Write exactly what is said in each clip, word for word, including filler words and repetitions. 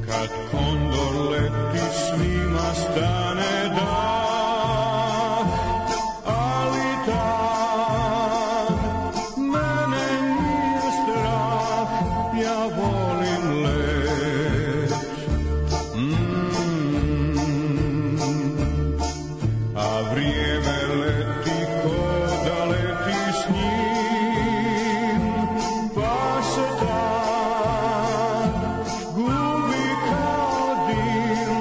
Kad kondor leti svima stane dah, ali tad mene nije strah, ja volim let. Mm. A vrijeme leti ko da leti s njim, pa se tad gubi kao dim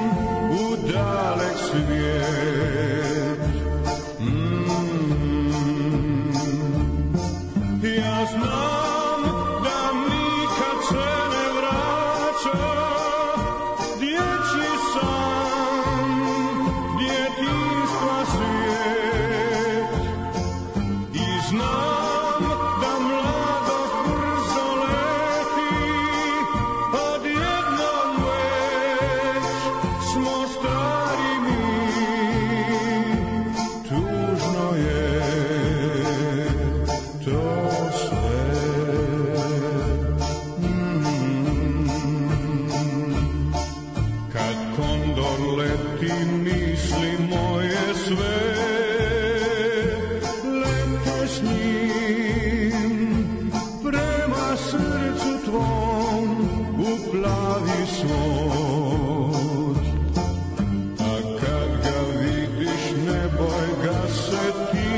u dalek svijet. Mm. Ja znam da nikad se ne vraća dječji san, djetinjstva svijet. I znam da mladost brzo leti, odjednom već smo stari mi. Tužno je to sve. Mm. Kad kondor leti misli moje sve lete s njim prema srcu tvom u plavi svod. A kad ga vidiš ne boj ga se ti,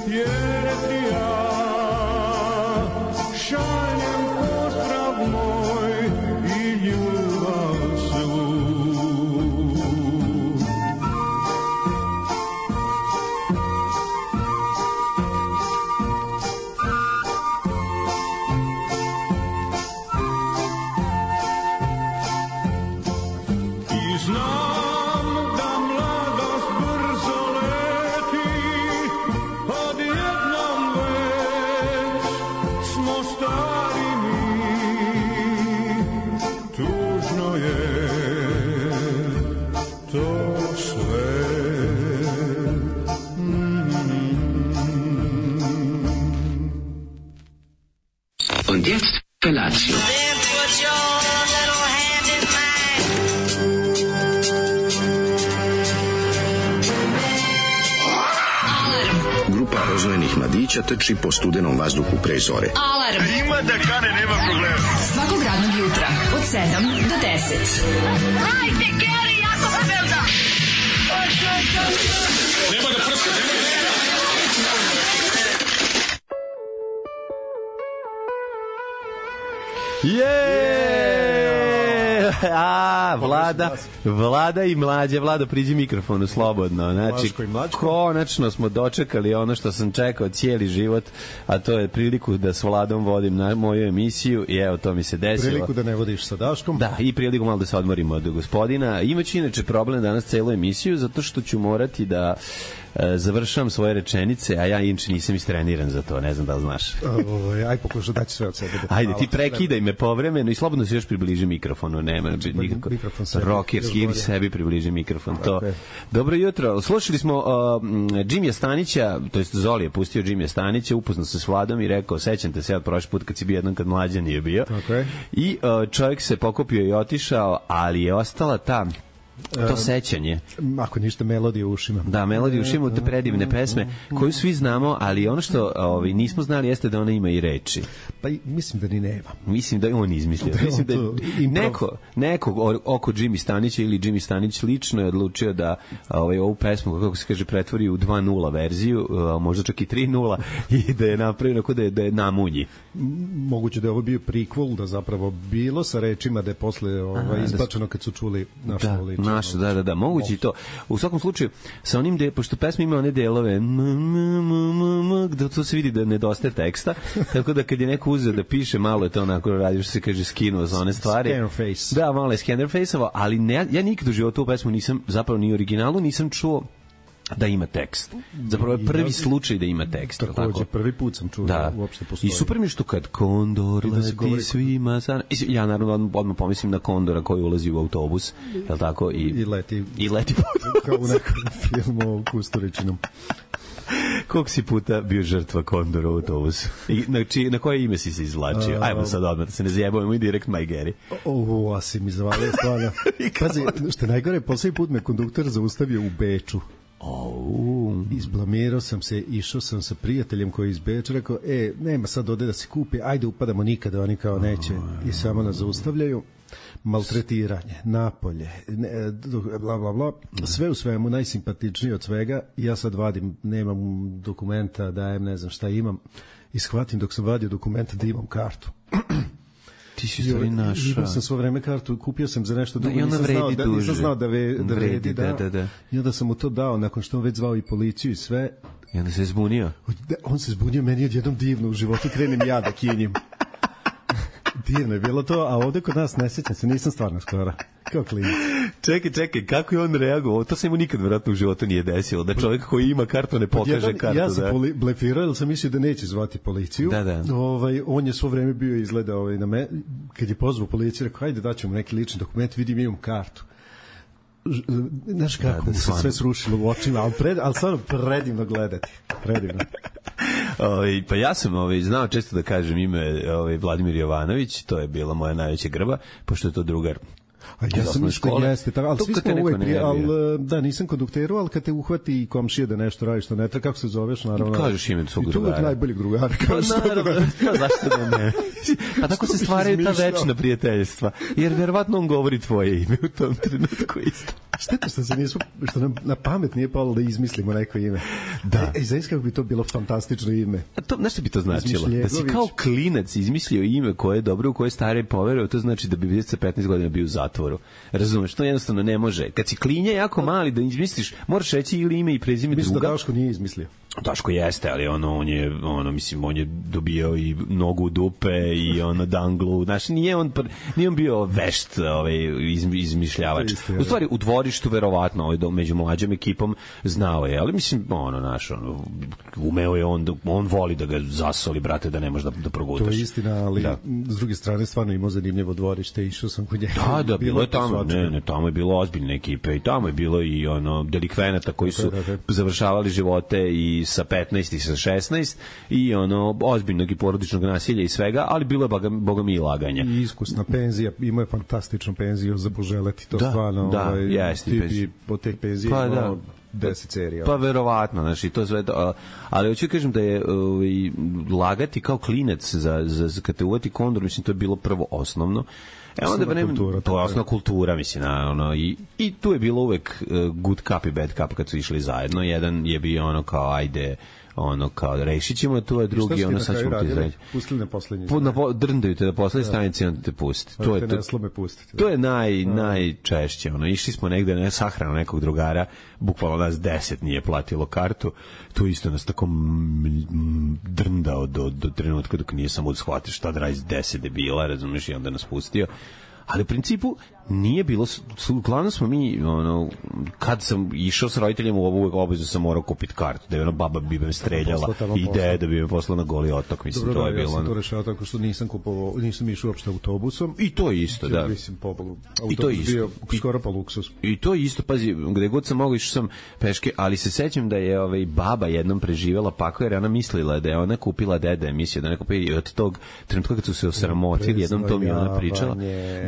jer ti ja šaljem pozdrav moj i ljubav svu. I znam da mladost brzo leti, odjednom već smo stari mi. Tužno je to sve. Und jetzt Felatio. Then put your little hand in mine. Grupa rozvojenih mladića trči po studenom vazduhu pre zore. Alarm. Ima da kane, nema problema. Svakog radnog jutra od sedam do deset. Hajde, Geri, jako se velda. Nema da prska, nema da prska. Je! A, Vlada, Vlada i Mlađe. Vlada, priđi mikrofonu slobodno. Znači, konačno smo dočekali ono što sam čekao cijeli život, a to je priliku da s Vladom vodim na moju emisiju i evo, to mi se desilo. Priliku da ne vodiš sa Daškom. Da, i priliku malo da se odmorimo od gospodina. Imaću inače problem danas celu emisiju, zato što ću morati da e, završam svoje rečenice, a ja inče nisam istreniran za to, ne znam da li znaš. Aj, pokušaj daći sve od sebe. Ajde, ti prekidaj me povremeno i slobodno se još približi mikrofonu, nema, znači nikako. Rokerski ili sebi približi mikrofon, to. Dobro jutro, slušali smo uh, Jimmy Stanića, to jest Zoli je pustio Jimmy Stanića, upoznao se s Vladom i rekao, sećam te se od prošli put kad si bio jednom kad Mlađa nije bio. Okay. I uh, čovjek se pokopio i otišao, ali je ostala ta to sećanje. Ako ništa, melodije u ušima. Da, melodije u ušima, te predivne pesme koju svi znamo, ali ono što ovaj, nismo znali jeste da ona ima i reči. Pa mislim da ni nema. Mislim da je on izmislio. Da mislim da on neko, nekog oko Jimmy Stanića ili Jimmy Stanić lično je odlučio da ovaj, ovu pesmu, kako se kaže, pretvori u dva nula verziju, možda čak i tri nula i da je napravio onako da je, da je namunji. Moguće da je ovo bio prequel, da zapravo bilo sa rečima da je posle ovaj, izbačeno kad su čuli našu da, ličnu. Našu, da, da, da, moguće i to. U svakom slučaju, sa onim, de, pošto pesma ima one delove, m, m, m, m, m, da to se vidi da nedostaje teksta, tako da kad je neko uzeo da piše, malo je to onako radi, što se kaže, skinuo za one stvari. Scannerface. Da, malo je Scannerface-ovo, ali ne, ja nikad u životu u pesmu nisam, zapravo ni originalu, nisam čuo da ima tekst. Zapravo je prvi slučaj da ima tekst. Takođe, prvi put sam čuo da uopšte postoji. I super mi što kad kondor leti govori... svima sana... Ja naravno odmah pomislim na kondora koji ulazi u autobus, je li tako? I, I leti. I leti kao u nekom filmu o Kusturičinom. Koliko si puta bio žrtva kondora u autobusu? I na, či, na koje ime si se izvlačio? Ajmo sad odmah, da se ne zjebavimo i direkt my Gary. O, a si mi zavalio stvarno. Pazi, što najgore, poslednji put me konduktor zaustavio u Beču. Oh. Izblamirao sam se, išao sam sa prijateljem koji je iz Beča, rekao, e, nema sad ode da se kupi, ajde upadamo nikada, oni kao neće i samo nas zaustavljaju. Maltretiranje, napolje, ne, bla, bla, bla, sve u svemu najsimpatičnije od svega. Ja sad vadim, nemam dokumenta, dajem, ne znam šta imam i shvatim dok sam vadio dokumenta da imam kartu. Ti si stvari naša. Imao sam svo vreme kartu, kupio sam za nešto drugo, da, nisam, znao da, nisam znao da, ve, da vredi, vredi, da. da, da, da. I onda sam mu to dao, nakon što on već zvao i policiju i sve. I onda se zbunio? On se zbunio, meni odjednom divno u životu, krenem ja da kinjim. Divno je bilo to, a ovde kod nas ne sjećam se, nisam stvarno skoro. Kao klinac. Čekaj, čekaj, kako je on reagovao? To se mu nikad vjerojatno u životu nije desilo, da čovjek koji ima kartu ne pokaže jedan, kartu. Ja sam da. poli, blefirao, jer sam mislio da neće zvati policiju. Da, da. Ovaj, on je svo vreme bio izgleda ovaj, na me, kad je pozvao policiju, rekao, hajde daćemo neki lični dokument, vidim imam kartu. Znaš kako da, da, se sve srušilo u očima, ali, pred, ali stvarno predivno gledati. Predivno. Ove, pa ja sam ove, znao često da kažem ime ove, Vladimir Jovanović, to je bila moja najveća grba, pošto je to drugar. A ja sam mislio da jeste, tako, ali svi smo uvek prije, ali da, nisam kondukteru, ali kad te uhvati komšija da nešto radiš, što ne treba, kako se zoveš, naravno. Kažeš ime svog drugara. I to uvek najboljeg drugara. Pa naravno, zašto da ne? Pa tako se stvaraju ta večna prijateljstva, jer verovatno on govori tvoje ime u tom trenutku isto. Šteta što se nismo, što nam na pamet nije palo da izmislimo neko ime. Da. E, zaista kako bi to bilo fantastično ime. A to, znaš što bi to značilo? Da si kao klinac izmislio ime koje je dobro, u koje je stari poverio, to znači da bi vidjeti sa petnaest godina bio u zatvoru. Razumeš, to jednostavno ne može. Kad si klinja jako mali da izmisliš, moraš reći ili ime i prezime druga. Mislim da Daško nije izmislio. Daško jeste, ali ono, on je, ono, mislim, on je dobio i nogu u dupe i ono danglu, znači nije on, nije on bio vešt ovaj, izmišljavač. U stvari, u dvorištu verovatno, ovaj, među mlađom ekipom znao je, ali mislim, ono, naš, ono, umeo je on, on voli da ga zasoli, brate, da ne može da, da progutaš. To je istina, ali da. S druge strane stvarno imao zanimljivo dvorište, išao sam kod njega. Da, da, bilo je tamo, ne, ne, tamo je bilo ozbiljne ekipe i tamo je bilo i ono, delikvenata koji su da, da, da. završavali živote i sa petnaest i sa šesnaest i ono ozbiljnog i porodičnog nasilja i svega, ali bilo je boga, boga mi i laganja. I iskusna penzija, ima je fantastičnu penziju za poželeti, to da, stvarno da, ovaj, jeste, tipi od te penzije pa, imao da. deset serija. Pa verovatno, znači to sve to, ali hoću kažem da je ovaj, lagati kao klinac za, za, za kad te uvati kondor, mislim to je bilo prvo osnovno. E onda vreme, to je osnovna kultura, mislim, ono, i, i tu je bilo uvek uh, good cup i bad cup kad su išli zajedno. Jedan je bio ono kao, ajde, ono kao, rešit ćemo tu, a drugi, ono, sad ćemo ti izreći. Pustili na poslednji. Po, na po, drndaju te na poslednji stanici, onda te pusti. To, to je, je, to, pustiti, to je naj, najčešće. Ono, išli smo negde na sahranu nekog drugara, bukvalno nas deset nije platilo kartu, to isto nas tako drndao do, do trenutka dok nije samo shvatio šta da radi s deset debila, razumiješ, i onda nas pustio. Ali u principu nije bilo, uglavnom smo mi, ono, kad sam išao s roditeljima u ovu obavezu sam morao kupiti kartu, da je ono baba bi me streljala i ideja da bi me poslala na Goli otok, mislim. Dobro, to je da, bilo. Ja sam to rešao tako što nisam kupovao, nisam išao uopšte autobusom. I to isto, da. Mislim, pobogu. I to isto. Bio skoro pa luksus. I to isto, pazi, gde god sam mogao išao sam peške, ali se sećam da je ovaj, baba jednom preživela pako, jer ona mislila da je ona kupila deda emisiju, da ne kupi, i od tog trenutka kad su se osramotili, jednom to mi je ona pričala,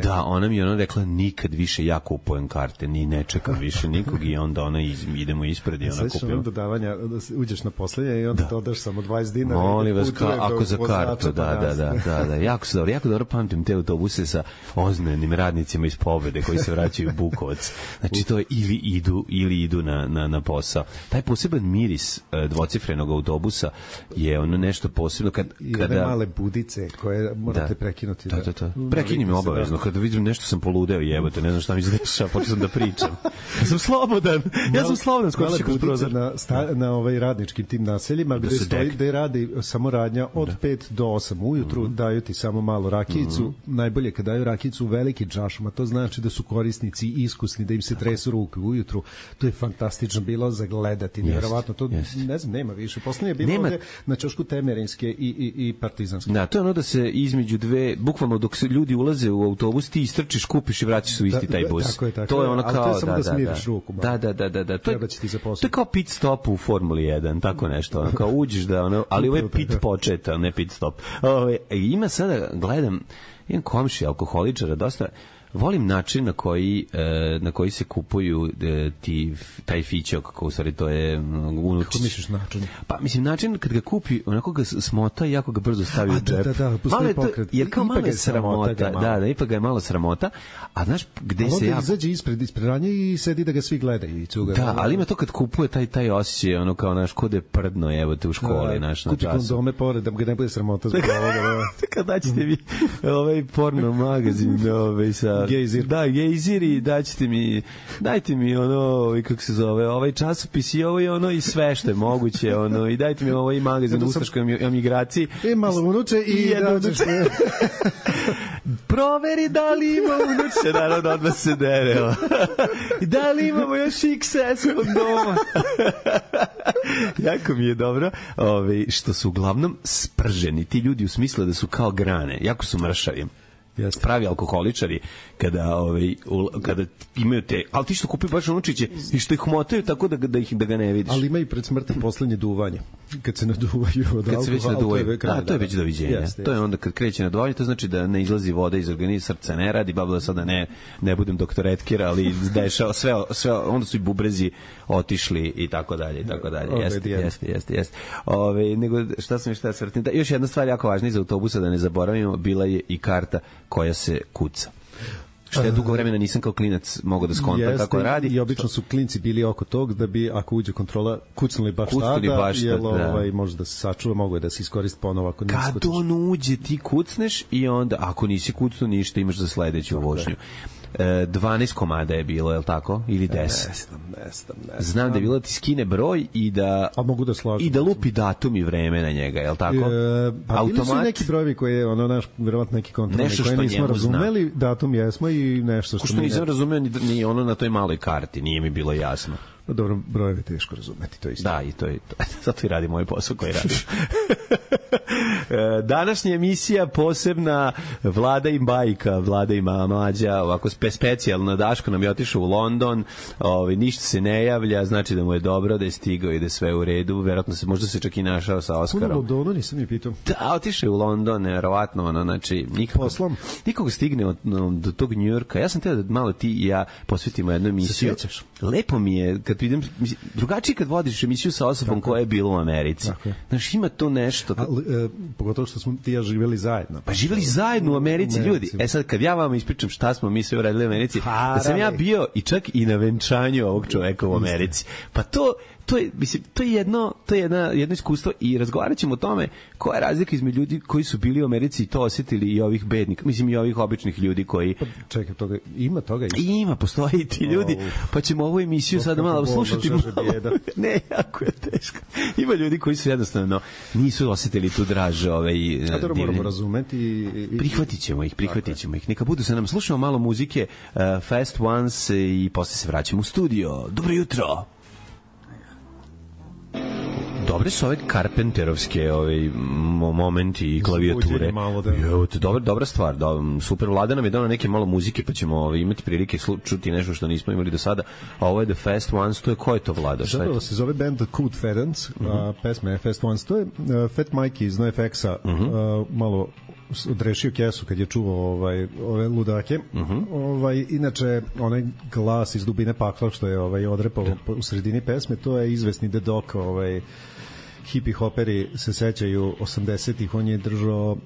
da ona mi je ona rekla nikad više ja kupujem karte, ni ne čekam više nikog i onda ona iz, idemo ispred i ona kupila. Sveći dodavanja, da uđeš na poslednje i onda da. dodaš samo dvadeset dinara. Molim vas, ka, ako za kartu, da, da, da, da, da, jako se dobro, jako dobro pamtim te autobuse sa ozbiljnim radnicima iz Pobede koji se vraćaju u Bukovac. Znači to je ili idu, ili idu na, na, na posao. Taj poseban miris dvocifrenog autobusa je ono nešto posebno kad, kada... I ove male budice koje morate da. prekinuti. Da, da, da. Prekini me obavezno, kada vidim nešto sam poludeo jebote, ne znam šta mi se dešava, počeo sam da pričam. Ja sam slobodan, ja sam slobodan, skočiš kroz prozor. Na, sta, na ovaj radničkim tim naseljima, gde stoji, gde radi samo radnja od da. pet do osam ujutru, mm. daju ti samo malo rakijicu, mm. najbolje kad daju rakijicu u velikim čašama, to znači da su korisnici iskusni, da im se tresu ruke ujutru, to je fantastično bilo za gledati, nevjerovatno, to jest. Ne znam, nema više, poslednje je bilo nema. Ovde na ćošku Temerinske i, i, i Partizanske. Da, to je ono da se između dve, bukvalno dok se ljudi ulaze u autobus, ti istrčiš, kupiš i vraćaš se u isti Da, taj da, bus. tako je, tako to je je, ono ali kao to je samo da, da da, smiriš da. ruku malo. Da, da, da, da, da. To je, Treba će ti za posao. to je kao pit stop u Formuli jedan, tako nešto. Ono, kao uđeš da ono, ali ovo je pit početa, ne pit stop. Ove, ima sada, gledam, imam komši alkoholičara, dosta volim način na koji e, na koji se kupuju e, ti taj fićo, kako u stvari to je unučić. Kako misliš način? Pa mislim način kad ga kupi, onako ga smota i jako ga brzo stavi u A, džep. da, da, da, postoji Malo je to- pokret. jer kao Ipak malo je je sramota sramota, ga malo. da, da, ipak ga je malo sramota, a znaš gde Ali se onda ja izađe ispred, ispred ranje i sedi da ga svi gledaju i cuga. da, ali ima to kad kupuje taj taj osjećaj, ono kao naš kod je prdno, evo te u školi, naš na Kupi času. kondome pored da ga ne bude sramota zbog ovoga. Da. Kad daćete mi ovaj porno magazin ovaj sa Gejzir. da gejzir i daćete mi dajte mi ono ovaj, kako se zove ovaj časopis i ovo i ono i sve što je moguće ono i dajte mi ovaj magazin Zato o sam- ustaškoj emigraciji E, malo unuče i, I jedno dađeš unuče. proveri da li ima unuče, naravno odmah se dere evo. I da li imamo još iks es kondoma. Jako mi je dobro ovaj, što su uglavnom sprženi ti ljudi u smislu da su kao grane, jako su mršavi. Jeste. Pravi alkoholičari kada ovaj u, kada imaju te, ali ti što kupi baš unučiće i što ih motaju tako da ga- da ih da ga ne vidiš. Ali ima i pred smrti poslednje duvanje. Kad se naduvaju od Kad se već alkohola, naduvaju, to je kraj, da, to je već doviđenja. Jeste, To je jeste. onda kad kreće naduvanje, to znači da ne izlazi voda iz organizma, srce ne radi, babla sada ne ne budem doktor Etkir, ali dešava sve sve onda su i bubrezi otišli i tako dalje i tako dalje. Ove, Jeste, dijem. jeste, jeste, jeste. Ove, nego šta sam šta se vrtim. Da, još jedna stvar jako važna iz autobusa da ne zaboravimo, bila je i karta koja se kuca. Što ja dugo vremena nisam kao klinac mogao da skontam Jeste, kako radi. I obično su klinci bili oko tog da bi, ako uđe kontrola, kucnuli baš Kucnuli tada, baš jer tada, ovaj, da. može da se sačuva, mogu je da se iskoristi ponovo ako nisi Kad kucaš. on uđe, ti kucneš i onda, ako nisi kucnuo ništa, imaš za sledeću vožnju. E, dvanaest komada je bilo, je li tako? Ili deset? Ne znam, ne znam, ne znam. Znam da je bilo da ti skine broj i da A mogu da slažem. i da lupi datum i vreme na njega, je li tako? E, pa bili su i Automat, neki brojevi koje je ono naš verovatno neki kontrolni Nešto koje što nismo njemu razumeli, datum jesmo i nešto što, ko što mi nisam ne- razumeo ni, ni ono na toj maloj karti, nije mi bilo jasno. Pa dobro, brojeve je teško razumeti, to je isto. Da, i to je to. Zato i radi moj posao koji radim. E, Današnja emisija posebna Vlada i bajka, Vlada i mlađa, ovako spe, specijalno Daško nam je otišao u London, ovaj, ništa se ne javlja, znači da mu je dobro, da je stigao i da je sve u redu, verovatno se možda se čak i našao sa Puno Oskarom. Londonu nisam je pitao. Da, otišao je u London, nevjerovatno, ono, znači, nikako, Poslom? nikako stigne od, no, do tog Njujorka. Ja sam teo da malo ti i ja posvetimo jednu emisiju. sjećaš? Lepo mi je, kad idem, mislim, drugačije kad vodiš emisiju sa osobom koja je bila u Americi. Tako je. Znaš, ima to nešto. Ali, e, pogotovo što smo ti i ja živjeli zajedno. Pa živjeli zajedno u Americi, U Americi. ljudi. E sad, kad ja vam ispričam šta smo mi sve uradili u Americi, Pa, da sam ja radi. bio i čak i na venčanju ovog čoveka u Americi. Pa to, to je, mislim, to je jedno, to je jedna, jedno iskustvo i razgovarat ćemo o tome koja je razlika između ljudi koji su bili u Americi i to osjetili i ovih bednika, mislim i ovih običnih ljudi koji Čekaj, toga, ima toga isto. i ima, postoje i ti ljudi, pa ćemo ovu emisiju Oh, sad kako malo bolno, slušati. žaže Malo. bijeda. Ne, jako je teško. Ima ljudi koji su jednostavno nisu osjetili tu draž ovaj, A dobro, moramo divljenje. razumeti i... i Prihvatit ćemo ih, prihvatit ćemo ih. Neka budu sa nam. Slušamo malo muzike, uh, Fast Ones i posle se vraćamo u studio. Dobro jutro! Dobre su ove Carpenterovske ovaj, mo- momenti i klavijature. Uzbuđenje malo, da. Jo, to je dobra, dobra stvar. Da, super, Vlada nam je dao neke malo muzike, pa ćemo ovaj, imati prilike slu, čuti nešto što nismo imali do sada. A ovo je The Fast Ones, to je ko je to, Vlada? Šta je Zapravo to? se zove band The Coot Ferenc, uh -huh. a pesma je Fast Ones. To je uh, Fat Mikey iz NoFX-a uh -huh. uh, malo s- odrešio kesu kad je čuo ovaj, ove ludake. Uh -huh. ovaj, inače, onaj glas iz dubine pakla što je ovaj, odrepao u sredini pesme, to je izvesni The Doc, ovaj, hippie hoperi se sećaju osamdesetih, on je držao uh,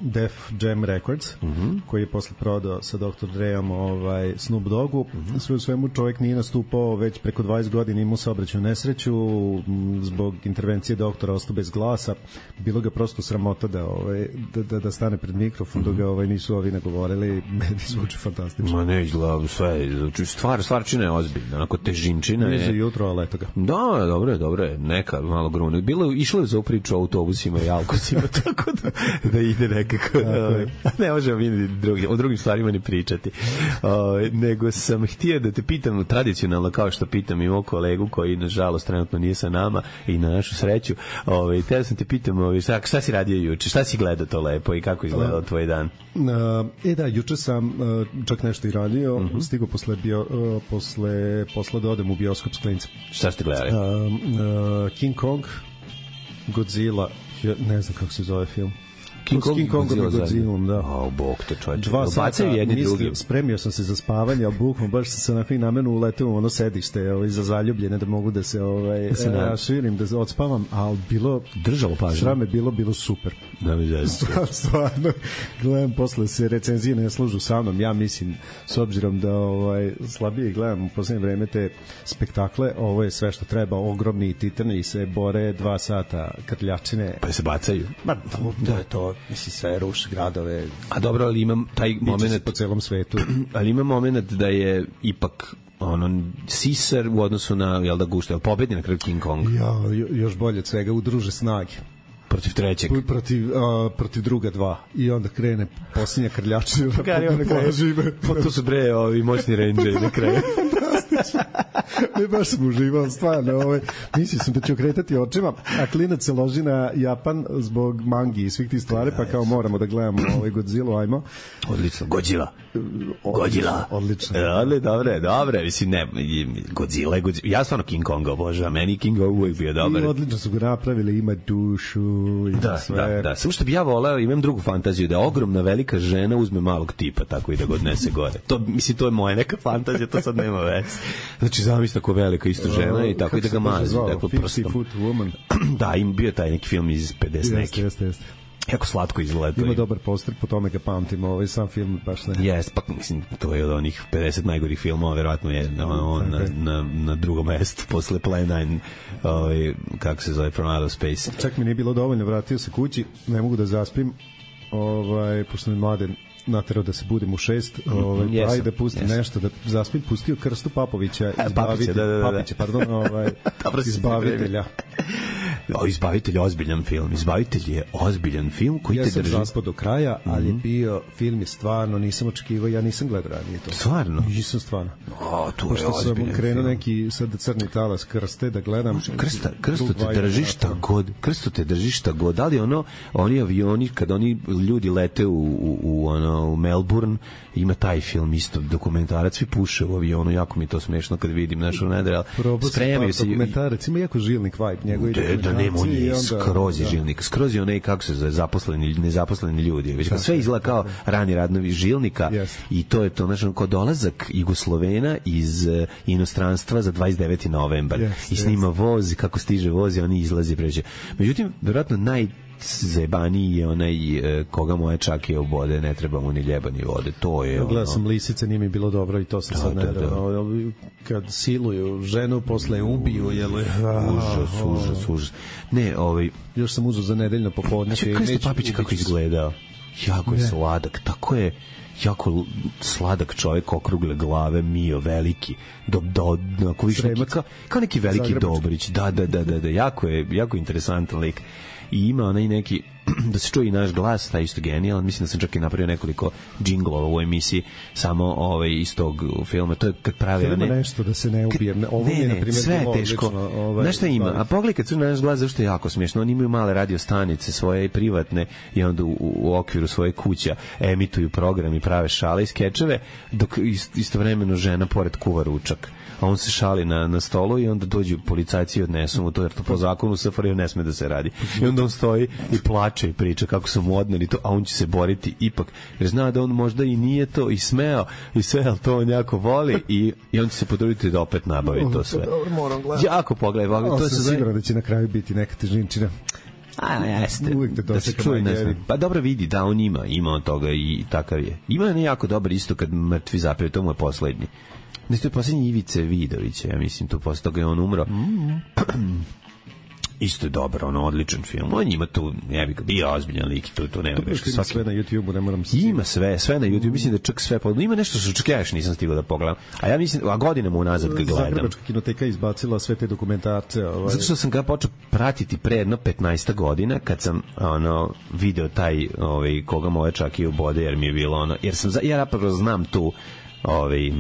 Def Jam Records, uh -huh. koji je posle prodao sa doktor Dreom ovaj, Snoop Doggu. Uh -huh. Sve u svemu čovjek nije nastupao već preko dvadeset godina, imao saobraćajnu nesreću, m, zbog intervencije doktora ostao bez glasa. Bilo ga prosto sramota da, ovaj, da, da, da stane pred mikrofon, uh -huh. dok ga ovaj, nisu ovi nagovorili. Meni zvuči fantastično. Ma ne, izgleda sve, znači, stvar, stvarčina je ozbiljna, onako težinčina Blizu je. jutro, ali eto ga. Da, dobro je, dobro je, neka malo grune. bilo išlo je za ovu priču o autobusima i alkosima, tako da, da ide nekako. Ovaj, ne možemo mi drugi, o drugim stvarima ni pričati. Ovaj, nego sam htio da te pitam tradicionalno, kao što pitam i mog kolegu koji nažalost trenutno nije sa nama i na našu sreću. Ovaj, te sam te pitam, ovaj, šta, šta si radio juče? Šta si gledao to lepo i kako izgledao tvoj dan? E da, juče sam čak nešto i radio, mm-hmm. stigo posle, bio, posle posla da odem u bioskop s klincem. Šta ste gledali? Uh, uh, King Kong, Godzilla, ne znam kako se zove film. King Kong, King Kongom i Godzillom, da. O, bog te čovječe. Dva sata, mislim, spremio sam se za spavanje, ali bukom, baš sam se onako i namenu uleteo u ono sedište ovaj, za zaljubljene, da mogu da se ovaj, raširim, da odspavam, ali bilo, držalo pažnje. Srame bilo, bilo super. Da mi zajedno. Stvarno, gledam, posle se recenzije ne služu sa mnom, ja mislim, s obzirom da ovaj, slabije gledam u posljednje vreme te spektakle, ovo je sve što treba, ogromni titani se bore dva sata krljačine. Pa se bacaju. Ma, to, to je to. Mislim, sve ruši gradove. A dobro, ali imam taj moment po celom svetu. Ali ima moment da je ipak ono sisar u odnosu na, jel da gušta, jel pobedi na kraju King Kong? Ja, još bolje od svega, udruže snage. Protiv trećeg. Protiv, uh, protiv druga dva. I onda krene posljednja krljačina. Kari, onda krene. Pa to su bre ovi moćni rangeri na kraju. Ne, baš sam uživao, stvarno. Ovaj, mislio sam da ću okretati očima, a klinac se loži na Japan zbog mangi i svih tih stvari, pa kao moramo da gledamo ovaj Godzilla, ajmo. Odlično, Godzilla. Godzilla. Odlično. Ali, dobre, dobre, mislim, ne, Godzilla je Godzilla. Ja stvarno King Konga obožavam, meni King Kong uvijek bio dobar. I odlično su ga napravili, ima dušu, ima da, sve. Da, da, samo što bi ja voleo, imam drugu fantaziju, da ogromna velika žena uzme malog tipa, tako i da ga odnese gore. To, mislim, to je moja neka fantazija, to sad nema veze. Znači, zamisli tako velika isto žena i tako i da ga mazi. Tako prstom. Da, im bio taj neki film iz pedeset neki. Jeste, jeste. Jako slatko izgleda. Ima dobar poster, po tome ga pamtim, ovaj sam film baš ne. Jes, pa mislim, to je od onih pedeset najgorih filmova, verovatno je on, on na, na, na drugom mestu, posle Plan nine, ovaj, kako se zove, From Outer Space. Čak mi nije bilo dovoljno, vratio se kući, ne mogu da zaspim, ovaj, pošto mi mladen naterao da se budim u šest, ovaj, yes, ajde da pustim yes. nešto, da zaspim, pustio Krstu Papovića, izbavitelja, da, da, da. Papića, pardon, ovaj, izbavitelja. O, Izbavitelj je ozbiljan film. Izbavitelj je ozbiljan film koji ja te drži. Ja sam zaspao do kraja, ali mm-hmm. je bio film je stvarno, nisam očekivao, ja nisam gledao ranije to. Stvarno? Nisam stvarno. O, to je ozbiljan film. Sam krenuo neki sad crni talas Krste da gledam. Krsta, Krsto te drži šta god. Krsto te drži šta god. Da li ono, oni avioni, kad oni ljudi lete u, u, u, ono, u Melbourne, ima taj film isto, dokumentarac, svi puše u avionu, jako mi to smešno kad vidim našu nedre, spremaju se. Dokumentarac, ima jako žilnik vibe, njegovi da nema, on je skroz je žilnik, skroz je onaj, kako se zove, zaposleni, nezaposleni ljudi, već kad sve izgleda kao rani radnovi žilnika yes. i to je to, znači, kao dolazak Jugoslovena iz uh, inostranstva za dvadeset deveti novembar yes, i snima yes. voz, kako stiže voz i oni izlazi pređe. Međutim, vjerojatno naj zajebaniji je onaj e, koga moje čake obode, ne treba mu ni ljeba ni vode, to je ono... Gledao sam Lisice, nije mi bilo dobro i to sam da, sad ne da, da. Kad siluju ženu, posle ubiju, jel... Užas, užas, užas. Ne, ovaj... Još sam uzeo za nedeljno popodne. Znači, Krsto Papić kako izgledao? Jako je sladak, tako je jako sladak čovjek, okrugle glave, mio, veliki, do, do, do, više neki, kao, kao neki veliki Zagrebački. Dobrić, da, da, da, da, da, jako je, jako interesantan lik. I ima onaj neki, da se čuje i naš glas, taj isto genijalan, mislim da sam čak i napravio nekoliko džinglova u emisiji, samo ovaj, iz tog filma, to je kad pravi... Ima ne, nešto da se ne ubijem, ovo ne, ne, ne, sve je teško, ovaj, znaš šta ima, a pogledaj kad su naš glas, zašto je jako smiješno, oni imaju male radiostanice svoje i privatne i onda u, u okviru svoje kuća emituju program i prave šale i skečeve, dok istovremeno žena pored kuva ručak. A on se šali na, na stolu i onda dođu policajci i odnesu mu to, jer to po zakonu S F R J ne sme da se radi. I onda on stoji i plače i priča kako su mu odneli to, a on će se boriti ipak, jer zna da on možda i nije to i smeo i sve, ali to on jako voli i, i on će se potruditi da opet nabavi to sve. Jako pogledaj, pogledaj. To se sigurno da će na kraju biti neka težinčina. A, jeste, da se čuje, ne znam. Pa dobro vidi, da, on ima, ima od toga i takav je. Ima je jako dobar isto kad mrtvi zapiju, to mu je poslednji. Ne, to je posljednji Ivice Vidovića, ja mislim, to posle toga je on umro. Mm. isto je dobar, ono, odličan film. On ima tu, ja bih bio ozbiljan lik, tu, tu nema greške. Svaki... Sve na YouTube-u, ne moram se... Ima sve, sve na YouTube, mislim da čak sve, pa ima nešto što čak ja još nisam stigao da pogledam. A ja mislim, a godinama unazad ga gledam. Zagrebačka kinoteka izbacila sve te dokumentarce. Ovaj... Zato što sam ga počeo pratiti pre jedno petnaest godina, kad sam ono, video taj, ovaj, koga moje čak i ubode, jer mi je bilo ono, jer sam, ja napravo znam tu, ovaj,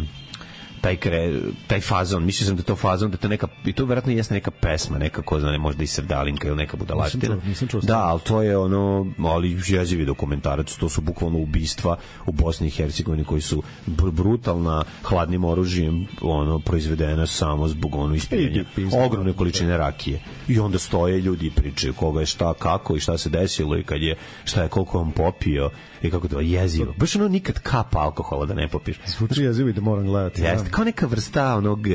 taj kre, taj fazon, mislio sam da to fazon, da to neka, i to verovatno jeste neka pesma, neka ko zna, ne, možda i Sevdalinka ili neka budalaština. Nisam čuo, nisam čuo. Da, ali to je ono, ali jezivi dokumentarac, to su bukvalno ubistva u Bosni i Hercegovini koji su br brutalna, hladnim oružjem, ono, proizvedena samo zbog ono ispiljenja ogromne količine rakije. I onda stoje ljudi i pričaju koga je šta, kako i šta se desilo i kad je, šta je, koliko on popio i kako to jezivo. Baš ono nikad kapa alkohola da ne popiješ. Zvuči jezivo i da moram gledati. Jeste, kao neka vrsta onog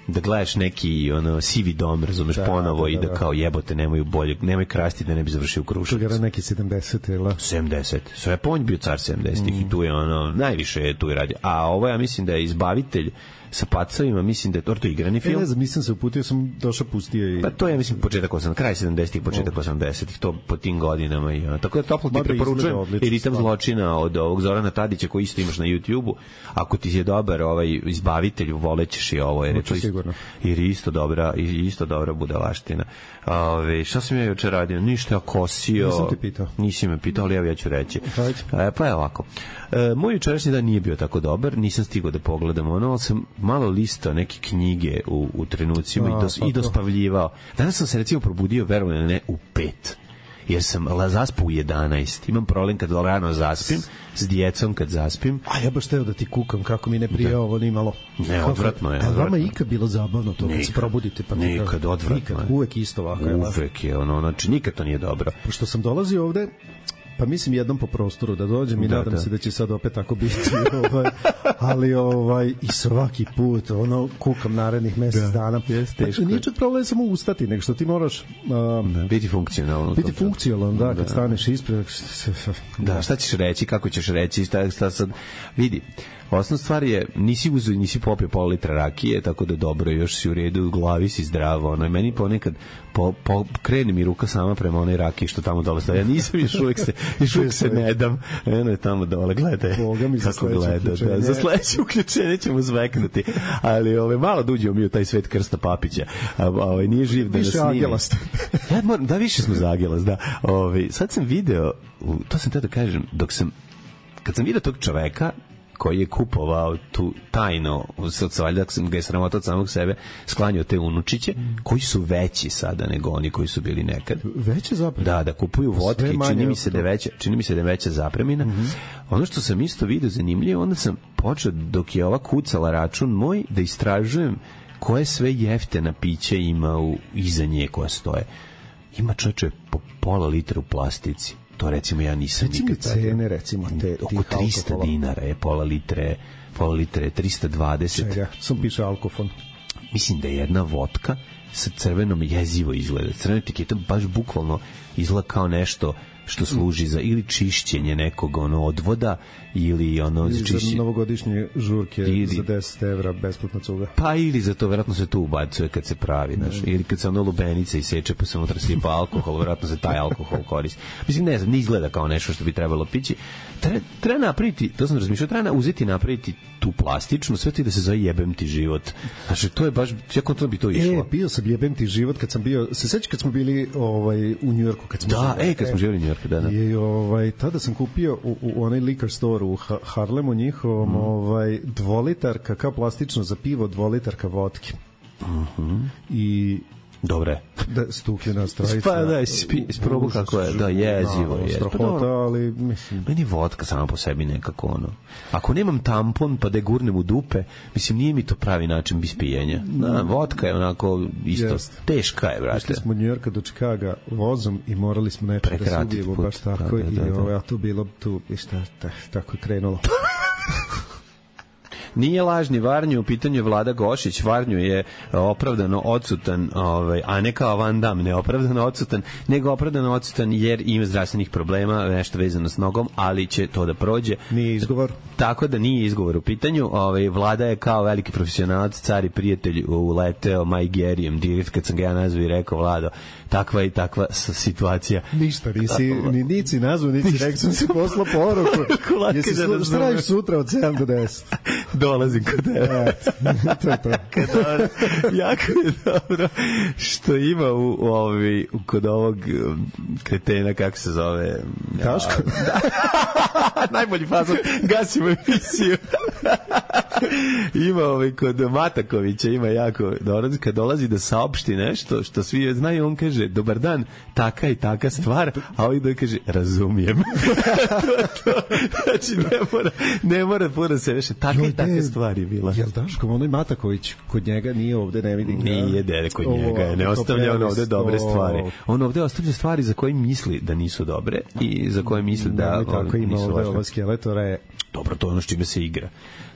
da gledaš neki ono sivi dom, razumeš, da, ponovo da, da, da. I da kao jebote nemaju bolje, nemoj krasti da ne bi završio u Kruševcu. To je neki sedamdeset ili sedamdeset. Sve Ponj bio car sedamdesetih mm. i tu je ono najviše je tu je radio. A ovo ja mislim da je Izbavitelj sa pacovima, mislim da je to, to igrani film. E, ne znam, nisam se uputio, sam došao pustio i... Pa to je, mislim, početak osamdesetih, kraj sedamdesetih, početak osamdesetih, to po tim godinama. I, ono. Tako da toplo ti preporučujem i Ritam zločina od ovog Zorana Tadića koji isto imaš na YouTube-u. Ako ti je dobar ovaj Izbavitelj, volećeš i ovo, jer je to isto, jer je isto dobra, isto dobra budalaština. Ove, šta sam ja juče radio? Ništa, ja kosio. Nisam ti pitao. Nisi me pitao, ali evo ja ću reći. E, pa je ovako. E, moj jučerašnji dan nije bio tako dobar, nisam stigao da pogledam ono, ali sam malo listao neke knjige u, u trenucima A, i, dos, pa i dospavljivao. Danas sam se recimo probudio, verujem ne, u pet. Jer sam zaspao u jedanaest. Imam problem kad rano zaspim, s djecom kad zaspim. A ja baš teo da ti kukam kako mi ne prije da. Ovo ni malo. Ne, odvratno je. A vama ikad bilo zabavno to kad se probudite? Pa nikad, nikad odvratno nikad, je. Uvek isto ovako. Uvek je, ono, znači nikad to nije dobro. Pošto sam dolazio ovde, pa mislim jednom po prostoru da dođem i da, nadam da. se da će sad opet tako biti, ovaj, ali ovaj, i svaki put ono, kukam narednih mesec da, dana. Jeste teško. Nije čak problem samo ustati, nego što ti moraš um, da, biti funkcionalno. Biti funkcionalno, da, kad da. staneš ispred. Da, šta ćeš reći, kako ćeš reći, šta, šta sad, vidi. Osnovna stvar je, nisi uzeo, nisi popio pola litra rakije, tako da dobro, još si u redu, u glavi si zdravo, ono, i meni ponekad po, po, krene mi ruka sama prema onoj rakiji što tamo dole stoji. Ja nisam, još uvijek se, još uvijek se ne dam, eno je tamo dole, gledaj, kako gleda, da, za sledeće uključenje ćemo zveknuti, ali ove, malo da uđemo mi u taj svet Krsta Papića, a, ove, nije živ da više nas snimi. Agelast. Ja, moram, da, više smo za Agelast, da. Ove, sad sam video, to sam teo da kažem, dok sam, kad sam video tog čoveka, koji je kupovao tu tajno, sad valjda sam ga je sramota od samog sebe, sklanjao te unučiće, koji su veći sada nego oni koji su bili nekad. Veće zapremine? Da, da kupuju vodke, čini mi se da je veća, čini mi se da je veća zapremina. Mm -hmm. Ono što sam isto vidio zanimljivo, onda sam počeo, dok je ova kucala račun moj, da istražujem koje sve jeftena pića ima u, iza nje koja stoje. Ima čoveče po pola litra u plastici. To recimo ja nisam recimo nikad cene recimo te oko trista dinara je pola litre, pola litre trista dvadeset. Čega? Sam piše alkofon. Mislim da je jedna vodka sa crvenom jezivo izgleda. Crvena etiketa baš bukvalno izgleda kao nešto što služi za ili čišćenje nekog ono odvoda ili ono ili za čišćenje novogodišnje žurke ili za deset evra besplatna cuga. Pa ili za to verovatno se tu ubacuje kad se pravi, znaš, ili kad se ono lubenica iseče pa se unutra sipa alkohol, verovatno se taj alkohol koristi. Mislim, ne znam, ne izgleda kao nešto što bi trebalo pići. Treba, treba napraviti, to sam razmišljao, treba uzeti napraviti tu plastičnu, sve ti da se zove jebem ti život. Znači, to je baš, jako to bi to išlo. E, bio sam jebem ti život kad sam bio, se sećaš kad smo bili ovaj, u Njujorku? Kad smo da, živali, e, kad smo živjeli u Njujorku, da, da. I ovaj, tada sam kupio u, u onaj liquor store u Harlemu njihovom mm. ovaj, dvolitarka, kao plastično za pivo, dvolitarka vodke. Mhm. I dobre. Da, stukljena strajica. Pa da, isprobu kako je, da, jezivo je. Strahota, ali mislim... Meni vodka sama po sebi nekako ono. Ako nemam tampon pa da je gurnem u dupe, mislim, nije mi to pravi način ispijenja. Da, vodka je onako isto, yes. Teška je, brate. Išli smo od Njujorka do Čikaga vozom i morali smo nešto da se ubijemo, baš tako. Da, da, da, i ovo, a tu bilo, tu, i šta, tako je krenulo. Nije lažni Varnju, u pitanju je Vlada Gošić. Varnju je opravdano odsutan, ovaj, a ne kao Van Damme, ne opravdano odsutan, nego opravdano odsutan jer ima zdravstvenih problema, nešto vezano s nogom, ali će to da prođe. Nije izgovor. Tako da nije izgovor u pitanju. Ovaj, Vlada je kao veliki profesionalac, car i prijatelj uleteo Majgerijem, direkt kad sam ga ja nazvao i rekao, Vlado, takva i takva situacija. Ništa, nisi, ni nici nazvao, nici rekao, sam si poslao poruku. Jesi slu, šta radiš sutra od sedam do deset? Dolazim kod tebe. To je to. Dobro, jako je dobro što ima u, u ovi, kod ovog kretena, kako se zove? Taško? Najbolji fazon, gasimo emisiju. Ima ovaj kod Matakovića, ima jako dobro, kad dolazi da saopšti nešto što svi znaju, on kaže, dobar dan, taka i taka stvar, a ovaj da kaže, razumijem. to, to. Znači, ne mora, ne mora puno se veše, taka i taka stvar je bila. Jel Daško, onaj Mataković, kod njega nije ovde, ne vidim. Nije dede kod njega, ne ostavlja on ovde dobre stvari. On ovde ostavlja stvari za koje misli da nisu dobre i za koje misli da tako ima ovde ova skeletora je... Dobro, to je ono s čime se igra.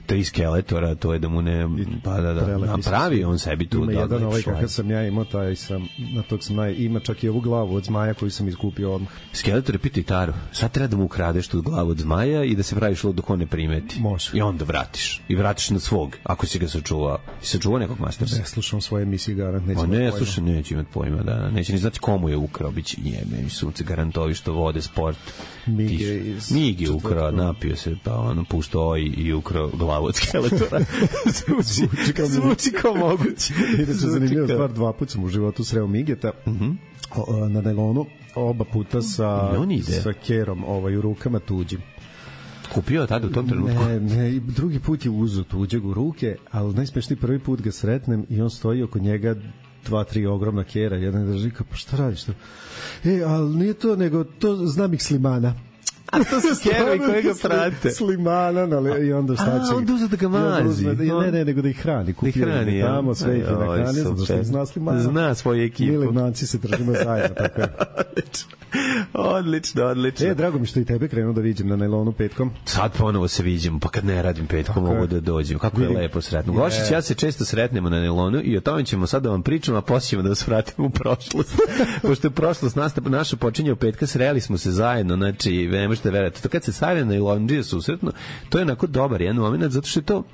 Tri skeletora, to je da mu ne... Pa da, da, napravi on sebi tu... Ima jedan ovaj kakav sam ja imao, taj sam, na tog sam naj... Ima čak i ovu glavu od zmaja koju sam iskupio odmah. Skeletor je piti Taru. Sad treba da mu ukradeš tu glavu od zmaja i da se praviš lud dok on ne primeti. Može. I onda vratiš. I vratiš na svog, ako si ga sačuvao. I sačuvao nekog mastersa. Ne slušam svoje emisije, garant. Neće ne, slušam, neće imati pojma. Da, neće ni znati komu je ukrao. Biće jebe, mi sunce garantovi što vode sport. Mige iz... Mige ukrao, napio se, pa ono puštao i, i ukrao glavu od skeletora. zvuči, zvuči kao moguće. Inače, zanimljiva stvar, dva puta sam u životu sreo Migeta mm-hmm. na nailonu, oba puta sa, sa kerom ovaj, u rukama tuđim. Kupio tada u tom trenutku? Ne, ne, drugi put je uzeo tuđeg u ruke, ali najsmešniji prvi put ga sretnem i on stoji oko njega dva, tri ogromna kera, jedan drži kao, pa šta radiš to? E, ali nije to, nego to znam ih Slimana. A to su kerovi koji ga prate. Slimana, ali i onda šta će... A, onda uze da ga mazi. Ne, ne, nego da ih hrani. Da ih hrani, ja. Tamo sve ih je nahrani, zato što ih zna Slimana. Zna svoju ekipu. Mi Legnanci se držimo zajedno, tako je. Odlično, odlično. E, drago mi što i tebe krenuo da vidim na nailonu petkom. Sad ponovo se viđemo, pa kad ne radim petkom tako mogu da dođem. Kako je lepo sretno. Gošić, ja se često sretnemo na nailonu i o tome ćemo sad da vam pričamo, a poslije ćemo da vas vratimo u prošlost. Pošto je prošlost naša počinje u petka, sreli smo se zajedno, znači, ne možete verovati. To kad se stavlja na nailondžije susretno, to je onako dobar jedan moment, zato što je to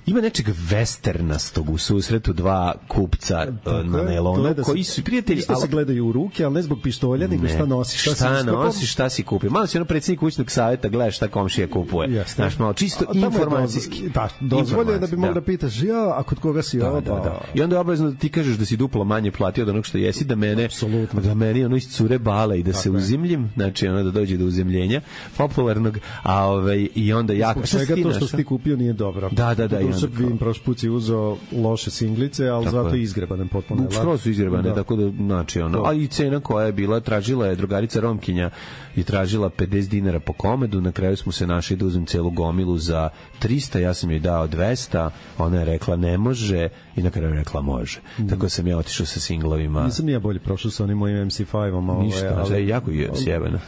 ima nečeg westernastog u susretu dva kupca tako na nailonu koji su prijatelji, ali se gledaju u ruke, ali ne zbog pištolja, nego šta nosiš, šta, šta si nosiš, šta si kupio. Malo si ono predsjednik kućnog savjeta, gledaš šta komšija kupuje. Znaš, malo čisto a, informacijski. Da, dozvoljeno da bi mogla da pitaš, ja, a kod koga si ovo? Da, da, da. I onda je obavezno da ti kažeš da si duplo manje platio od onog što jesi, da mene, apsolutno, da meni ono iscure bale i da tako se uzimljim, znači ono da dođe do uzemljenja popularnog, a ovaj i onda jako svega to što si ti kupio nije dobro. Da, da, da. Vidim, prošli put si uzeo loše singlice, ali tako zato je izgrebane potpuno. Skoro su izgrebane, da. Tako da, znači, ono, a i cena koja je bila, tražila je drugarica Romkinja i tražila pedeset dinara po komedu, na kraju smo se našli da uzem celu gomilu za trista, ja sam joj dao dvesta, ona je rekla ne može i na kraju je rekla može. Mm. Tako sam ja otišao sa singlovima. Nisam ja bolje prošao sa onim mojim em ce pet-om. Ništa, ali, ali jako je sjebeno.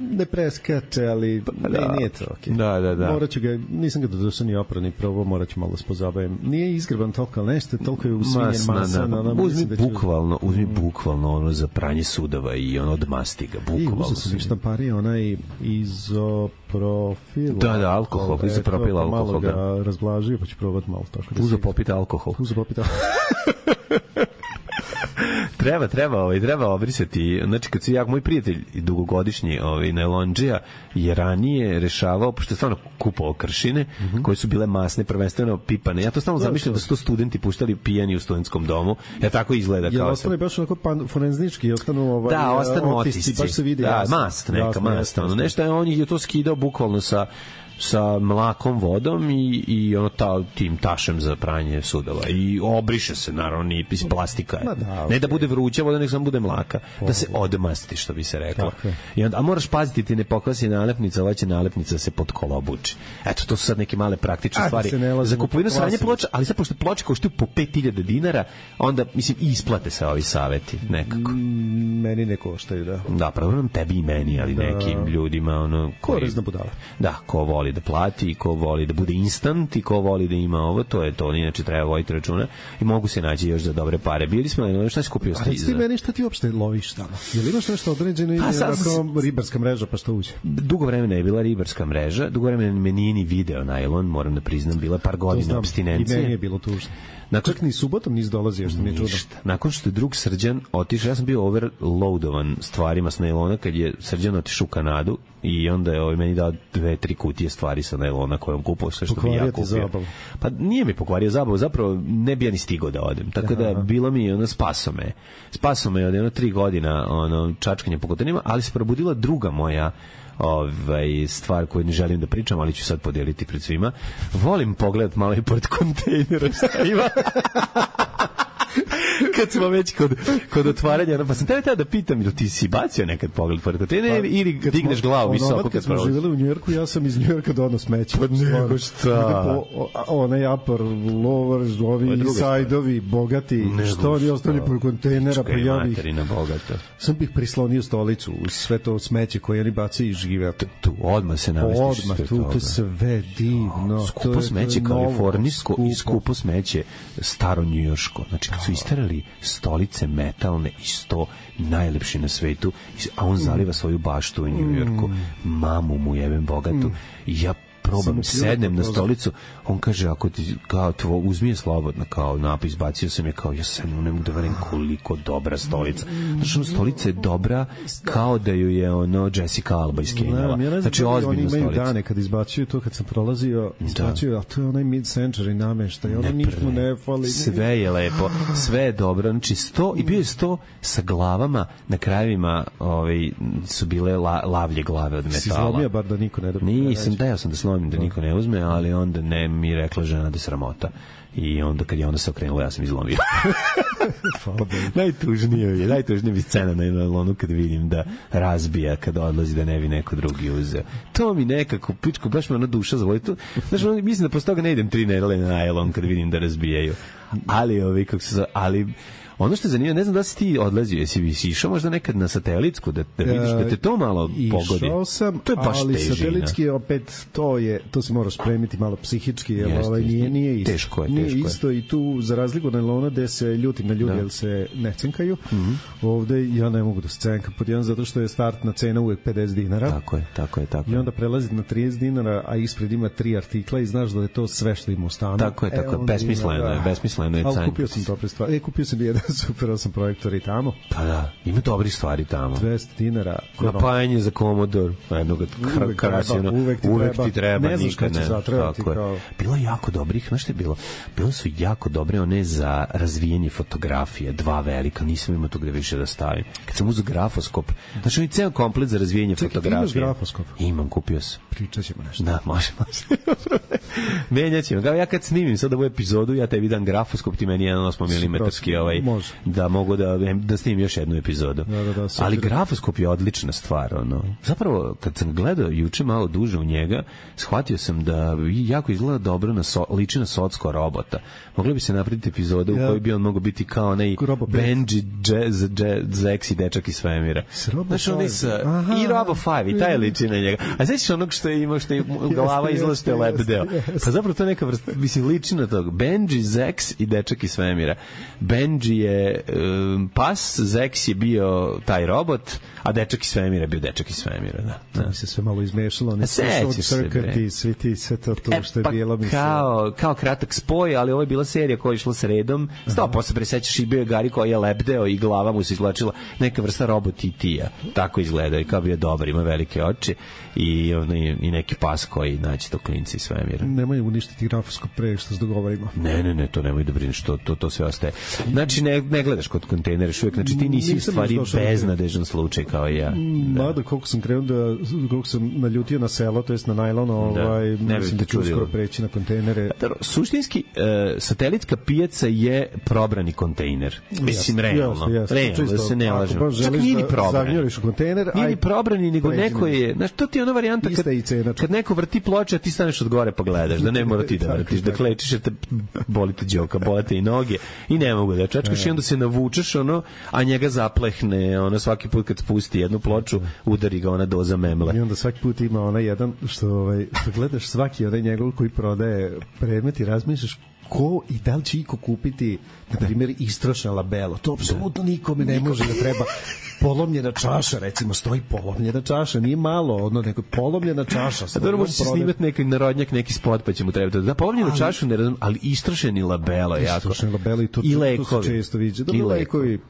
Ne preskače, ali pa, da. Ne, nije to okej. Okay. Da, da, da. Morat ću ga, nisam ga dodušao ni oprao ni probao, morat ću malo da spozabavim. Nije izgreban toliko, ali nešto, toliko je usvinjen masa. Na, na, uzmi da ću... bukvalno, uzmi bukvalno ono za pranje sudova i ono odmasti ga, bukvalno. I uzeo sam ništa pari, onaj izoprofil. Da, da, alkohol, izopropil alkohol. Malo ga da. Razblažio, pa ću probati malo tako. Da uzeo popiti alkohol. Uzeo popiti alkohol. treba, treba, ovaj, treba obrisati. Znači, kad se ja, moj prijatelj dugogodišnji ovaj, nailondžija je ranije rešavao, pošto je stvarno kupovao kršine, mm-hmm. koje su bile masne, prvenstveno pipane. Ja to stalno zamišljam da su to studenti puštali pijani u studentskom domu. Ja tako izgleda. Jel ostane baš onako pan, forenznički, ostanu ovaj, da, ostanu otisci, otisci. Baš se vidi. Da, jasno, mast, neka jasno, mast. jasno, Ono, nešto je, on je to skidao bukvalno sa sa mlakom vodom i, i ono ta, tim tašem za pranje sudova i obriše se naravno ni iz plastika je. Da, okay. Ne da bude vruća voda, nek samo bude mlaka, oh, da se odmasti, što bi se reklo. I onda, a moraš paziti, ti ne pokvasi nalepnica, ova će nalepnica da se podkolobuči. Eto, to su sad neke male praktične a, stvari za kupovinu sranje ploča, ali sad pošto ploče koštaju po pet hiljada dinara, onda mislim isplate se ovi saveti nekako. Mm, meni ne koštaju, da. Da, pravo nam tebi i meni, ali da. Nekim ljudima ono koji, korezna budala. Da, ko voli voli da plati, ko voli da bude instant i ko voli da ima ovo, to je to, inače treba voditi računa i mogu se naći još za dobre pare. Bili smo, no, šta si kupio? A reci ti meni šta ti uopšte loviš tamo? Jel imaš nešto određeno ili je ribarska mreža pa što uđe? Dugo vremena je bila ribarska mreža, dugo vremena me nije ni video najlon, moram da priznam, bila par godina apstinencije. I meni je bilo tužno. Nakon, čak ni subotom nisi dolazio, što mi je čudno. Nakon što je drug Srđan otišao, ja sam bio overloadovan stvarima s nailona kad je Srđan otišao u Kanadu i onda je ovaj meni dao dve, tri kutije stvari sa nailona koje on kupao, sve što bi ja kupio. Pa nije mi pokvario zabavu, zapravo ne bi ja ni stigao da odem. Tako da bilo mi ono spaso me. Spaso me od jedno tri godina ono, čačkanje po kontejnerima, ali se probudila druga moja ovaj stvar koju ne želim da pričam, ali ću sad podijeliti pred svima. Volim pogledat malo i pored kontejnera šta ima. Kad smo već kod, kod otvaranja, pa sam tebe tada da pitam, ili ti si bacio nekad pogled pored kontejnera ili pa, digneš glavu visoko kad, kad smo živjeli u Njujorku, ja sam iz Njujorka donao smeće. Pa nego šta? Onaj upper, lower, ovi sajdovi, bogati, što oni ostali pored kontejnera, pa ja bih... Sam bih prislonio stolicu u sve to smeće koje oni bacaju i žive. Tu, odmah se navestiš. Odmah, tu, to sve divno. Skupo smeće kalifornijsko i skupo smeće staro njujorško. Znači, kad su istarali stolice metalne i sto najlepši na svetu, a on zaliva svoju baštu u Njujorku, mamu mu jebem bogatu, i ja probam, sednem na stolicu, on kaže, ako ti, kao, tvo, uzmi je slobodno, kao napis, bacio sam je, kao, ja sam, ne mogu da verim koliko dobra stolica. Znači, ono, stolica je dobra kao da ju je, ono, Jessica Alba iskenjala. Znači, ozbiljna stolica. Oni imaju dane kad izbacuju to, kad sam prolazio, izbacuju, a to je onaj mid-century nameštaj, ono ništa ne fali. Sve je lepo, sve je dobro, znači, sto, i bio je sto sa glavama, na krajevima, ovaj, su bile la, lavlje glave od metala. Si zlomio bar da niko ne dobije. Nisam, da, ja sam da slomio da niko ne uzme, ali onda ne mi rekla žena da je sramota. I onda kad je onda se okrenula, ja sam izlomio. najtužnije je, najtužnije mi scena na nailonu kad vidim da razbija, kad odlazi da ne bi neko drugi uzeo. To mi nekako, pičko, baš me ona duša zavoli. Znaš, mislim da posle toga ne idem tri nedelje na nailon kad vidim da razbijaju. Ali, ovi, kako se zove, ali... Ono što je zanimljivo, ne znam da si ti odlazio, jesi bi si išao možda nekad na satelitsku, da, da vidiš da te to malo pogodi. Išao sam, to je baš ali težina. Satelitski opet, to je, to se moraš spremiti malo psihički, jer jeste, ovaj, nije, nije isto. Teško je, nije teško isto je. I tu, za razliku na nailona, gde se ljutim na ljudi, jer se ne cenkaju, mm-hmm. ovde ja ne mogu da se cenkam, pod jedan, zato što je startna cena uvek pedeset dinara. Tako je, tako je, tako je. I onda prelazi na trideset dinara, a ispred ima tri artikla i znaš da je to sve što ima u stanu. Tako je, tako je, besmisleno je, besmisleno je. Ali kupio sam dobre stvari. E, kupio sam jedan super osam projektori tamo. Pa da, ima dobri stvari tamo. dvesta dinara. Napajanje za Commodore, jednog karasijona. Uvek ti uvek treba. Ti treba ne znaš kada će zatrebati. Kao... Bilo je jako dobrih, znaš što je bilo? Bilo su jako dobre one za razvijenje fotografije, dva velika, nisam imao tu gde više da stavim. Kad sam uzeo grafoskop, znači on je ceo komplet za razvijenje Čekaj, fotografije. Čekaj, imaš grafoskop? Imam, kupio sam. Pričat ćemo nešto. Da, može, može. Menjat ćemo. Kao ja kad snimim sad ovu epizodu, ja tebi dam grafoskop, ti meni jedan osam milimetarski ovaj, može. Da mogu da, da snimim još jednu epizodu. Da, da, da, ali grafoskop je odlična stvar. Ono. Zapravo, kad sam gledao juče malo duže u njega, shvatio sam da jako izgleda dobro na so, liči na Socko robota. Mogla bi se napraviti epizoda ja. u kojoj bi on mogao biti kao onaj Benji, Jazz, Zex i dečak iz svemira. Znaš, on sa, i Robo five, i taj liči na njega. A znaš onog što je imao, što je glava izgleda što je lebdeo. Pa zapravo to je neka vrsta, mislim, liči na toga. Benji, Zex i dečak iz svemira. Benji je um, pas, Zex je bio taj robot, a dečak iz svemira je bio dečak iz svemira. Da, da. To mi se sve malo izmešalo. Ne sećaš se, bre. Svi ti, sve to, to e, što je pa bilo. Mi kao, kao kratak spoj, ali ovo je bila serija koja je išla sredom. Sto posle presećaš i bio je Gari koji je lebdeo i glava mu se izvlačila neka vrsta robot i tija. Tako izgleda i kao bio dobar, ima velike oči i, i, i neki pas koji naći to klinci iz svemira. Nemoj uništiti grafoskop pre što se dogovorimo. Ne, ne, ne, to nemoj da brineš, to, to, to sve ostaje. Znači, ne, ne gledaš kod kontejnera uvijek, znači ti nisi u stvari beznadežan slučaj kao i ja. Da. Mada, koliko sam krenuo da, koliko sam naljutio na selo, to jest na najlon, ovaj, da. Ne mislim da ću uskoro preći na kontejnere. Suštinski, uh, satelitska pijaca je probrani kontejner. Mislim, realno. Realno, da se ne lažemo. Čak nije ni probrani. U kontejner, nije ni probrani, nego neko je, znaš, to ti je ona varijanta kad, kad neko vrti ploče, a ti staneš od gore pa gledaš, da ne mora ti da vrtiš, da klečiš, jer te boli te đoka, boli te i noge i ne mogu da čačkaš i onda se navučeš, ono, a njega zaplehne, ono, svaki put kad spusti jednu ploču, udari ga ona doza memle. I onda svaki put ima onaj jedan, što, ovaj, što gledaš svaki onaj njegov koji prodaje predmet i razmišljaš ko i da li će iko kupiti, na primjer, istrošna labelo. To apsolutno nikome ne može da treba. Polomljena čaša, recimo, stoji polomljena čaša, nije malo, ono, neko polomljena čaša. A dobro, može se snimati neki narodnjak, neki spot, pa će mu trebati. Da, polomljenu ali, čašu ne razum, ali istrošeni labelo, jako. Istrošeni labelo i to, I to, lekovi. To se često viđe. Da, I lekovi.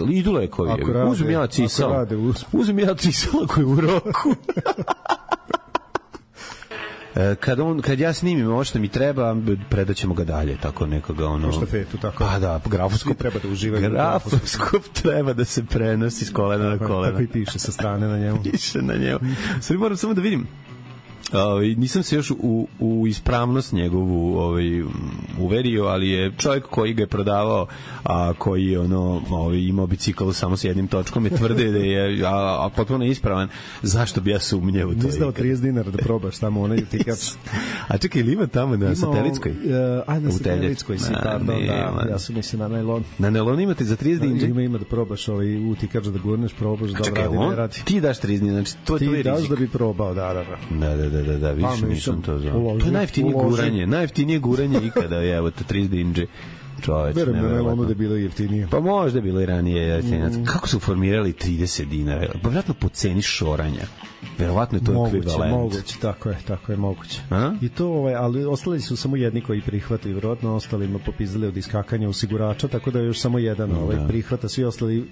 Idu lekovi. Uzum ja cisal. Uzum ja cisala koji u roku. Kad on kad ja snimim ovo što mi treba, predaćemo ga dalje, tako nekoga ono štafetu, tako. Pa da, grafoskop treba da uživaju. Grafoskop treba da se prenosi s kolena na koleno. Tako i piše sa strane na njemu. Piše na njemu. Sad moram samo da vidim. Ovaj nisam se još u, u ispravnost njegovu ovaj uverio, ali je čovjek koji ga je prodavao, a koji je ono ovaj imao bicikl samo sa jednim točkom, je tvrde da je a, a potpuno ispravan. Zašto bi ja sumnjao u to? Nisi dao trideset dinara da probaš tamo onaj utikač. A čekaj, ili ima tamo na ima satelitskoj? Uh, a na satelitskoj si, pardon, da, ja sam mislim na najlon. Na najlon imate za trideset dinara? Ima, ima da probaš ovaj utikač, da gurneš, probaš, da radi, ne radi. Ti daš trideset dinara, znači to je tvoj rizik. Ti daš da bi probao, da, da, da. Da, da, da. Da, da, više nisam to znao. To je najjeftinije guranje, najjeftinije guranje ikada, je, evo, to trideset dinđe. Čoveč, verujem da je ono da je bilo jeftinije. Pa možda je bilo i ranije. Mm. Kako su formirali trideset dinara? Pa vjerojatno po ceni šoranja. Verovatno je to moguće, ekvivalent. Moguće, tako je, tako je moguće. A? I to, ovaj, ali ostali su samo jedni koji prihvataju, verovatno ostalima popizdali od iskakanja osigurača, tako da je još samo jedan ovaj, da. prihvata, svi ostali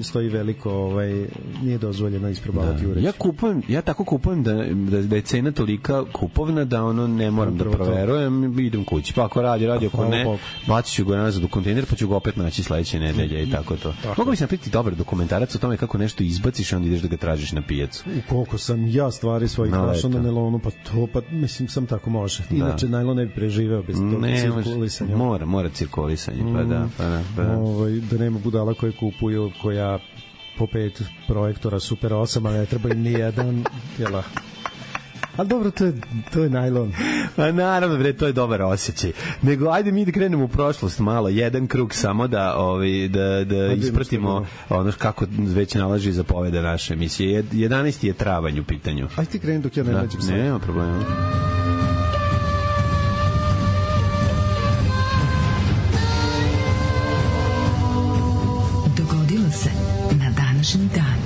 stoji veliko, ovaj, nije dozvoljeno isprobavati uređaj. Ja kupujem, ja tako kupujem da, da, da je cena tolika kupovna da ono ne moram Upravo da proverujem, idem kući. Pa ako radi, radi, ako ne, bacit ću ga nazad u kontejner, pa ću ga opet naći sledeće nedelje i tako to. Mogu bi se napraviti dobar dokumentarac o tome kako nešto izbaciš i onda ideš da ga tražiš na pijacu. Koliko sam ja stvari svojih no, našao na nelonu, pa to, pa mislim, sam tako može. Inače, da. Najlon ne bi preživeo bez tog cirkulisanja. Mora, mora cirkulisanje, pa da. Pa da, pa da. Ovaj, da nema budala koje kupuju, koja po pet projektora Super osam, a ne treba im nijedan, jela. Ali dobro, to je, to je najlon. A naravno, bre, to je dobar osjećaj. Nego, ajde mi da krenemo u prošlost malo, jedan krug samo da, ovaj, da, da ispratimo ono kako već nalaži zapovede naše emisije. jedanaesti je travanj u pitanju. Ajde ti kreni dok ja ne da, nađem sad. Nema problema. Dogodilo se na današnji dan.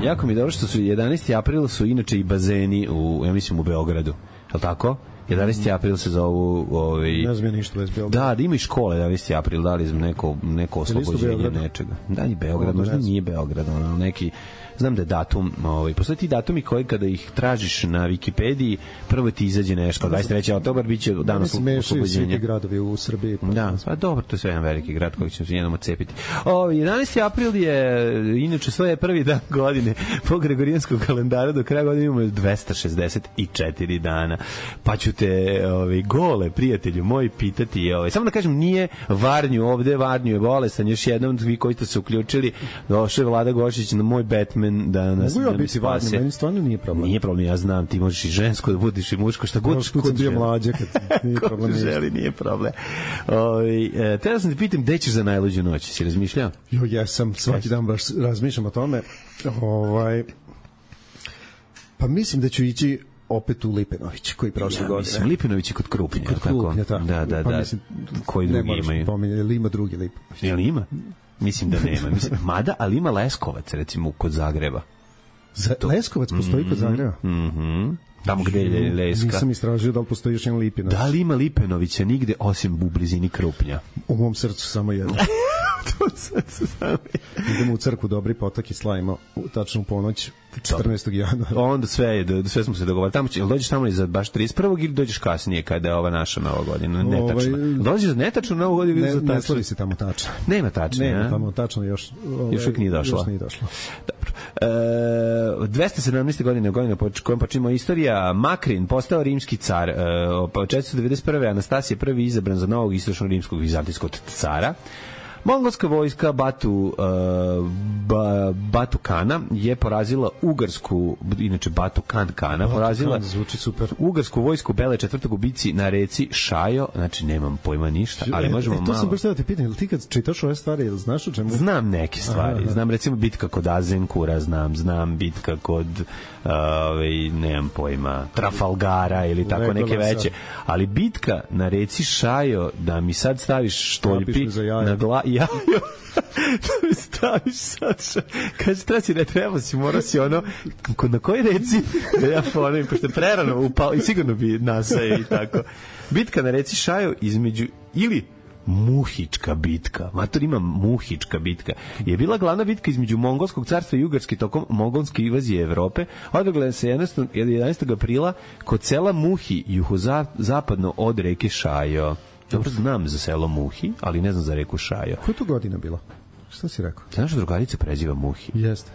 Jako mi je dobro što su jedanaesti april su inače i bazeni u, ja mislim, u Beogradu. Je li tako? jedanaesti april se zovu ovaj ne znam ništa bez Beograda. Da, da ima i škole jedanaesti april, da li znam neko neko oslobođenje nečega. Da, i Beograd, možda nije Beograd, ono neki znam da je datum, ovaj postoje ti datumi koji kada ih tražiš na Wikipediji, prvo ti izađe nešto, dvadeset treći oktobar biće dan oslobođenja. Svi gradovi u Srbiji. Pa da, pa dobro, to je sve jedan veliki grad koji ćemo se jednom odcepiti. Ovaj jedanaesti april je inače sve je prvi dan godine po gregorijanskog kalendara, do kraja godine imamo dvesta šezdeset četiri dana. Pa ću te ovaj gole prijatelju moj pitati, ovaj samo da kažem nije Varnju ovde, Varnju je bolestan, još jednom vi koji ste se uključili, došao je Vlada Gošić na moj Batman da nas mogu ja biti Varnju, meni stvarno nije problem. Nije problem, ja znam, ti možeš i žensko da budeš i muško, šta god što sam bio mlađe kad nije problem. Želi, nije problem. Ovaj e, teraz sam te pitam gde ćeš za najluđu noć, si razmišljao? Jo, ja sam svaki dan baš razmišljam o tome. Ovaj pa mislim da ću ići opet u Lipenović, koji prošle ja, godine. Mislim, Lipenović je kod Krupnja. Kod Krupnja, tako. Da, da, pa da. Mislim, koji drugi imaju? Pominje, ili ima drugi Lipenović? Jel ima? Mislim da nema. Mislim, mada, ali ima Leskovac, recimo, kod Zagreba. Za, Leskovac postoji mm-hmm, kod Zagreba? Mhm. Tamo gde je Leska. Nisam istražio da li postoji još jedan Lipinović. Da li ima Lipenovića nigde osim u blizini Krupnja? U mom srcu samo jedno. To srcu samo jedno. Idemo u crkvu Dobri potok i slavimo tačno u ponoć četrnaestog januara. Onda sve je, sve smo se dogovorili. Tamo će, dođeš tamo i za baš trideset prvog ili dođeš kasnije kada je ova naša nova godina? Netačno. Ovaj, dođeš za netačnu novu godinu ili za tačno? Ne slavi se tamo tačno. Nema tačno, Nema ja? Tamo tačno još. Ovaj, još uvijek nije došla. Još nije došla. Dobro. E, dvesta sedamnaeste godine godina po kojem počinimo istorija. Makrin postao rimski car. E, četiristo devedeset prve. Anastasije prvi izabran za novog istočno rimskog vizantijskog cara. Mongolska vojska Batu, uh, ba, Batu Kana je porazila ugarsku, inače Batu Kan Kana, Batu porazila Kan, zvuči super. Ugarsku vojsku Bele četvrtog u bici na reci Šajo, znači nemam pojma ništa, ali e, možemo e, to malo... sam baš da te pitam, ili ti kad čitaš ove stvari, ili znaš o čemu? Znam neke stvari, aha, znam recimo bitka kod Azenkura, znam, znam bitka kod, uh, nemam pojma, Trafalgara ili tako neke veće, ali bitka na reci Šajo, da mi sad staviš štoljpi na gla... jajo, da mi staviš sad, kaže, treba si, ne treba si, mora si ono, na koji reci, da ja ponovim, pošto je prerano upao i sigurno bi nasaje i tako. Bitka na reci Šajo između, ili Muhička bitka, mator ima Muhička bitka, je bila glavna bitka između Mongolskog carstva i Ugarske tokom mongolske invazije Evrope. Održala se jedanaestog aprila kod sela Muhi, juhozapadno od reke Šajo. Dobro znam za selo Muhi, ali ne znam za reku Šajo. Koja je to godina bila? Šta si rekao? Znaš da drugarica preziva Muhi? Jeste.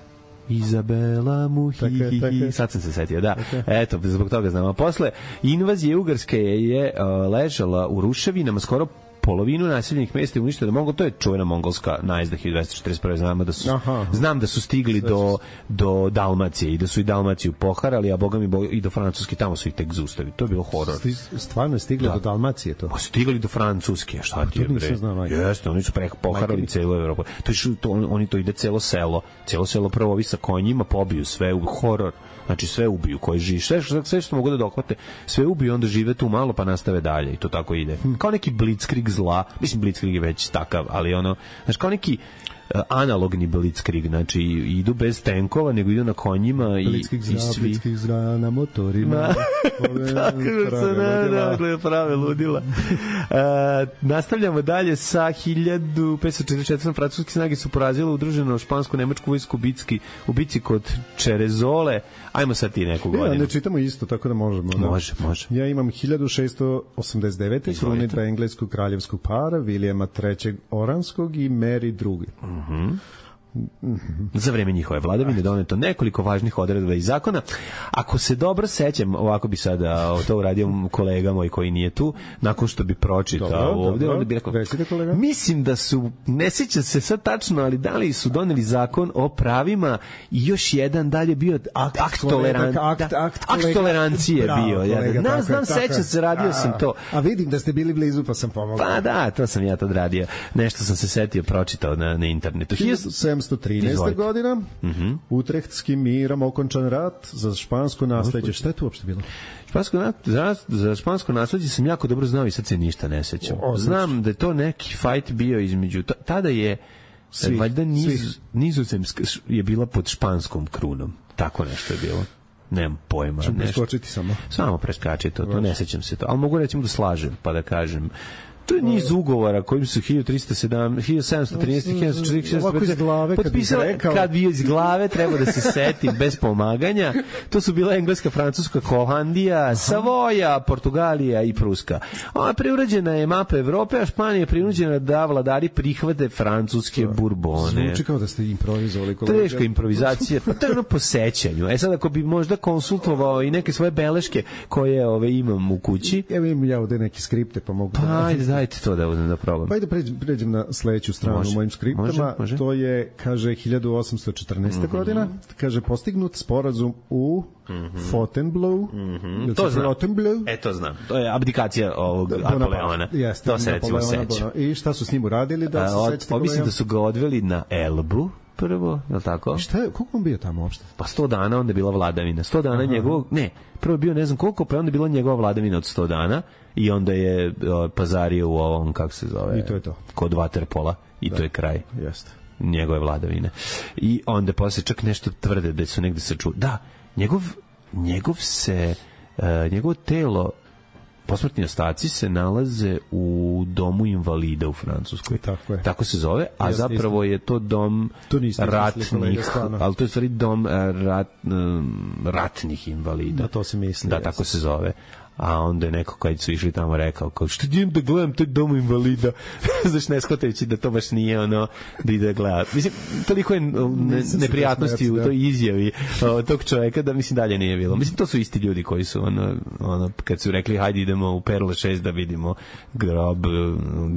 Izabela Muhi, tako je, tako je. Sad sam se setio, da. Eto, zbog toga znam. A posle invazije Ugarske je uh, ležala u ruševinama skoro polovinu naseljenih mesta je uništeno Mongol, to je čuvena mongolska najezda hiljadu dvesta četrdeset prve. Znam da su, aha, znam da su stigli do, do Dalmacije i da su i Dalmaciju poharali, a boga mi boga, i do Francuske, tamo su ih tek zaustavili. To je bilo horor. Stvarno je stigli da. do Dalmacije to? Pa stigli do Francuske, šta ti je bre? Jeste, oni su preko poharali celu Evropu. To je, to, oni to ide celo selo, celo selo prvo ovi sa konjima pobiju sve u horor. Znači sve ubiju koji živi, sve što, sve što mogu da dohvate, sve ubiju, onda žive tu malo pa nastave dalje i to tako ide. Kao neki blitzkrieg zla, mislim blitzkrieg je već takav, ali ono, znači kao neki uh, analogni blitzkrieg, znači idu bez tenkova, nego idu na konjima i, blitzkrieg zra, i svi... Blitzkrieg zra na motorima. Tako se ne, prave ludila. Uh, nastavljamo dalje sa hiljadu petsto četrdeset četvrte. Francuske snage su porazile udruženu špansku-nemačku vojsku bitski, u bici kod Čerezole. Ajmo sad ti neku godinu. Ja, ne čitamo isto, tako da možemo. Da. Može, može. Ja imam hiljadu šeststo osamdeset devete. krunidba engleskog kraljevskog para, Vilijama trećeg Oranskog i Mary drugi. Mhm. Uh-huh. Za vreme njihove vladavine doneto nekoliko važnih odredba i zakona. Ako se dobro sećam, ovako bi sada to uradio kolega moj koji nije tu, nakon što bi pročitao dobro, ovde, onda bi rekao, mislim da su, ne sećam se sad tačno, ali da li su doneli zakon o pravima i još jedan dalje bio akt, akt, toleran, akt, akt, akt, akt tolerancije bravo, bio. Ja, kolega, znam, znam, sećam se, radio a, sam to. A vidim da ste bili blizu pa sam pomogao. Pa da, to sam ja tad radio. Nešto sam se setio, pročitao na, na internetu. hiljadu sedamsto trinaeste. godina, uh-huh. Utrehtskim mirom okončan rat za špansko nasleđe. Šta je tu uopšte bilo? Špansko, za, za špansko nasleđe sam jako dobro znao i sad se ništa ne sećam. O, znam da je to neki fight bio između, tada je svi, valjda niz, nizozemska je bila pod španskom krunom. Tako nešto je bilo. Nemam pojma. Ču preskočiti samo. Samo preskači to, to ne sećam se to. Ali mogu recimo da slažem, pa da kažem. To je niz ugovora kojim su hiljadu trista sedamnaest, hiljadu sedamsto trinaeste, hiljadu četiristo četrdeset potpisao, kad bi iz glave treba da se seti bez pomaganja. To su bila Engleska, Francuska, Holandija, Savoja, Portugalija i Pruska. Ona preurađena je mapa Evrope, a Španija je prinuđena da vladari prihvate francuske burbone. Zvuči kao da ste improvizovali. Teška improvizacija, pa to je ono po sećanju. E sad ako bi možda konsultovao i neke svoje beleške koje ove imam u kući. Evo imam ja ovde neke skripte pa mogu pa, da... Dajte to da uzmem da probam. Pa ajde pređem, pređem na sledeću stranu može, u mojim skriptama. Može, može. To je, kaže, hiljadu osamsto četrnaeste. Mm-hmm. godina. Kaže, postignut sporazum u mm-hmm. Fontainebleau. Mm-hmm. To znam. E, to znam. To je abdikacija ovog Napoleona. Jeste, to se recimo seća. I šta su s njim uradili? Da se sećate koga? Mislim da su ga odveli na Elbu. Prvo, je li tako? Šta je, koliko on bio tamo uopšte? Pa sto dana, onda je bila vladavina. sto dana aha. njegovog, ne, prvo bio ne znam koliko, pa onda je bila njegova vladavina od sto dana i onda je o, pazario u ovom, kako se zove? I to je to. Kod Waterpola i da. To je kraj. Jeste. Njegove vladavine. I onda posle čak nešto tvrde da su negde se čuo. Da, njegov, njegov se, uh, njegovo telo posmrtni ostaci se nalaze u domu invalida u Francuskoj. Tako je. Tako se zove, a Jeste, zapravo je to dom to ratnih, ali to je stvari dom rat, ratnih invalida. Da, to se misli. Da, tako se zove. a onda je neko kad su išli tamo rekao kao što idem da gledam taj dom invalida znaš ne shvatajući da to baš nije ono da ide gleda mislim toliko je ne, neprijatnosti u toj izjavi o, tog čoveka da mislim dalje nije bilo mislim to su isti ljudi koji su ono, ono kad su rekli hajde idemo u Perle šest da vidimo grob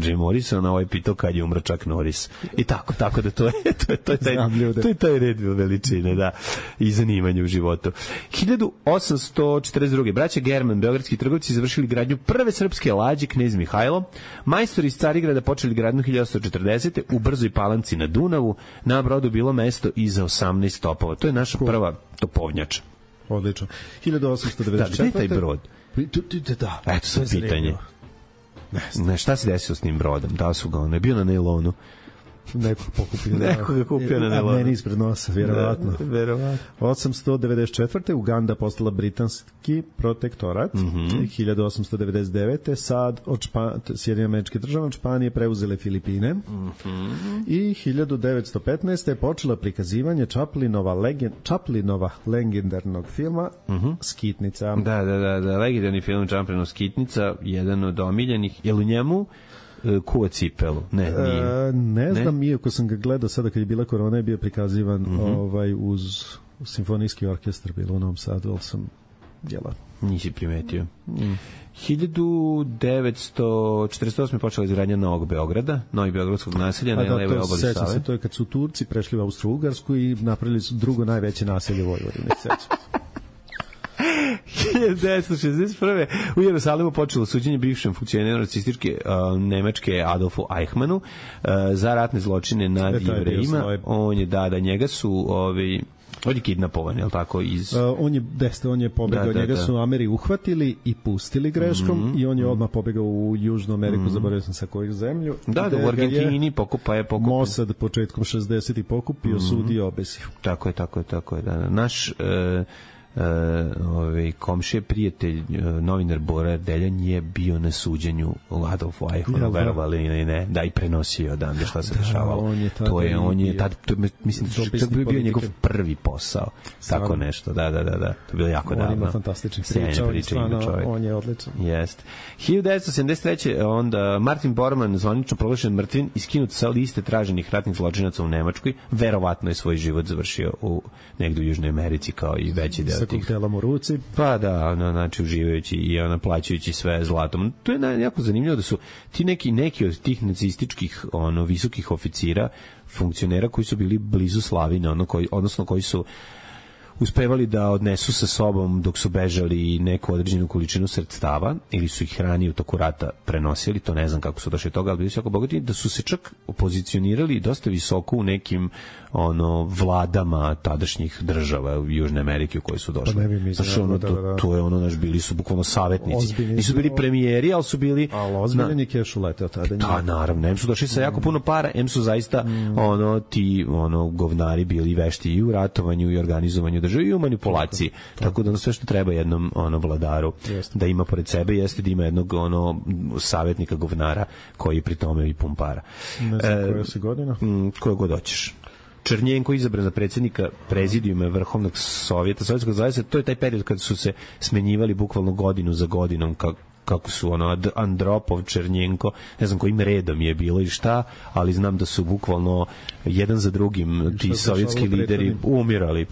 Jim Morrisona ovaj pitao kad je umro Chuck Norris i tako tako da to je to je, to je, taj, to je taj red veličine da i zanimanje u životu. hiljadu osamsto četrdeset druge braća German beogradski trgovci završili gradnju prve srpske lađe Knez Mihajlo. Majstori iz Carigrada počeli gradnju hiljadu osamsto četrdesete u Brzoj Palanci na Dunavu. Na brodu bilo mesto i za osamnaest topova. To je naša prva topovnjača. Odlično. hiljadu osamsto devedeset četvrte Da, gde je taj brod? Da. Eto sad pitanje. Ne, ne, šta se desilo s tim brodom? Da su ga, on je bio na nailonu. Neko pokupio. Neko ga kupio na nailonu. Meni ispred nosa, vjerovatno. Da, vjerovatno. osamsto devedeset četvrte Uganda postala britanski protektorat. Mm -hmm. hiljadu osamsto devedeset devete sad od Špa... Sjedinjene Američke Države od Španije preuzele Filipine. Mm -hmm. I hiljadu devetsto petnaeste je počela prikazivanje Chaplinova, legend... Chaplinova legendarnog filma mm -hmm. Skitnica. Da, da, da, da, legendarni film Chaplinov Skitnica, jedan od omiljenih. Je li u njemu kuva cipelu? Ne, nije. E, ne znam, ne? Iako sam ga gledao sada kad je bila korona je bio prikazivan mm -hmm. ovaj, uz simfonijski orkestar bilo u Novom Sadu, ali sam djela. Nisi primetio. Mm. hiljadu devetsto četrdeset osme počela izgradnja Novog Beograda, Novi Beogradskog naselja na levoj obali Save. Se, to je kad su Turci prešli u Austro-Ugarsku i napravili su drugo najveće naselje u Vojvodini. hiljadu devetsto šezdeset prve u Jerusalimu počelo suđenje bivšem funkcioneru nacističke uh, Nemačke Adolfu Eichmannu uh, za ratne zločine nad e, Jevrejima. On je, da, da, njega su ovi on je kidnapovan, je li tako? Iz... Uh, on je, deste, on je pobegao, da, da, njega da. su Ameri uhvatili i pustili greškom mm -hmm. i on je odmah pobegao u Južnu Ameriku, mm -hmm. zaboravio sam sa kojih zemlju. Da, da, u Argentini pokupa je pokupio. Mossad početkom šezdesetih pokupio, mm -hmm. sudi i obesio. Tako je, tako je, tako je. Da. Naš... Uh, Uh, ovaj komšije prijatelj uh, novinar Bora Deljan je bio na suđenju Adolfu Eichmannu, verovali ili ne, da i prenosio odande šta se da, dešavalo. Je to je on je tad to, mislim da je bio politike. Njegov prvi posao. Stvarno. Tako nešto. Da, da, da, da. To je bilo jako davno. On ima fantastičnih priča, on, stvarno, on je odličan. Jeste. hiljadu devetsto sedamdeset treće onda Martin Bormann zvanično proglašen mrtvim i skinut sa liste traženih ratnih zločinaca u Nemačkoj. Verovatno je svoj život završio u negde u Južnoj Americi kao i veći deo tih koktelom u ruci. Pa da, ono, znači uživajući i ona plaćajući sve zlatom. To je jako zanimljivo da su ti neki neki od tih nacističkih ono visokih oficira, funkcionera koji su bili blizu slavine, ono koji odnosno koji su uspevali da odnesu sa sobom dok su bežali neku određenu količinu sredstava ili su ih hrani u toku rata prenosili, to ne znam kako su došli toga, ali bili su jako bogati, da su se čak pozicionirali dosta visoko u nekim ono vladama tadašnjih država u Južne Amerike u koje su došli. Pa znači, ono, to, to je ono, naš, bili su bukvalno savjetnici. Ozbiljni nisu bili premijeri, ali su bili... Ali ozbiljni keš uleteo tada. Da, naravno, em su došli sa jako puno para, em su zaista mm. ono, ti ono, govnari bili vešti i u ratovanju i organizovanju države i u manipulaciji. Tako, tako da ono sve što treba jednom ono, vladaru jeste. Da ima pored sebe jeste da ima jednog ono, savjetnika govnara koji pri tome i pumpara. Ne znam e, koja se godina? Koje god hoćeš. Černjenko izabran za predsjednika prezidijuma Vrhovnog sovjeta Sovjetskog zaveza, to je taj period kad su se smenjivali bukvalno godinu za godinom kako kako su ono Andropov, Černjenko, ne znam kojim redom je bilo i šta, ali znam da su bukvalno jedan za drugim ti sovjetski lideri umirali.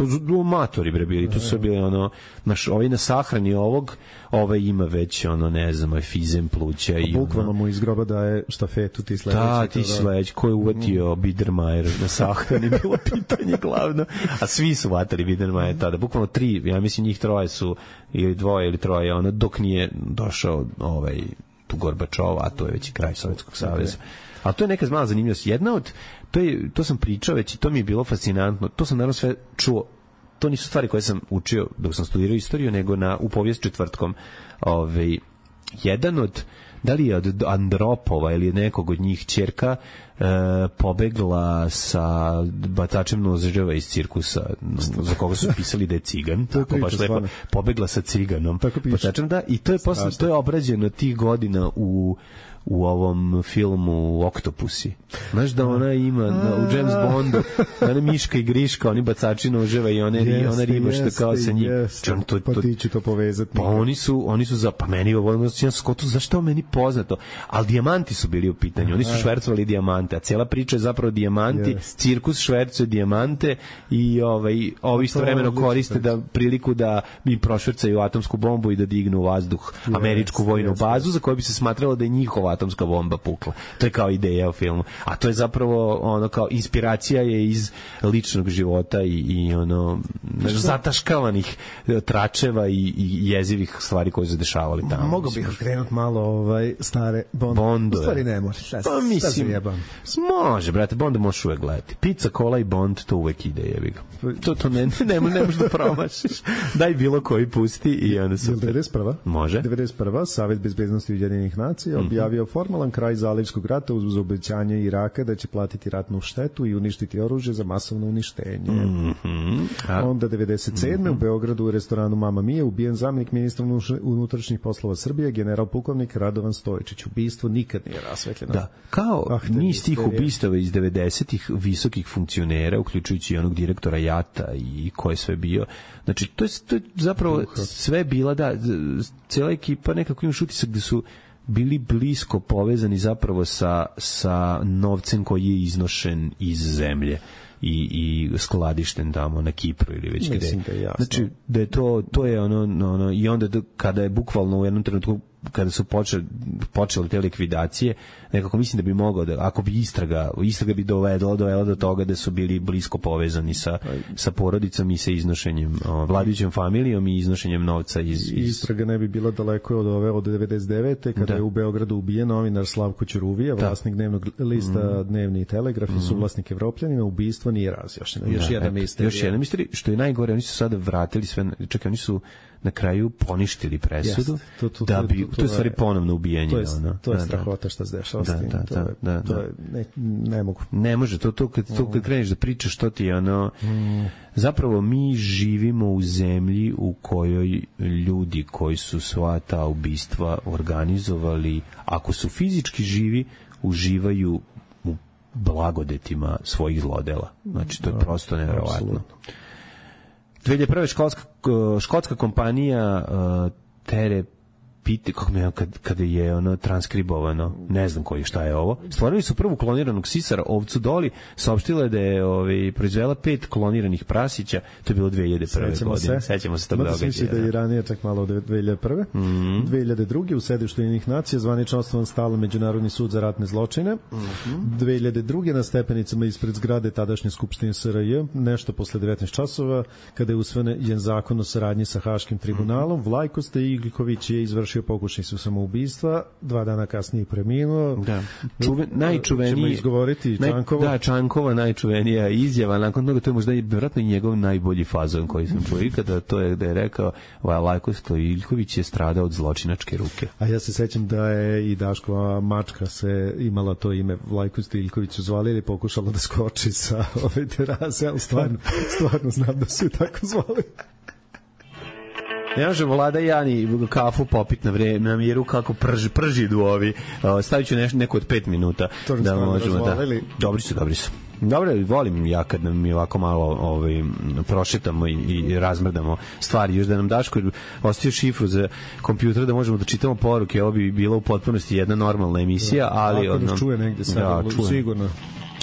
Matori bre bili, tu su bili ono, naš, ovaj na sahrani ovog, ovaj ima već ono, ne znam, fizem pluća i bukvalno mu iz groba daje štafetu ti sledeći. Da, ti sledeći, ko je uvatio mm. Biedermajer na sahrani, bilo pitanje glavno. A svi su vatali Biedermajer tada, bukvalno tri, ja mislim njih troje su ili dvoje ili troje, ono, dok nije došao ovaj, tu Gorbačov, a to je već i kraj Sovjetskog saveza. A to je neka mala zanimljivost. Jedna od, to, je, to sam pričao već i to mi je bilo fascinantno, to sam naravno sve čuo, to nisu stvari koje sam učio dok sam studirao istoriju, nego na, u povijest četvrtkom. Ovaj, jedan od da li je od Andropova ili nekog od njih ćerka e, pobegla sa bacačem noževa iz cirkusa za koga su pisali da je cigan, tako baš lepo, pobegla sa ciganom bacačem, da, i to je posle, to je obrađeno tih godina u u ovom filmu Oktopusi. Znaš da ona ima da, u James Bondu, ona Miška i Griška, oni bacači noževa i ona, jeste, ona riba što kao sa njim. Čem, to, to, pa ti ću to povezati. Pa oni su, oni su za, pa meni ovo, ja skotu, zašto meni poznato? Ali dijamanti su bili u pitanju, oni su švercovali dijamante, a cijela priča je zapravo dijamanti, yes. Cirkus švercuje dijamante i ovaj, ovi istovremeno koriste da priliku da im prošvercaju atomsku bombu i da dignu u vazduh yes, američku vojnu yes, bazu yes. za koju bi se smatralo da je njihova atomska bomba pukla. To je kao ideja u filmu. A to je zapravo ono kao inspiracija je iz ličnog života i, i ono zataškavanih tračeva i, i jezivih stvari koje se dešavali tamo. Mogu bih okrenuti malo ovaj stare Bond. Bondove. U stvari ne može. Pa mislim, može, brate, Bonda možeš uvek gledati. Pizza, kola i Bond, to uvek ide, jebi ga. To, to ne, ne, ne možeš da promašiš. Daj bilo koji pusti i onda su... devedeset prva Može. devedeset prva Savet bezbednosti Ujedinjenih nacija objavio mm-hmm. formalan kraj Zalivskog rata uz obećanje Iraka da će platiti ratnu štetu i uništiti oružje za masovno uništenje. Mm-hmm. A... Onda devedeset sedme Mm-hmm. u Beogradu u restoranu Mama Mia ubijen zamenik ministra unutrašnjih poslova Srbije, general pukovnik Radovan Stojičić. Ubistvo nikad nije rasvetljeno. Da, kao ah, niz tih ubistava iz devedesetih visokih funkcionera, uključujući i onog direktora Jata i ko je sve bio. Znači, to je, to je zapravo sve bila, da, cijela ekipa nekako imaš utisak da su bili blisko povezani zapravo sa, sa novcem koji je iznošen iz zemlje i, i skladišten tamo na Kipru ili već gde. Da znači, da je to, to je ono, ono i onda da, kada je bukvalno u jednom trenutku kada su počeli, počeli te likvidacije, nekako mislim da bi mogao da, ako bi istraga, istraga bi dovedla, dovela do toga da su bili blisko povezani sa, sa porodicom i sa iznošenjem, o, vladajućom familijom i iznošenjem novca iz, iz... Istraga ne bi bila daleko od ove, od devedeset devete kada da. je u Beogradu ubijen novinar Slavko Ćuruvija, vlasnik dnevnog lista mm. Dnevni telegraf mm. i suvlasnik Evropljanima. Ubistvo nije razjašnjeno. Još jedna misterija. Još jedna misterija, što je najgore, oni su sada vratili sve, čekaj, oni su na kraju poništili presudu yes, to, to, da bi, to, to, to je stvari ponovno ubijanje. To je, ono. to je da, strahota što se dešava s tim. Da, da, da, da, to je, ne, ne mogu. Ne može, to, to, kad, to kad kreneš da pričaš što ti je ono... Mm. Zapravo mi živimo u zemlji u kojoj ljudi koji su sva ta ubistva organizovali, ako su fizički živi, uživaju u blagodetima svojih zlodela. Znači, to je prosto nevjerovatno. dve hiljade prve školska, škotska kompanija uh, Tere Pite, kako me, kad, kada je ono transkribovano, ne znam koji šta je ovo, stvorili su prvu kloniranog sisara, ovcu Doli, saopštila je da je ovaj, proizvela pet kloniranih prasića, to je bilo dve hiljade prve godine. Sećamo se tog događaja. Mislim da je i ranije čak malo od dve hiljade prve Mm-hmm. dve hiljade druge u sedištu Ujedinjenih nacija zvanično osnovan stalni međunarodni sud za ratne zločine. Mm-hmm. dve hiljade druge na stepenicama ispred zgrade tadašnje skupštine S R J, nešto posle devetnaest časova, kada je usvojen zakon o saradnji sa Haškim tribunalom, mm-hmm. Vlajko Stojiković je izvršio pokušaj su samoubistva, dva dana kasnije preminuo. Da. Čuven, najčuveniji... Ćemo izgovoriti Čankova. Naj, da, Čankova najčuvenija izjava, nakon toga to je možda i vjerojatno i njegov najbolji fazon koji sam čuo ikada, to je da je rekao Vlajko Stojiljković je stradao od zločinačke ruke. A ja se sećam da je i Daškova mačka se imala to ime Vlajko Stojiljković su zvali ili pokušala da skoči sa ove terase, ali stvarno, stvarno znam da su je tako zvali. Ne možemo Vlada i Jani kafu popit na vreme, na miru kako prži, prži idu ovi. Stavit ću nešto, neko od pet minuta. To da možemo da... Dobri su, dobri su. Dobro, volim ja kad mi ovako malo ovaj, prošetamo i, i razmrdamo stvari. Još da nam Daško ostavio šifru za kompjuter da možemo da čitamo poruke. Ovo bi bila u potpunosti jedna normalna emisija, ali... Ako nas čuje negde sad, da, sigurno.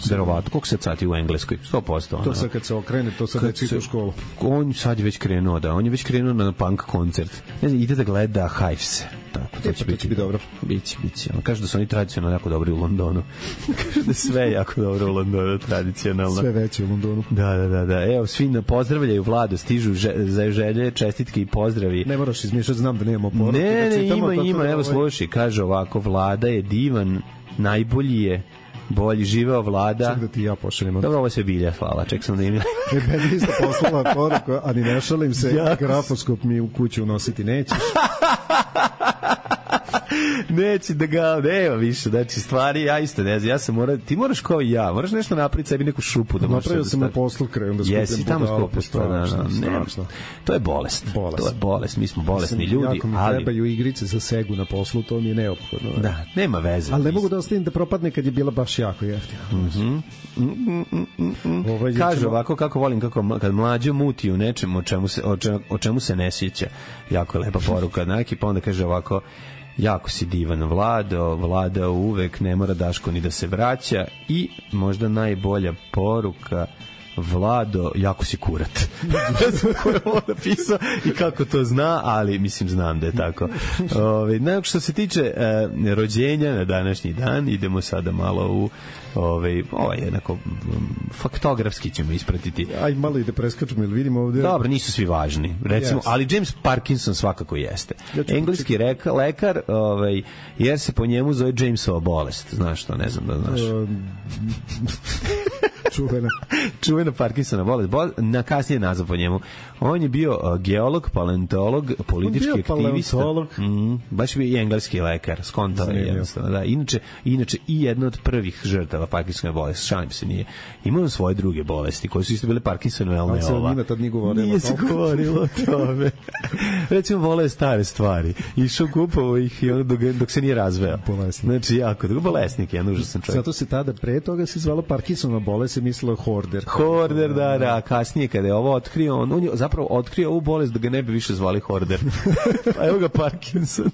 Verovatno, koliko se sati u Engleskoj? sto posto. To sad kad se okrene, to sad već ide u školu. On sad je već krenuo, da. On je već krenuo na punk koncert. Ne znam, ide da gleda Hives. Tako, to, e, će pa, to će biti dobro. Biće, biće. On kaže da su oni tradicionalno jako dobri u Londonu. Kaže da sve jako dobro u Londonu, tradicionalno. Sve veće u Londonu. Da, da, da. da. Evo, svi pozdravljaju Vladu, stižu že, za želje, čestitke i pozdravi. Ne moraš izmišljati, znam da nemamo poruke. Ne, ne, ima, ima. Da, evo, slušaj, kaže ovako, Vlada je divan, najbolji je, bolji, živeo Vlada. Ček da ti ja pošaljem. Dobro, ovo se bilja, hvala, ček sam da im... E, meni isto poslala poruku, a ni ne šalim se, grafoskop mi u kuću unositi nećeš. Neće da ga, nema više, znači stvari, ja isto ne znam, ja sam mora, ti moraš kao i ja, moraš nešto napraviti sebi neku šupu da možeš. Napravio sam na poslu krajem da skupim budala. Jesi, tamo skupiš, pa da, da, ne, to je bolest, bolest, to je bolest, mi smo bolesni ljudi, jako mi ali... trebaju igrice za segu na poslu, to mi je neophodno. Da, nema veze. Ali ne mogu da ostavim da propadne kad je bila baš jako jeftina. Mhm. Mm, mm, mm, mm. Ovaj, Kaže ćemo... ovako kako volim kako kad mlađo muti u nečemu o čemu se, o čemu, o čemu se ne sjeća. Jako je lepa poruka. Neki pa onda kaže ovako: jako si divan Vlado, Vlada uvek ne mora Daško ni da se vraća. I možda najbolja poruka: Vlado, jako si kurat. Ne znam ko je ovo napisao i kako to zna, ali mislim znam da je tako. Ove, najok što se tiče e, rođenja na današnji dan, idemo sada malo u ovaj ovaj jednako faktografski ćemo ispratiti. Aj malo i da preskačemo, ili vidimo ovde. Dobro, nisu svi važni. Recimo, yes. Ali James Parkinson svakako jeste. Ja engleski reka, lekar, ovaj jer se po njemu zove Jamesova bolest. Znaš to, ne znam da znaš. Um, čuvena. čuvena Parkinsona bolest. Bol, na kasnije nazva po njemu. On je bio uh, geolog, paleontolog, politički aktivista. Mm, baš bio i engleski lekar. Skontao je jednostavno. Da. Inače, inače i jedna od prvih žrtava Parkinsonove bolesti. Šalim se, nije. Imao svoje druge bolesti koje su isto bile Parkinsonove, ali ne ova. Njima tad nije govorilo. Nije se govorilo o tome. Recimo, vole stare stvari. Išao kupovao ih i ono dok, dok se nije razveo. Bolesnik. Znači, jako. Bolesnik je, jedan užasan čovjek. Zato se tada pre toga se zvalo Parkinsonova bolest, se mislilo Horder. Horder, da, da. Kasnije kada je ovo otkrio, on, on je zapravo otkrio ovu bolest da ga ne bi više zvali Horder. Pa evo ga Parkinson.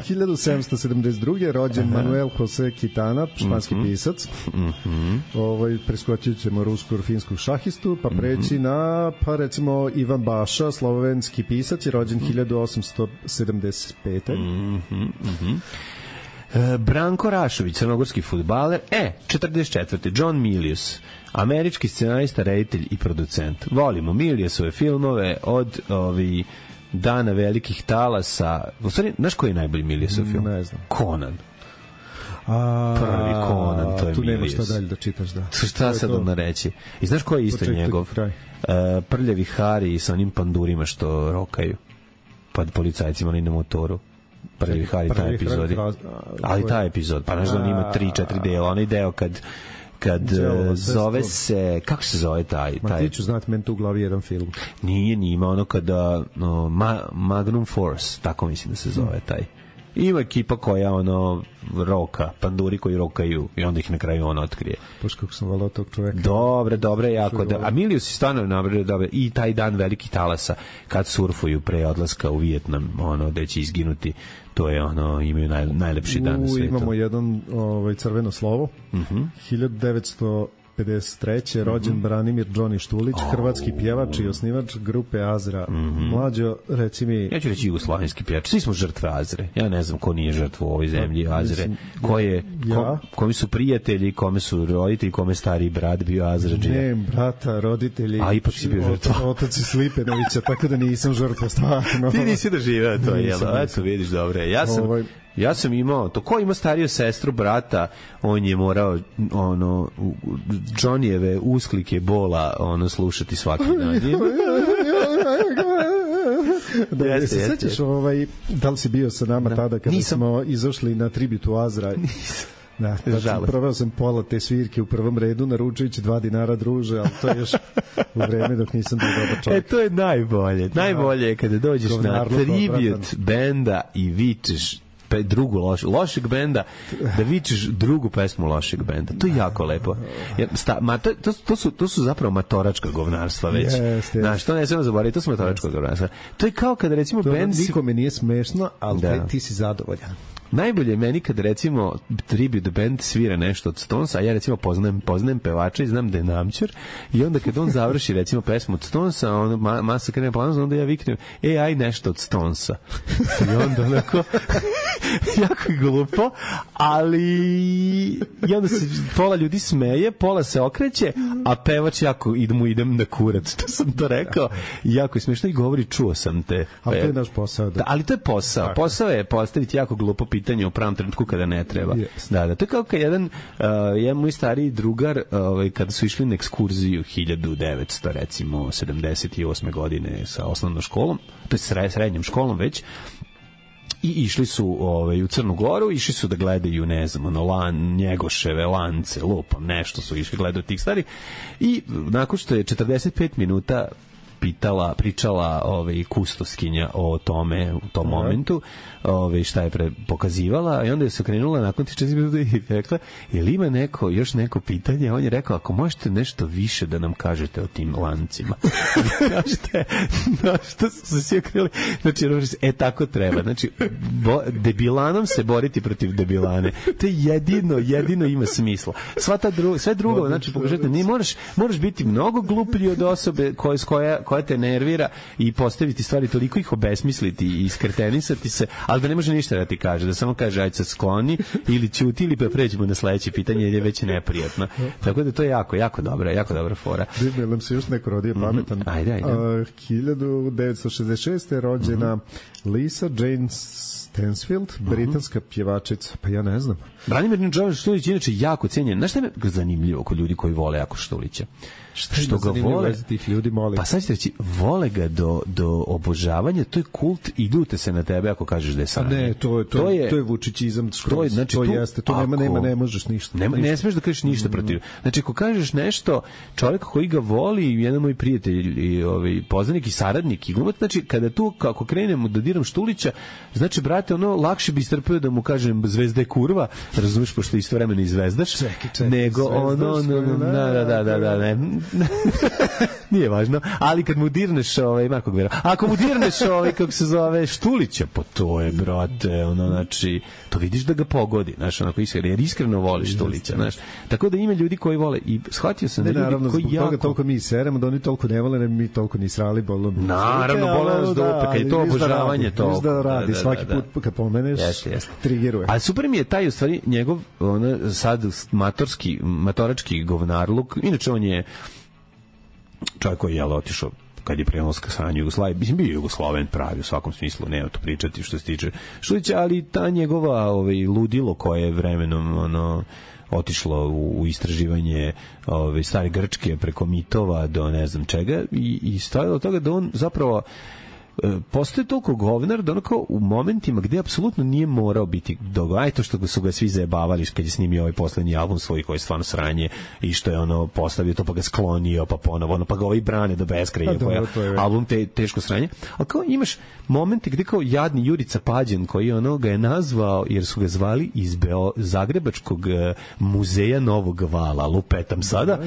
hiljadu sedamsto sedamdeset druge rođen Aha. Manuel Jose Quintana, španski mm-hmm. pisac. Mm-hmm. Ovaj, preskočit ćemo rusko-finskog šahistu, pa preći mm-hmm. na, pa recimo, Ivan Baša, slovenski pisac, je rođen mm-hmm. hiljadu osamsto sedamdeset pete. Mm-hmm. Mm-hmm. E, Branko Rašović, crnogorski fudbaler. E, četrdeset četvrte John Milius, američki scenarista, reditelj i producent. Volimo Miliusove filmove od ovi Dana velikih talasa. U stvari, znaš koji je najbolji Miliusov film? Ne znam. Conan. A, prvi Conan, to je tu Milius. nema šta dalje da čitaš, da. Šta sad onda reći? I znaš ko je isto Počekaj, njegov? Uh, prljavi Hari sa onim pandurima što rokaju pod policajcima ali na motoru. Prljavi Hari, taj epizod. Ali taj epizod, pa znaš da on ima tri, četiri dela. Onaj deo kad kad Đelo, zove se, kako se zove taj? Ma taj... ti ću znati, meni tu u glavi jedan film. Nije, nije, ima ono kada no, Ma, Magnum Force, tako mislim da se zove taj. Ima ekipa koja ono roka, panduri koji rokaju i onda ih na kraju on otkrije. Poš kako sam volao tog čoveka. Dobre, dobre, jako. Da, a Milius je stvarno nabrao dobre. I taj dan velikih talasa kad surfuju pre odlaska u Vijetnam, ono, da će izginuti, to je ono, imaju naj, najlepši dan na svijetu. Imamo jedan ovaj, crveno slovo. Uh-huh. hiljadu devetsto pedeset treće rođen mm-hmm. Branimir Džoni Štulić, oh. hrvatski pjevač i osnivač grupe Azra. Mm-hmm. Mlađo, reci mi... Ja ću reći jugoslovenski pjevač. Svi smo žrtve Azre. Ja ne znam ko nije žrtva u ovoj zemlji Azre. Ko je, ja? ko, kome su prijatelji, kome su roditelji, kome stari brat bio Azrađija. Ne, brata, roditelji. A ipak si bio žrtva. Otaci Slipenovića, tako da nisam žrtva stvarno. Ti nisi doživeo to, jel? Eto, vidiš, dobre. Ja sam... Ovaj... Ja sam imao, to ko ima stariju sestru, brata, on je morao ono Johnnyjeve usklike bola ono slušati svaki dan. Da, jeste, se sećaš jeste. Ovaj, da li si bio sa nama da. tada kada Nisam. smo izašli na tributu Azra? Nisam. Da, da proveo sam pola te svirke u prvom redu naručujući dva dinara druže, ali to je još u vreme dok nisam bio dobar čovjek. E, to je najbolje. Najbolje je kada dođeš na tribut benda i vičeš pe drugu loš, lošeg benda, da vičeš drugu pesmu lošeg benda. To je jako lepo. Jer, sta, ma, to, to, to, su, to su zapravo matoračka govnarstva već. Yes, Znaš, to ne smemo zaboraviti, to su matoračka yes. govnarstva. To je kao kada recimo to bend... Nikome nije smešno, ali da. ti si zadovoljan. Najbolje je meni kad recimo tribute band svira nešto od Stonesa, a ja recimo poznajem, poznajem pevača i znam da je namćer, i onda kad on završi recimo pesmu od Stonesa, on ma, masa krene planom, onda ja viknem, e, aj nešto od Stonesa. I onda onako jako je glupo, ali i onda se pola ljudi smeje, pola se okreće, a pevač jako idem, idem na kurac, to sam to rekao, i jako je smiješno i govori, čuo sam te. Ali to je naš posao. Da. Da, ali to je posao. Posao je postaviti jako glupo pitanje u pravom trenutku kada ne treba. Yes. Da, da, to je kao kad jedan, uh, jedan moj stariji drugar, uh, kada su išli na ekskurziju hiljadu devetsto recimo sedamdeset osme godine sa osnovnom školom, to je srednjom školom već, i išli su ovaj, u Crnu Goru, išli su da gledaju, ne znam, ono, lan, Njegoševe, Lance, lupam, nešto su išli gledaju tih stvari i nakon što je četrdeset pet minuta pitala, pričala ovaj kustoskinja o tome u tom Aha. momentu, ovaj šta je pre pokazivala i onda je se okrenula nakon tih četrdeset minuta i rekla: "Jel ima neko još neko pitanje?" On je rekao: "Ako možete nešto više da nam kažete o tim lancima." Znaš na što su se svi okrenuli. Znači, e tako treba. Znači, bo, debilanom se boriti protiv debilane. To je jedino, jedino ima smisla. Sva ta druga, sve drugo, znači pokažete, ne moraš, moraš biti mnogo gluplji od osobe koja koja koja te nervira i postaviti stvari toliko ih obesmisliti i iskrtenisati se, ali da ne može ništa da ti kaže, da samo kaže ajde se skloni ili ćuti ili pa pređemo na sledeće pitanje jer je već neprijatno. Tako da to je jako, jako dobra, jako dobra fora. Vidite, nam se još neko rodio pametan. Mm-hmm. Ajde, ajde. Uh, hiljadu devetsto šezdeset šeste rođena mm-hmm. Lisa Jane Stansfield, britanska pjevačica, pa ja ne znam. Branimir Štulić je inače jako cijenjen. Znaš šta je zanimljivo kod ljudi koji vole jako Štulića? Šta što ga vole tih ljudi, molim. Pa sad ćete reći, vole ga do, do obožavanja, to je kult i ljute se na tebe ako kažeš da je sranje. Ne, to je, to, to je, to je vučićizam, to, je, znači, to tu, jeste, to nema, nema, ne možeš ništa. Nema, ništa. Ne smeš da kažeš ništa protiv. Znači, ako kažeš nešto, čovjek koji ga voli, jedan moj prijatelj, i, ovaj, poznanik i saradnik, i glumac, znači, kada tu, kako krenemo da diram Štulića, znači, brate, ono, lakše bi strpio da mu kažem zvezda je kurva, razumeš, pošto isto vremena i zvezdaš, čekaj, čekaj, nego ono, ono, da, da, da, da, ne, nije važno, ali kad mu dirneš ovaj, Marko Gvera, ako mu dirneš ovaj, kako se zove, Štulića, pa to je, brate, ono, znači, to vidiš da ga pogodi, znaš, onako iskreno, jer iskreno voliš Štulića, znaš, tako da ima ljudi koji vole i shvatio sam da ljudi naravno, koji jako... Naravno, zbog toga toliko mi seremo, da oni toliko ne vole, ne mi toliko ni srali, bolom. Naravno, bolom nas dupe, kad je to obožavanje, to... Viš da radi, svaki put kad pomeneš, triggeruje. Ali super mi je taj, u stvari, njegov, ono, sad, matorski, matorački govnarluk, inače on je čovjek koji je otišao kad je prenoska sranje Jugoslavije, mislim bio Jugosloven pravi u svakom smislu, nema to pričati što se tiče Štulića, ali ta njegova ovaj, ludilo koje je vremenom ono, otišlo u, u istraživanje ovaj, stare Grčke preko mitova do ne znam čega i, i stajalo od toga da on zapravo postoje toliko govnar da onako u momentima gde apsolutno nije morao biti dogovaj, to što su ga svi zajebavali kad je snimio ovaj poslednji album svoj koji je stvarno sranje i što je ono postavio to pa ga sklonio pa ponovo ono pa ga ovaj brane do beskraja koji je album te, teško sranje, ali kao imaš momente gde kao jadni Jurica Pađen koji ono ga je nazvao jer su ga zvali iz Beo, Zagrebačkog muzeja Novog Vala, lupetam sada.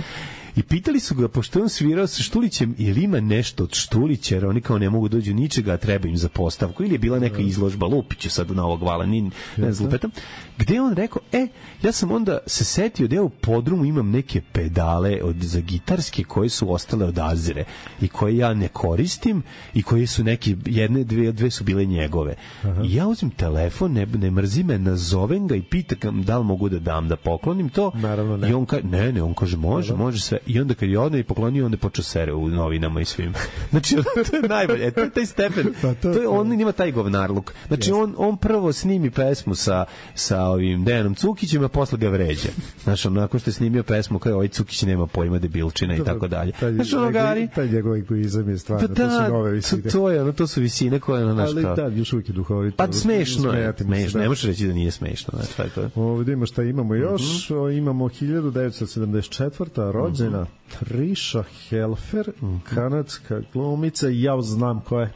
I pitali su ga, pošto on svirao sa Štulićem, ili ima nešto od Štulića, jer oni kao ne mogu dođu ničega, a treba im za postavku, ili je bila neka izložba, Lupiću sad u Novog Vala, ni, ne znam, lupetam, gde je on rekao, e, ja sam onda se setio da ja u podrumu imam neke pedale od, za gitarske koje su ostale od Azire i koje ja ne koristim i koje su neke, jedne, dve, dve su bile njegove. Aha. I ja uzim telefon, ne, ne mrzi me, nazovem ga i pitam da li mogu da dam, da poklonim to. Naravno, ne. I on kaže, ne, ne, on kaže, može, Naravno. može sve. I onda kad je odno i poklonio, onda je počeo sere u novinama i svim. Znači, to je najbolje. To je taj stepen. Pa to, to je, on ima taj govnarluk. Znači, on, on prvo snimi pesmu sa, sa ovim Dejanom Cukićem, a posle ga vređa. Znači, onako što je snimio pesmu kao ovaj Cukić nema pojma, debilčina i tako dalje. Znači, ono gari... Taj njegov egoizam je stvarno, pa da, to su nove visine. To, to je, ono, to su visine koje, ono, znaš kao... Ali da, još uvijek je duhovito. Pa smešno je, smešno, ne možeš reći da nije smešno. Znači, taj to. Ovdje ima šta imamo još, mm-hmm. imamo hiljadu devetsto sedamdeset četvrta rođena mm-hmm. Trisha Helfer, mm-hmm. kanadska glumica, ja znam ko je.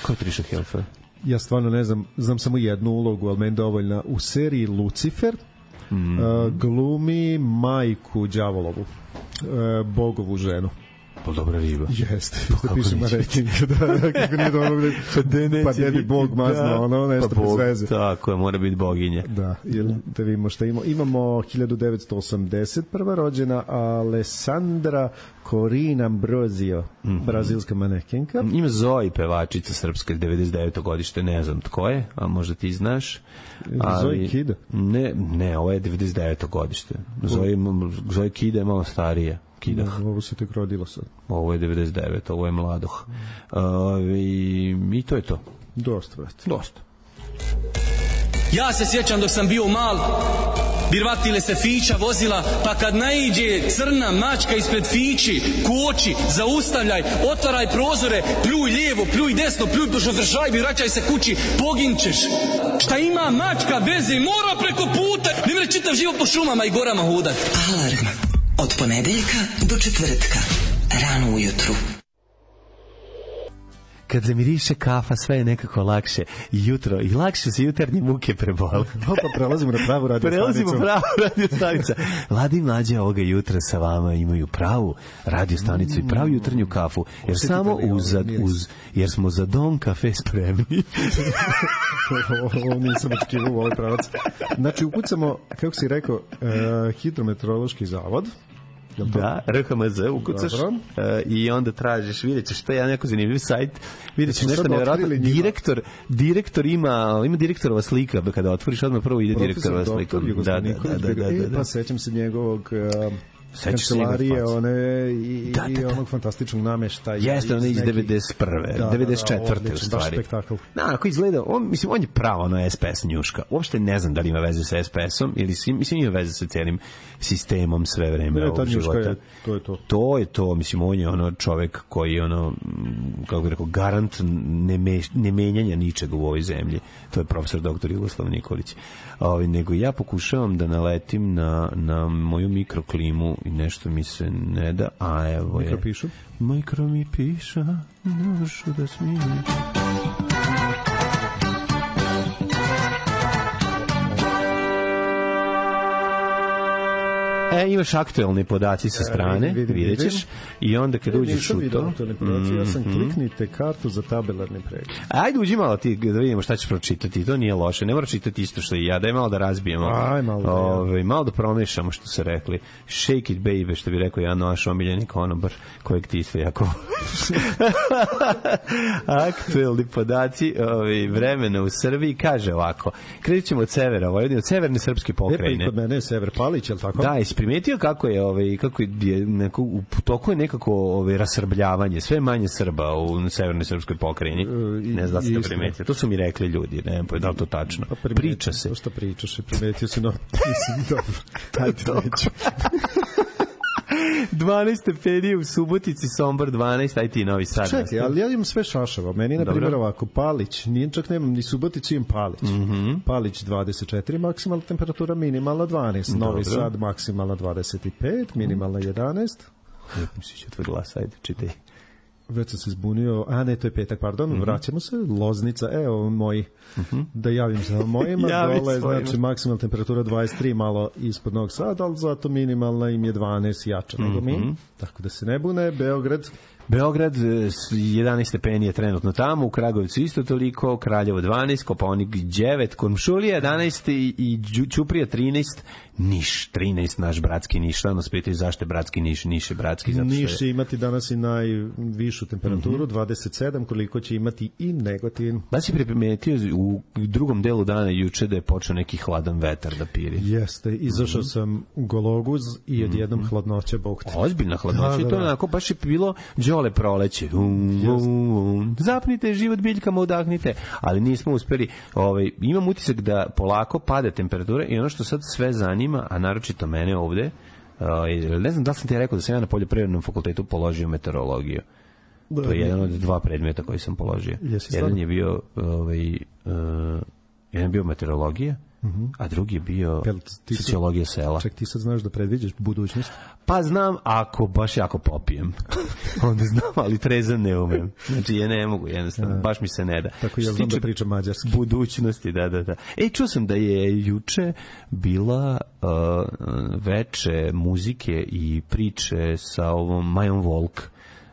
Ko je Trisha Helfer? Ja stvarno ne znam, znam samo jednu ulogu, ali meni dovoljna. U seriji Lucifer mm. uh, glumi majku đavolovu, uh, bogovu ženu. Pa dobra riba. Jeste, da pišemo rating, da, kako nije dobro, pa ne bi Bog mazno, ono, nešto pa bez veze. Tako je, mora biti boginja. Da, ili da vidimo šta imamo. Imamo hiljadu devetsto osamdeset prva rođena Alessandra Corina Ambrosio, mm-hmm. brazilska manekenka. Ima Zoe, pevačica srpska, devedeset deveto godište, ne znam tko je, a možda ti znaš. Ali, Zoe Kida? Ne, ne, ovo je devedeset deveto godište. Zoe, Zoe Kida je malo starija. Kidah. No, ovo se tek rodilo sad. Ovo je devedeset devet, ovo je mladoh. Uh, i, I to je to. Dosta, već. Dosta. Ja se sjećam dok sam bio mal, birvatile se fića vozila, pa kad naiđe crna mačka ispred fići, koči, zaustavljaj, otvaraj prozore, pljuj lijevo, pljuj desno, pljuj po šoferšajbi, vraćaj se kući, poginčeš. Šta ima mačka veze, mora preko puta, ne mre čitav život po šumama i gorama hodat. Alarm od ponedeljka do četvrtka, rano ujutru. Kad zamiriše kafa, sve je nekako lakše jutro i lakše se jutarnje muke prebole. Pa prelazimo na pravu radio stanicu. Prelazimo pravu radio stanicu. Ladi i mlađe ovoga jutra sa vama imaju pravu radio stanicu i pravu jutarnju kafu. Jer Osjetite samo uz, ovaj uz, jer smo za Don kafe spremni. Ovo nisam očekivao u ovoj pravac. Znači, ukucamo, kako si rekao, uh, hidrometeorološki zavod. Da, R H M Z ukucaš uh, i onda tražiš, vidjet ćeš, to je jedan neko zanimljiv sajt, vidjet ćeš nešto nevjerojatno. Direktor, direktor ima, ima direktorova slika, kada otvoriš odmah prvo ide direktorova slika. Da, da, da, da, da, da. Pa sećam se njegovog uh, kancelarije, one i, da, da, da. i onog fantastičnog nameštaja. Jeste, one iz devedeset prve, da, devedeset četvrte da, u stvari. Baš spektakl. Da, ako izgleda, on, mislim, on je pravo ono S P S njuška. Uopšte ne znam da li ima veze sa S P S-om, ili mislim ima veze sa cijelim sistemom sve vreme ne, ovog života. Je, to je to. To je to, mislim, on je ono čovek koji je ono, kako bih rekao, garant ne, me, ne menjanja ničega u ovoj zemlji. To je profesor doktor Jugoslav Nikolić. Ovi, nego ja pokušavam da naletim na, na moju mikroklimu i nešto mi se ne da, a evo je. Mikro pišu? Mikro mi piša, ne možu da smijem. E, imaš aktuelne podaci sa strane, e, vidim, vidjet ćeš, i onda kad uđeš u to... Mm-hmm. Ja sam kliknite kartu za tabelarni pregled. Ajde, uđi malo ti da vidimo šta ćeš pročitati, to nije loše, ne mora čitati isto što i ja, daj malo da razbijemo. Aj, malo da, Ove, ja. Malo da promešamo što su rekli. Shake it baby, što bi rekao ja, naš omiljeni konobar, kojeg ti isto jako... Aktuelni podaci ove, vremena u Srbiji, kaže ovako, krenut ćemo od severa, Vojvodine, od severne srpske pokrajine. E, pa i kod mene je Sever Palić, je li tako? Da, primetio kako je ovaj kako je neko u toku je nekako ovaj rasrbljavanje, sve manje Srba u severnoj srpskoj pokrajini. Ne znam da ste primetili. To su mi rekli ljudi, ne znam da li to tačno. Pa priča se. To što pričaš, primetio si, no mislim dobro. Ajde, neću. dvanaest stepeni u Subotici, Sombor dvanaest, aj ti Novi Sad. Čekaj, ali ja imam sve šašava. Meni, na primjer, ovako, Palić, nije čak nemam ni Suboticu, imam Palić. Mm-hmm. Palić dvadeset četiri, maksimalna temperatura, minimalna dvanaest. Dobro. Novi Sad, maksimalna dvadeset pet, minimalna jedanaest. Lijep mi si će tvoj glas, ajde, čitaj. Već sam se zbunio, a ne, to je petak, pardon, mm-hmm. vraćamo se, Loznica, evo moji, mm-hmm. da javim se mojima, dole, znači maksimalna temperatura dvadeset tri, malo ispod Novog Sada, ali zato minimalna im je dvanaest, jača nego mm-hmm. mi, tako da se ne bune. Beograd, Beograd jedanaest stepeni je trenutno tamo, u Kragujevcu isto toliko, Kraljevo dvanaest, Kopaonik devet, Kuršumlija jedanaest i, i Ćuprija trinaest, Niš trinaest, naš bratski Niš. Šta nas pitaju zašto je bratski Niš? Niš je bratski zato što je... Niš će imati danas i najvišu temperaturu, mm-hmm. dvadeset sedam, koliko će imati i Negotin. Da si primetio u drugom delu dana juče da je počeo neki hladan vetar da piri? Jeste, izašao mm-hmm. sam u Gologuz i odjednom mm-hmm. hladnoća, bog te. Ozbiljna hladnoća, da, da, da. To onako baš je bilo đole proleće. Um, um, um. Zapnite život biljkama, udahnite. Ali nismo uspeli. Ovaj, imam utisak da polako pada temperatura i ono što sad sve zanima, a naročito mene ovde, uh, ne znam da li sam ti rekao da sam ja na poljoprivrednom fakultetu položio meteorologiju. Da, to je jedan od dva predmeta koji sam položio. Jedan je bio ovaj, uh, jedan je bio meteorologija, uh-huh. a drugi je bio sociologija sela. Ček, ti sad znaš da predviđaš budućnost? Pa znam, ako baš jako popijem. Onda znam, ali trezan ne umem. Znači, ja ne mogu, jednostavno, baš mi se ne da. Tako ja znam da pričam mađarski. Budućnosti, da, da, da. E, čuo sam da je juče bila uh, veče muzike i priče sa ovom Majom Volk.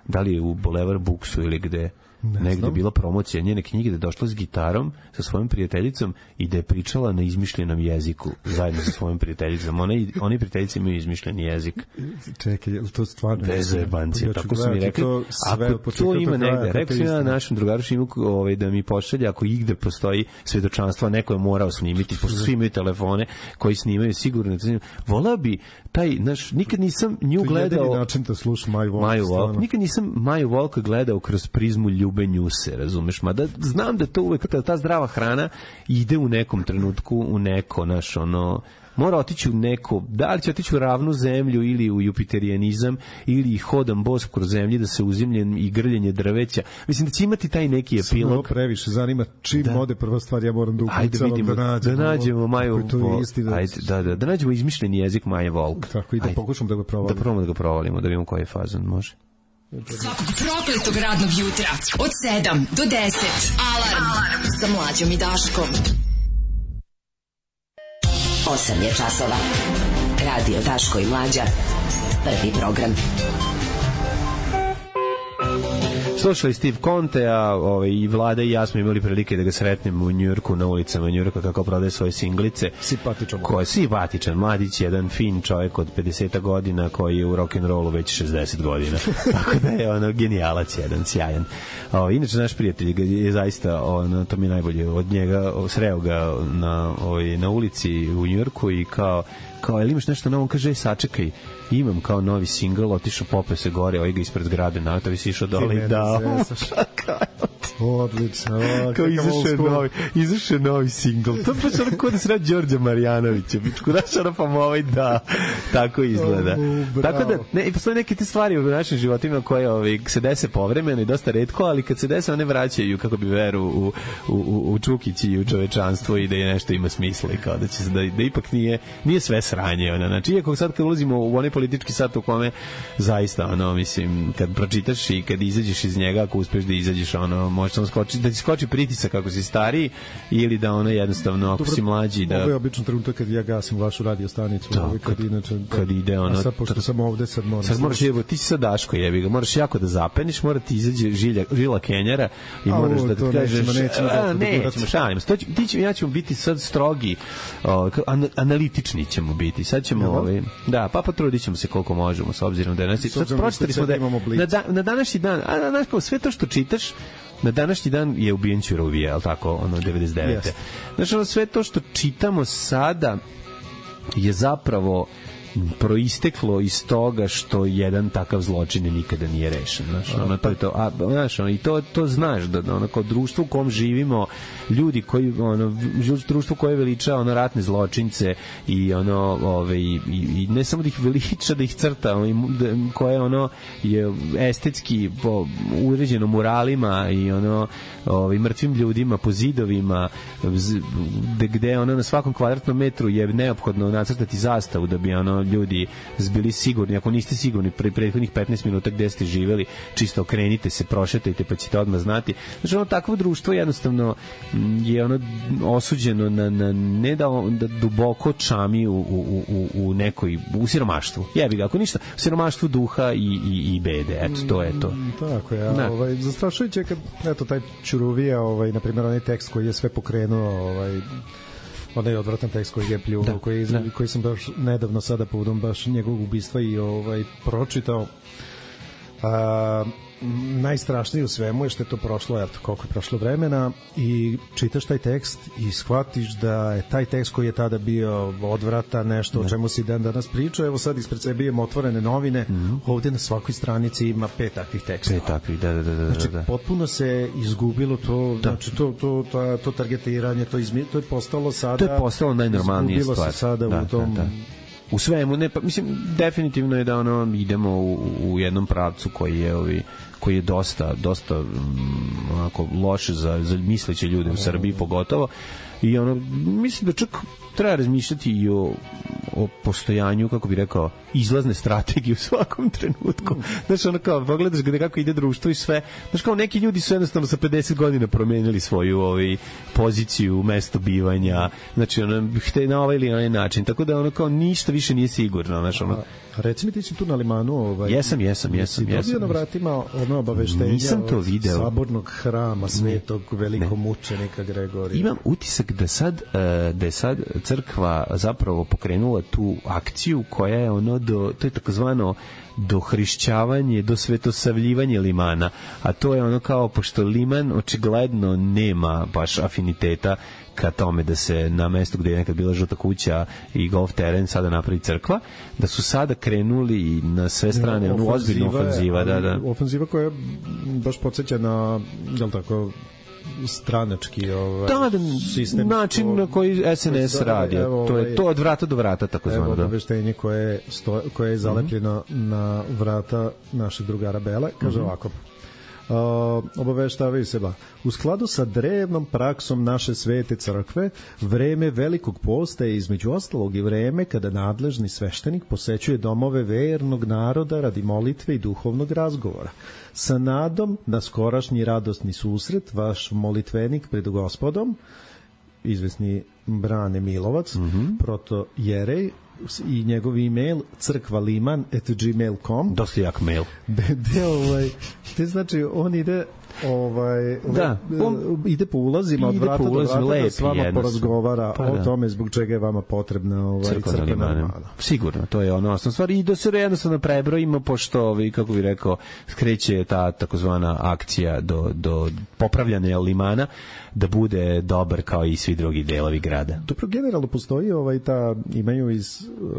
Da li je u Boulevard Booksu ili gde? Ne negde je bila promocija njene knjige da je došla s gitarom sa svojom prijateljicom i da je pričala na izmišljenom jeziku zajedno sa svojom prijateljicom. One, one prijateljice imaju izmišljeni jezik. Čekaj, je li to stvarno? Bez jebancije, ja tako su mi rekli. To ako to ima negde, rekao sam ja našem drugaru Šimuku ovaj, da mi pošalje, ako igde postoji svedočanstva, neko je morao snimiti, pošto svi imaju telefone koji snimaju sigurno. Volao bi taj, znaš, nikad nisam nju gledao... To je jedini način da slušam Maju Volk. Maju Volk. Nikad nisam Maju Volk gledao kroz prizmu ljube njuse, razumeš? Mada znam da to uvek, ta, ta zdrava hrana ide u nekom trenutku u neko, naš, ono, mora otići u neko, da li će otići u ravnu zemlju ili u jupiterijanizam ili hodam bos kroz zemlji da se uzimljen i grljenje drveća. Mislim da će imati taj neki epilog. Samo previše zanima čim da. ode prva stvar, ja moram da ukucam, da nađemo, da nađemo Maju Volk. Da, ajde, da, da, da nađemo izmišljeni jezik Maje Volk. Tako i da pokušam da ga provalimo. Da probamo da ga provalimo, da vidimo koji je fazon, može. Svakog prokletog radnog jutra od sedam do deset. Alarm, Alarm. Sa Mlađom i Daškom. osam je časova. Radio Daško i Mlađa. Prvi program. Slušali Steve Conte, a ovaj, i Vlada i ja smo imali prilike da ga sretnemo u Njujorku, na ulicama Njujorka, kako prodaje svoje singlice. Simpatičan. Ko je simpatičan, mladić, jedan fin čovjek od pedeset godina koji je u rock'n'rollu već šezdeset godina. Tako da je ono genijalac jedan, sjajan. O, inače, naš prijatelj je zaista, ono, to mi je najbolje, od njega, sreo ga na, ovaj, na ulici u Njujorku i kao, kao, jel imaš nešto novo? On kaže, sačekaj, imam kao novi singl, otišao, popeo se gore, ovaj ga ispred zgrade, na to bi si išao dole i dao. Odlično. Kao izašao novi, izašao novi singl. To je baš ono kod da se radi Đorđa Marjanovića. Bičku, znaš, ono pa ovaj da, tako izgleda. Oh, tako da, ne, i postoje neke te stvari u našim životima koje ovaj, se dese povremeno i dosta retko, ali kad se dese, one vraćaju, kako bi veru, u, u, u, u Čukić i u čovečanstvo i da je nešto ima smisla i kao da će se, da, da ipak nije, nije sve sranje. Ona. Znači, iako sad kad ulazimo u onaj politički sat u kome zaista, ono, mislim, kad pročitaš i kad izađeš iz njega, ako uspeš da izađeš, ono, možeš samo skoči, da ti skoči pritisak kako si stariji ili da ono jednostavno ako dobro, si mlađi da... Ovo je obično trenutak kad ja gasim vašu radio stanicu, to, kad, kad, inače, kad ide ono... A sad pošto sam ovde, sad moram... Sad moraš, jevo, ti si sad Daško, jebi ga, moraš jako da zapeniš, mora ti izađe žilja, žila Kenjara i a, moraš o, da ti kažeš... Nećemo, nećemo, a, nećemo, šalim. Ti ćemo, ja ćemo biti sad strogi, o, an, analitični ćemo biti. Sad ćemo... Ja, ovaj, da, pa potrudit ćemo se koliko možemo, s obzirom da je... Sad pročitali smo da na, da, na današnji dan, a, znaš kao, sve to što čitaš, na današnji dan je ubijen Ćurovija, al tako, ono devedeset devete. Yes. Znači, ono sve to što čitamo sada je zapravo proisteklo iz toga što jedan takav zločin nikada nije rešen, znaš, ono to je to, a znaš, ono, i to to znaš da ono kao društvo u kom živimo, ljudi koji ono društvo koje veliča ono ratne zločince i ono ove i, i ne samo da ih veliča, da ih crta, ono, koje ono je estetski po, uređeno muralima i ono ovaj mrtvim ljudima po zidovima gde, gde ono na svakom kvadratnom metru je neophodno nacrtati zastavu da bi ono ljudi bili sigurni. Ako niste sigurni pre prethodnih petnaest minuta gde ste živeli, čisto okrenite se, prošetajte pa ćete odmah znati. Znači ono takvo društvo jednostavno je ono osuđeno na, na ne da, da duboko čami u, u, u, u nekoj u siromaštvu. Jebi ga, ako ništa, u siromaštvu duha i, i, i bede. Eto, to je to. Mm, tako je. Ja, ovaj, zastrašujuće kad eto, taj Ćuruvija, ovaj, na primjer, onaj tekst koji je sve pokrenuo, ovaj, onaj odvratan tekst koji je pljunuo, koji, koji sam baš nedavno sada povodom baš njegovog ubistva i ovaj, pročitao. A, najstrašnije u svemu je što je to prošlo, eto, koliko je prošlo vremena i čitaš taj tekst i shvatiš da je taj tekst koji je tada bio odvratan, nešto o čemu si dan danas pričao, evo sad ispred sebe imamo otvorene novine, mm-hmm. ovde na svakoj stranici ima pet takvih tekstova. Pet takvih, da, da, da, da. Znači, potpuno se izgubilo to, da. Znači, to, to, to, to targetiranje, to, izmi, to je postalo sada... To je postalo najnormalnija stvar. Izgubilo se sada da, u tom... Da, da. U svemu, ne, pa, mislim, definitivno je da ono, idemo u, u jednom pravcu koji je ovi koji je dosta, dosta um, onako loše za, za misleće ljude u Srbiji pogotovo i ono, mislim da čak treba razmišljati i o, o postojanju, kako bi rekao, izlazne strategije u svakom trenutku. Znaš, ono kao, pogledaš gde kako ide društvo i sve. Znaš, kao neki ljudi su jednostavno sa pedeset godina promenili svoju ovaj, poziciju, mesto bivanja, znači, ono, hte na ovaj ili onaj način, tako da ono kao ništa više nije sigurno, znaš, ono. A reci mi, ti si tu na limanu, ovaj, jesam, jesam, jesam, jesam. Si dobio na vratima ono obaveštenja nisam to video. Sabornog hrama svetog velikomučenika Gregorija. Imam utisak da sad, da je sad crkva zapravo pokrenula tu akciju koja je ono do, to je takozvano dohrišćavanje, do svetosavljivanje limana, a to je ono kao, pošto liman očigledno nema baš afiniteta ka tome da se na mestu gde je nekad bila žuta kuća i golf teren sada napravi crkva, da su sada krenuli na sve strane, ono ozbiljna ofenziva, da, da. Ofenziva koja baš podsjeća na, jel tako, stranački ovaj, da, sistem. Način na koji S N S radi. Evo, to je to od vrata do vrata, tako zvano. Evo obaveštenje koje, sto, koje je zalepljeno mm-hmm. na vrata našeg drugara Bele. Kaže mm-hmm. ovako. Uh, obaveštavaju se ba. U skladu sa drevnom praksom naše svete crkve, vreme velikog posta je između ostalog i vreme kada nadležni sveštenik posećuje domove vernog naroda radi molitve i duhovnog razgovora. Sa nadom na skorašnji radosni susret, vaš molitvenik pred Gospodom, izvesni Brane Milovac, mm-hmm. proto Jerej, i njegov e-mail crkvaliman at gmail dot com. Dosta jak mail. De, ovaj, te znači, on ide ovaj da, on ide po ulazima od vrata do vrata da s vama porazgovara pa, o da. tome zbog čega je vama potrebna ovaj crkvena limana. Sigurno, to je ono osnovna stvar i da se jednostavno prebrojimo pošto ovi, kako bih rekao, skreće ta takozvana akcija do, do popravljanja limana da bude dobar kao i svi drugi delovi grada. Dobro, generalno postoji ovaj ta, imaju iz uh,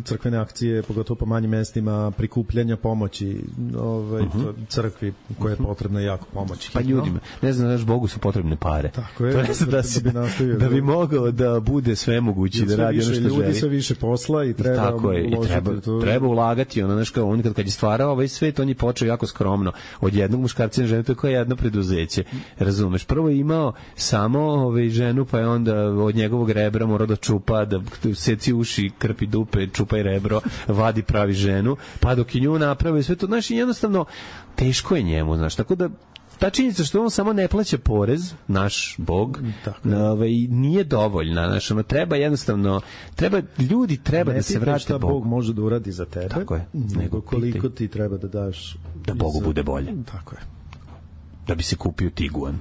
crkvene akcije, pogotovo po manjim mestima, prikupljanja pomoći ovaj, uh-huh. crkvi koja je potrebna jako pomoći. Pa ljudima, ne znam, znaš, Bogu su potrebne pare. Tako je, to je da, da, si, da, bi da bi mogao da bude sve mogući, da radi ono što ljudi, želi. Ljudi sve više posla i treba tako je, i treba, to... treba ulagati. Ono, znaš, kao on kad, kad je stvarao ovaj svet, on je počeo jako skromno. Od jednog muškarca i žene, to je kao jedno preduzeće. Razumeš? Prvo je imao samo ovaj, ženu, pa je onda od njegovog rebra morao da čupa, da seci uši, krpi dupe, čupa i rebro, vadi pravi ženu, pa dok je nju napravi sve to, znaš, jednostavno teško je njemu, znaš, tako da ta činjenica što on samo ne plaća porez, naš Bog, ovaj, nije dovoljna, znaš, ono, treba jednostavno, treba, ljudi treba ne da se vrate Bogu. Ne Bog može da uradi za tebe, tako je, nego koliko pitaj. Ti treba da daš da Bogu za... bude bolje. Tako je. Da bi se kupio Tiguan.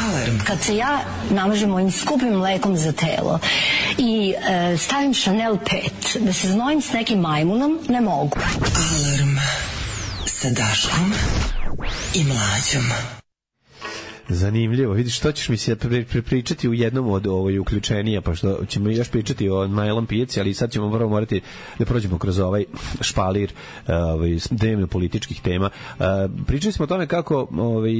Alarm. Kad se ja namažem mojim skupim mlekom za telo i e, stavim Chanel pet, da se znojim s nekim majmunom, ne mogu. Alarm sa Daškom i Mlađom. Zanimljivo, vidiš, što ćeš mi se pričati u jednom od ovoj uključenija, pa što ćemo još pričati o najlom pijaci, ali sad ćemo prvo morati da prođemo kroz ovaj špalir ovaj, dnevno političkih tema. Pričali smo o tome kako ovaj,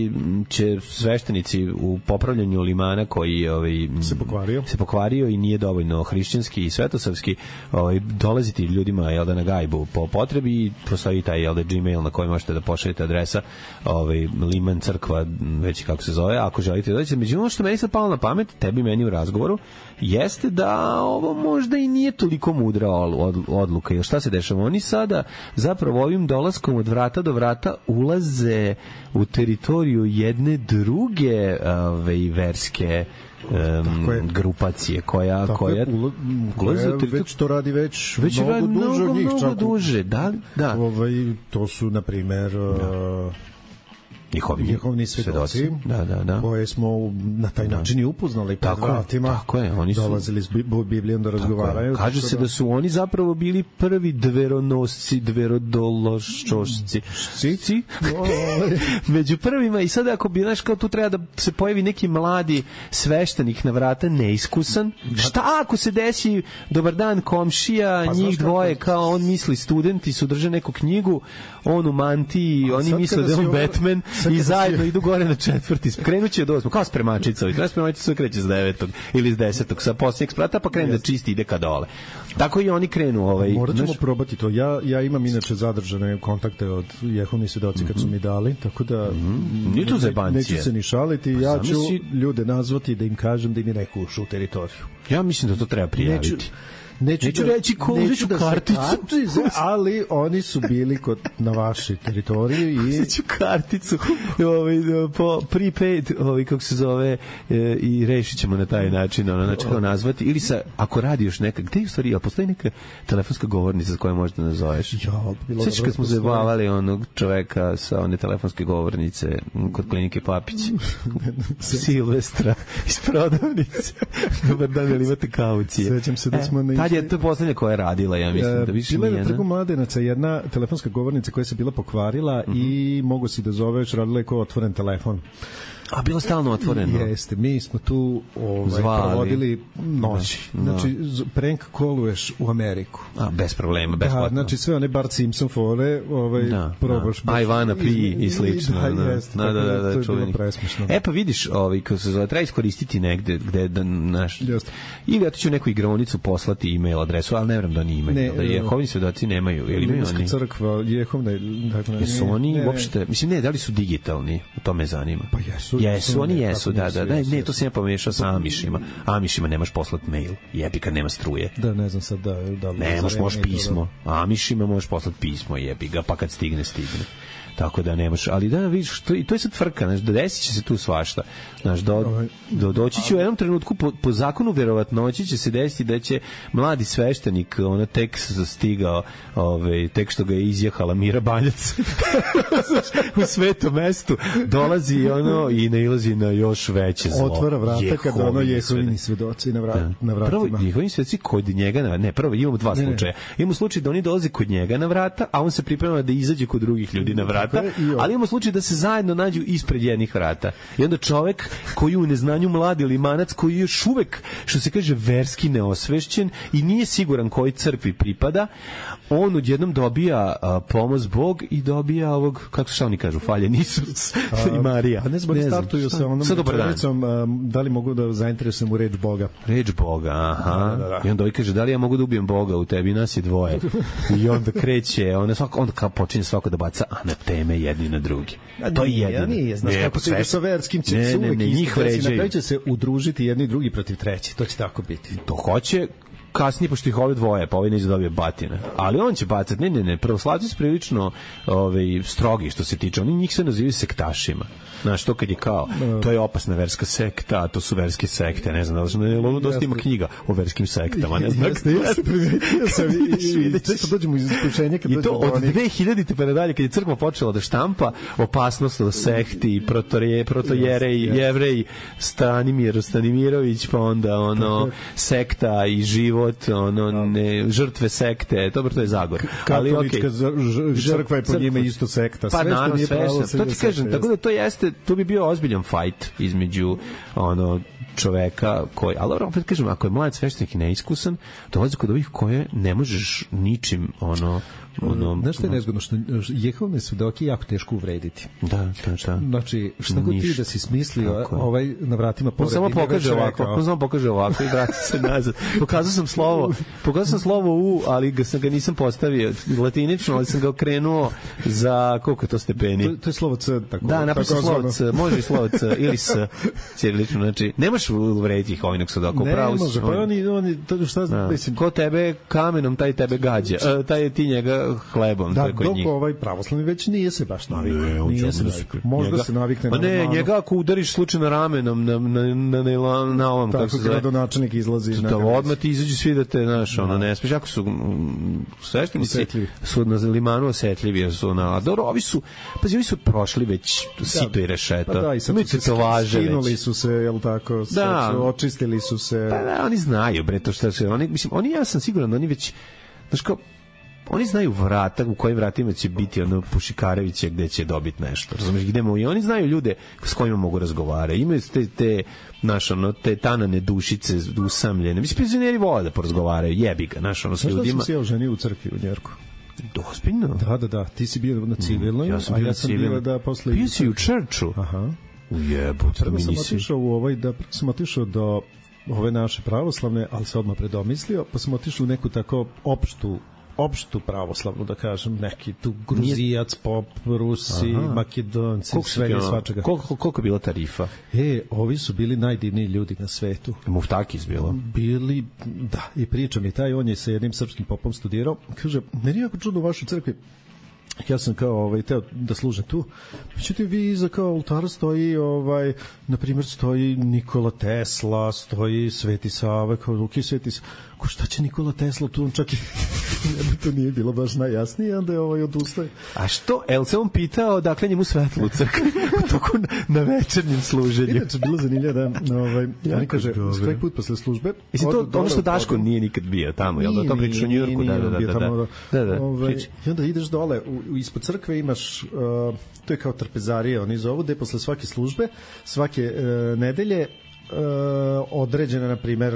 će sveštenici u popravljanju limana koji ovaj, se pokvario. se pokvario i nije dovoljno hrišćanski i svetosavski, ovaj, dolaziti ljudima jel da, na gajbu po potrebi i postoji taj jel da, Gmail na koji možete da pošaljete adresa ovaj, liman crkva, već kako se zove, ako želite da dođete. Međutim, ono što meni sad palo na pamet, tebi meni u razgovoru, jeste da ovo možda i nije toliko mudra odluka. Jer šta se dešava? Oni sada zapravo ovim dolaskom od vrata do vrata ulaze u teritoriju jedne druge ove, verske Um, grupacije koja tako koja, je, ula, koja već to radi već, već mnogo radi, duže mnogo, od njih, mnogo duže, da, da. Ovaj, to su na primjer da. njihovi, njihovi svedoci, svedoci. Da, da, da. koje smo na taj da. način i upoznali pred tako, vratima, tako je, oni su dolazili s Biblijom da razgovaraju. Kaže se da... da su oni zapravo bili prvi dveronosci, dverodološčosci. Cici? Među prvima i sada ako bi, znaš, kao tu treba da se pojavi neki mladi sveštenik na vrata, neiskusan. Šta ako se desi, dobar dan komšija, pa, njih dvoje, kako... kao on misli studenti su drže neku knjigu, on u mantiji, oni misle da je on Batman i zajedno si... idu gore na četvrti. Krenuće od osmog, kao spremačica. Treba spremačica sve kreće s devetog ili s desetog, sa posljednjeg sprata, pa krene da čisti, ide ka dole. Tako i oni krenu. Ovaj, morat ćemo znaš... probati to. Ja, ja imam inače zadržane kontakte od Jehovnih svedoci mm-hmm. kad su mi dali, tako da mm-hmm. Nije to zebancije. Neću se ni šaliti. Pa ja ću si... ljude nazvati da im kažem da im neku ušu u teritoriju. Ja mislim da to treba prijaviti. Neću... Neću, neću da, reći ko neću da karticu, karticu, ali oni su bili kod, na vašoj teritoriji i uzeću karticu ovaj, po prepaid, ovaj, kako se zove, e, i rešit ćemo na taj način, ono, znači kao nazvati, ili sa, ako radi još neka, gde je u stvari, a postoji neka telefonska govornica s kojom možete nazoveš? Ja, sveći kad smo zabavali onog čoveka sa one telefonske govornice kod klinike Papić, Silvestra iz prodavnice. Dobar dan, ili imate kaucije? Svećam se da smo na tad je to poslednja koja je radila, ja mislim, da više bila nije. Bila je na Trgu Mladenaca jedna telefonska govornica koja se bila pokvarila mm-hmm. i mogu si da zoveš, radila je kao otvoren telefon. A bilo stalno otvoreno. Jeste, mi smo tu ovaj, Zvali. provodili noći. Da, znači, z- prank koluješ u Ameriku. A, bez problema, besplatno. Da, znači sve one Bart Simpson fore, ovaj, Da, probaš. da. Ivana Pri i slično. Da, da, jeste, da, da, da, da, to je bilo čuveni. presmešno. E pa vidiš, ovaj, kako se zove, treba iskoristiti negde gde da naš. Jeste. Ili ja ti ću neku igraonicu poslati e-mail adresu, ali ne vjerujem da oni imaju. Ne, da Jehovini svedoci nemaju. Ili imaju Rimska oni? crkva, Jehovna, dakle, Jesu oni ne, ne. uopšte, mislim ne, da li su digitalni? To me zanima. Pa jesu. Jesu, oni jesu, da, da, da, jesu, ne, jesu. to se ja pomešao sa Amišima. Amišima nemaš poslat mail, jebi kad nema struje. Da, ne znam sad da... da li Ne, možeš, za možeš vreme i to, pismo. Amišima možeš poslati pismo, jebi ga, pa kad stigne, stigne. Tako da nemaš, ali da vidiš, to, to je sad frka, znaš, desit će se tu svašta. Znaš, do, do, doći će u jednom trenutku, po, po zakonu verovatnoći će se desiti da će mladi sveštenik, ona tek stigao, ovaj, tek što ga je izjehala Mira Baljac u svetom mestu, dolazi ono i nailazi na još veće zlo. Otvara vrata kada ono Jehovini Jehovini svedoci na, vra, Da. na vratima. Prvo, njihovim svedoci kod njega, na, ne, prvo imamo dva Ne, ne. slučaja. Imamo slučaj da oni dolaze kod njega na vrata, a on se priprema da izađe kod drugih ljudi na vrata, Tako je, i on. ali imamo slučaj da se zajedno nađu ispred jednih vrata. I onda čovek koji u neznanju mladi limanac, koji je još uvek, što se kaže, verski neosvešćen i nije siguran koji crkvi pripada, on odjednom dobija a, pomoz Bog i dobija ovog, kako se oni kažu, faljen Isus i Marija. A ne znam, ne startuju šta? sa onom Sad dobar dan. rečenicom, um, da li mogu da zainteresujem u reč Boga. Reč Boga, aha. Da, da, da. I onda ovaj kaže, da li ja mogu da ubijem Boga u tebi, nas je dvoje. I onda kreće, onda, svako, onda kao počinje svako da baca anateme jedni na drugi. A To je nije, jedno. nije, znaš Ne, kako pa se ide sve- sa verskim će Ne, se ne, uvek ne, isto njih desiti. Na vređaju. kraju će se udružiti jedni i drugi protiv treći, to će tako biti. To hoće kasnije, pošto ih ove dvoje, pa ovaj neće dobije batine. Ali on će bacati, ne, ne, ne, pravoslavci su prilično ovaj, strogi što se tiče, oni njih se nazivaju sektašima. Znaš, to kad je kao, to je opasna verska sekta, a to su verske sekte, ne znam, da li ne, ono dosta ima knjiga o verskim sektama, ne znam. Jeste, jeste, primetio sam i, i, i često dođemo iz iskušenja kad I dođemo to do od onih. dve hiljadite pa nadalje, kad je crkva počela da štampa opasnost od sekti, protorije, protojerej, jevrej, Stanimir Stanimirović, pa onda ono sekta i život, ono ne, žrtve sekte, dobro, to je Zagor. Ali okej. Katolička z- ž- crkva je po njima isto sekta. Pa Sve što naravno, nije sve pravo, što, sve to je ti sekta, kažem, tako da to jeste, to bi bio ozbiljan fight između ono čoveka koji, ali dobro, opet kažem, ako je mlad sveštenik i neiskusan, dolazi kod ovih koje ne možeš ničim ono ono Znaš što je nezgodno, što Jehovne svedoke je jako teško uvrediti. Da, da, da. Znači, šta god ti Ništa. da si smislio, Tako je. ovaj na vratima On pored samo ime pokaže već ovako, rekao. on samo pokaže ovako i vrati se nazad. Pokazao sam slovo, pokazao sam slovo U, ali ga sam ga nisam postavio latinično, ali sam ga okrenuo za koliko je to stepeni. To, to je slovo C, tako. Da, napisao tako slovo zvano. C, može i slovo C ili S, ćirilično, znači, nemaš uvrediti ih ovog svedoka, Ne upravo može, pa oni, oni, to šta znam, Da. mislim, Ko tebe kamenom, taj tebe gađa. E, taj ti njega hlebom, to da, je kod dok njih. ovaj pravoslavni već nije se baš navikao. Ne, on će Nije se onda navikao. Možda njega- se navikne Pa na ne, romanu. njega ako udariš slučajno ramenom na, na, na, na, na ovom, kako Tako se zove, gradonačelnik izlazi na da granicu. odmah ti izađu svi da te, znaš, ono, ne smiješ, ako su mm, sveštenici, Osetljivi. su na limanu osetljivi, jer su na, a dobro, ovi su, pazi, ovi su prošli već sito i rešeto. Pa da, i sad imaju su se tetovaže skinuli već. su se, jel tako, sad Da. su, očistili su se. Pa da, oni znaju, bre, to što se, oni, mislim, oni, ja sam siguran da oni već, znaš kao, oni znaju vrata, u kojim vratima će biti ono Pušikarevića gde će dobiti nešto. Razumeš, gde mu, i oni znaju ljude s kojima mogu razgovarati. Imaju te, te, naš, ono, te tanane dušice usamljene. Mislim, penzioneri vole da porazgovaraju, jebi ga, naš, ono, s Znaš da ljudima. sam se ja oženio u crkvi u Njerku? Ozbiljno? Da, da, da, ti si bio na civilnoj, Ja sam a bio ja na sam civilnoj. bio da posle... Bio si u Čerču? Aha. Ujebut, Prvo mi sam nisi. otišao u ovaj, da prvo sam otišao do ove naše pravoslavne, ali se odmah predomislio, pa sam otišao u neku tako opštu opštu pravoslavnu, da kažem, neki tu Gruzijac, pop, Rusi, Aha. Makedonci, Koliko su sve ti, i ono, svačega. Koliko, koliko je bila tarifa? E, ovi su bili najdivniji ljudi na svetu. Muftakis bilo? Bili, da, i priča mi taj, on je sa jednim srpskim popom studirao, kaže, meni je jako čudno u vašoj crkvi, ja sam kao ovaj teo da služem tu. Međutim, vi iza kao oltara stoji ovaj, na primjer stoji Nikola Tesla, stoji Sveti Sava, kao ruki Sveti Sava. Ko šta će Nikola Tesla tu, on čak i to nije bilo baš najjasnije, onda je ovaj odustaje. A što? El se on pitao dakle njemu svetlo u crkvi toku na, na večernjem služenju. Inače, bilo zanimljivo da ovaj, oni kaže, svaki put posle službe... I to ono što Daško nije nikad bio tamo, jel da to pričaš u Njujorku? Da, da, da. da, da. da, da. Ovaj, I onda ideš dole, u, ispod crkve imaš, uh, to je kao trpezarija, oni zovu, gde posle svake službe, svake uh, nedelje, Uh, određene, na primer,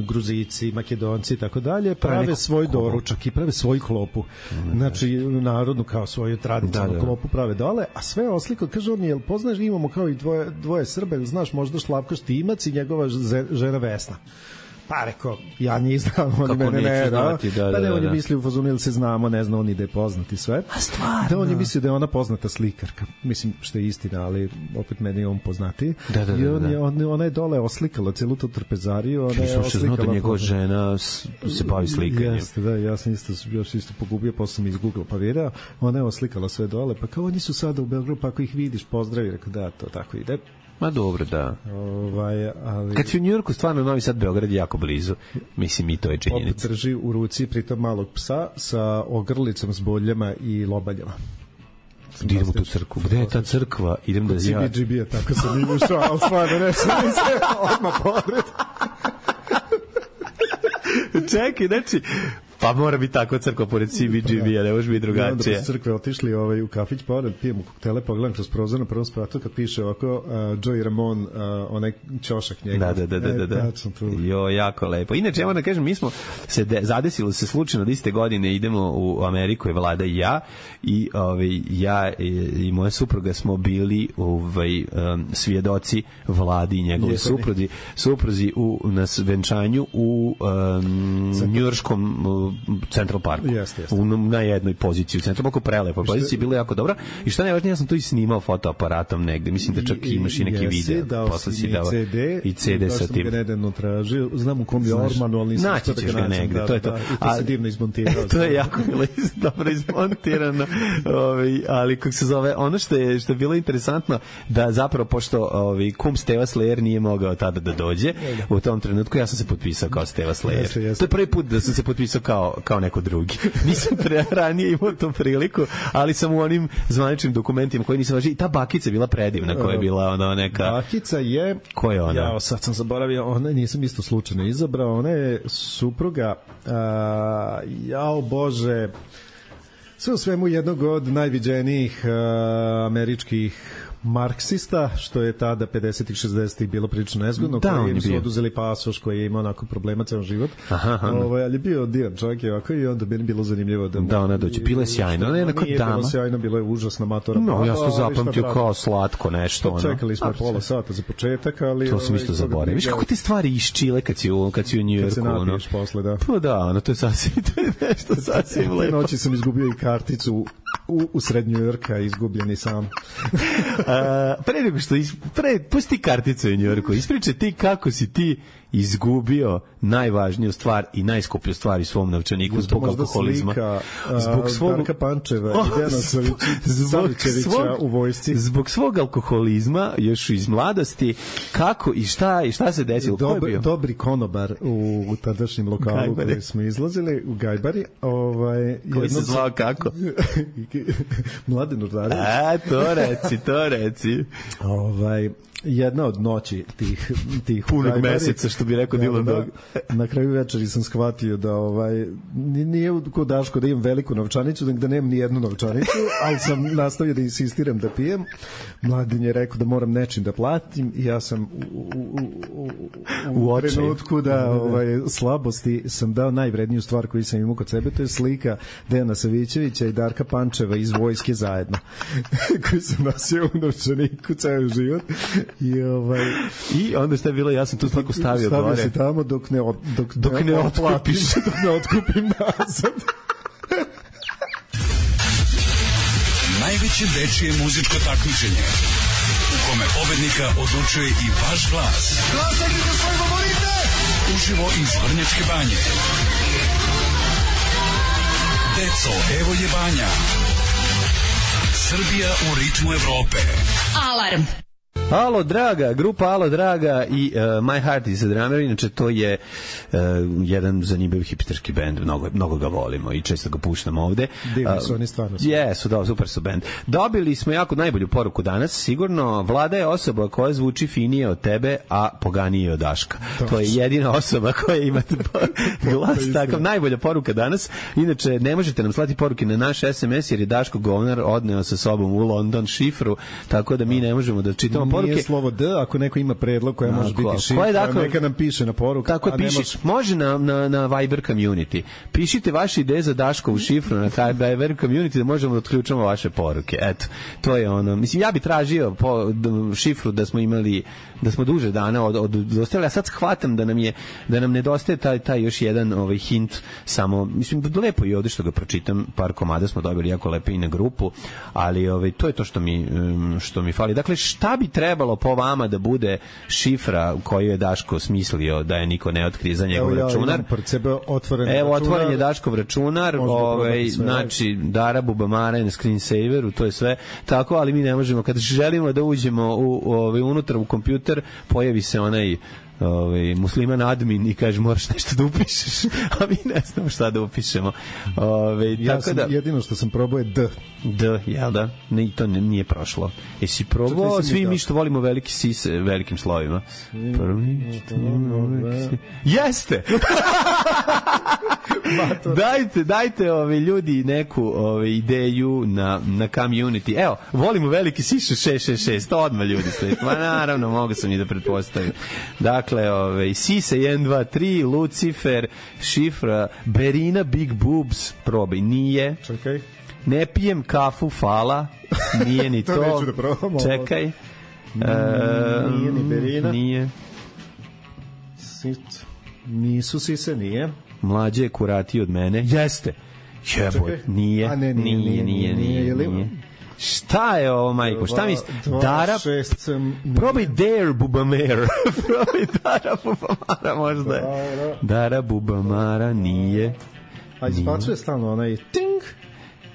Gruzici, Makedonci i tako dalje, prave svoj doručak i prave svoju klopu. Mm, znači, narodnu kao svoju tradicionalnu da, da. klopu prave dole, a sve osliko, kaže on, jel poznaš, imamo kao i dvoje, dvoje Srbe, znaš možda Šlavko Štimac i njegova žena Vesna. Pa rekao, ja njih znam, oni mene ne, da. Znati, da, da, pa ne, da, on je mislio u fazonu, ili se znamo, ne zna, on ide poznati sve. A stvarno? Da, on je mislio da je ona poznata slikarka. Mislim, što je istina, ali opet meni je on poznati. Da, da, da. I on da. je, on, ona je dole oslikala celu tu trpezariju. Ona je oslikala... da njegova žena se bavi slikanjem. Jeste, da, ja sam isto, još isto pogubio, posle sam iz Google pa video. Ona je oslikala sve dole, pa kao oni su sada u Beogradu, pa ako ih vidiš, pozdravi, rekao, da, to tako ide. Ma dobro, da. Ovaj, ali... Kad si u Njujorku, stvarno Novi Sad, Beograd je jako blizu. Mislim, i to je činjenica. Opet drži u ruci pritom malog psa sa ogrlicom s boljama i lobaljama. Idemo u tu crkvu. Gde je ta crkva? Idem da ja... C B G B, tako sam im ušao, ali stvarno ne sam se odmah podred. Čekaj, znači... Pa mora biti takva crkva pored C B G B-a, ne može biti drugačije. I onda po crkve otišli ovaj, u kafić pored, pijemo koktele, pogledam kroz prozor na prvom spratu kad piše ovako uh, Joey Ramone, uh, onaj ćošak njegov. Da, da, da, da, da, da. Jo, jako lepo. Inače, ja moram da kažem, mi smo se de, zadesilo se slučajno da iste godine idemo u Ameriku, je Vlada i ja, i ovaj, ja i, i moja supruga smo bili ovaj, um, svjedoci Vladi i njegove supruzi, supruzi u, na venčanju u um, njujorškom Central Parku. Jeste, jeste. U, na jednoj poziciji u Central Parku, prelepa pozicija, bila jako dobra. I što najvažnije, ja sam to i snimao fotoaparatom negde. Mislim da čak imaš i neki video. Posle si dao C D i C D sa tim. Da sam ga nedavno tražio. Znam u kom je Ormanu, ali nisam naći ćeš ga negde. Da, to je to. Da, i to se divno izmontirao. To je jako bilo dobro izmontirano. Ovi, ali kako se zove, ono što je, što je bilo interesantno, da zapravo, pošto ovi, kum Steva Slayer nije mogao tada da dođe, u tom trenutku ja sam se potpisao kao Steva Slayer. Jeste, jeste. To je prvi put da sam se potpisao kao, kao neko drugi. Nisam pre, ranije imao tu priliku, ali sam u onim zvaničnim dokumentima koji nisam važio. I ta bakica je bila predivna, koja je bila ona neka... Bakica je... Ko je ona? Ja, sad sam zaboravio, ona nisam isto slučajno izabrao, ona je supruga, a, jao Bože, sve u svemu jednog od najviđenijih a, američkih marksista, što je tada pedesetih šezdesetih bilo prilično nezgodno, da, koji im su oduzeli pasoš, koji je imao onako problema ceo život. Aha, aha. Ovo, ali je bio divan čovjek i ovako, i onda bi bilo zanimljivo da... Da, ona dođe. Bila je sjajna. Ona je jednako dama. Nije bilo sjajno, bilo je užasna matora. No, ja sam to zapamtio kao slatko nešto. Pa, čekali smo pola sata za početak, ali... To sam isto zaboravio. Viš kako te stvari iščile kad si u, kad si u Njujorku. Kad se napiješ posle, da. Pa da, ono, to je sasvim, to je nešto sasvim lepo. Te noći sam izgubio i karticu u, u sred Njujorka, izgubljeni sam. Uh, pre nego što is, pre, pusti karticu u Njujorku, ispričaj ti kako si ti izgubio najvažniju stvar i najskuplju stvar u svom novčaniku zbog alkoholizma. Slika, zbog svog Darka Pančeva oh, i Dejana Savićevića u vojsci. Zbog svog alkoholizma još iz mladosti, kako i šta i šta se desilo? Dob, dobri konobar u, u tadašnjem lokalu koji smo izlazili u Gajbari, ovaj koji se zvao kako? Mladen Urdarević. A, to reci, to reci. Ovaj jedna od noći tih tih punog meseca, što bi rekao Dylan Dog. Na kraju večeri sam shvatio da ovaj nije kod Daško da imam veliku novčanicu, da nemam ni jednu novčanicu, ali sam nastavio da insistiram da pijem. Mladen je rekao da moram nečim da platim i ja sam u, u, u, u, u trenutku da ovaj slabosti sam dao najvredniju stvar koju sam imao kod sebe, to je slika Dejana Savićevića i Darka Pančeva iz vojske zajedno, koju sam nosio u novčaniku ceo život. I ovaj i onda šta je bilo, ja sam tu sliku stavio, stavio gore. Stavio si tamo dok ne od, dok, dok ne, ne otkupiš, dok ne otkupim nazad. Najveće dečije muzičko takmičenje u kome pobednika odlučuje i vaš glas. Glasajte za svoj favorite! Uživo iz Vrnjačke Banje. Deco, evo je Banja. Srbija u ritmu Evrope. Alarm! Alo Draga, grupa Alo Draga i uh, My Heart is a Drummer, inače to je uh, jedan zanimljiv hipsterski bend, mnogo, mnogo ga volimo i često ga puštamo ovde. Divni su oni stvarno. Jesu, da, super su bend. Dobili smo jako najbolju poruku danas, sigurno, Vlada je osoba koja zvuči finije od tebe, a poganije od Daška. To, to je jedina osoba koja ima glas takav. Najbolja poruka danas. Inače, ne možete nam slati poruke na naš es em es jer je Daško govnar odneo sa sobom u London šifru, tako da mi ne možemo da čitamo poruke. Nije slovo D, ako neko ima predlog koja može biti šifra, dakle, neka nam piše na poruku. Tako je, piši, može na, na, na Viber community. Pišite vaše ideje za Daškovu šifru na taj Viber community da možemo da otključamo vaše poruke. Eto, to je ono. Mislim, ja bi tražio po, šifru da smo imali, da smo duže dana od, od dostali, a sad shvatam da nam je, da nam nedostaje taj, taj još jedan ovaj hint, samo, mislim, lepo je ovde što ga pročitam, par komada smo dobili jako lepo i na grupu, ali ovaj, to je to što mi, što mi fali. Dakle, šta bi trebalo po vama da bude šifra koju je Daško smislio da je niko ne otkrije za njegov ja računar? Evo, otvoren je Daškov računar, ovaj, znači, Dara Bubamara je na screensaveru, to je sve tako, ali mi ne možemo, kad želimo da uđemo u, ovaj, unutra u kompjuter, pojavi se onaj ovaj musliman admin i kaže moraš nešto da upišeš, a mi ne znamo šta da upišemo. Ovaj ja tako sam, da jedino što sam probao je D. D, jel da? Ne, i to ne, nije prošlo. Jesi probao? Svi mi što volimo veliki sise velikim slovima. Prvi, jeste! dajte, dajte ovi ljudi neku ove ideju na, na community. Evo, volimo veliki siše šest šest šest, odmah ljudi stoji. Ma naravno, mogu sam i da pretpostavim. Dakle, ove, Sise jedan dva tri, Lucifer, šifra, Berina Big Boobs, probaj, nije. Čekaj. Ne pijem kafu, fala, nije ni to. To neću da probam. Čekaj. E, nije ni Berina. Nije. Sit. Nisu Sise, nije. Mlađe je kuratiji od mene. Jeste. Jeboj, nije, A ne, nije, nije, nije, nije, nije, nije. Šta je ovo, majko? Šta mi... Dara... Probaj Dare Bubamara. Probaj Dara Bubamara, možda je. Dara Bubamara, nije. A izbacuje stalno onaj ting.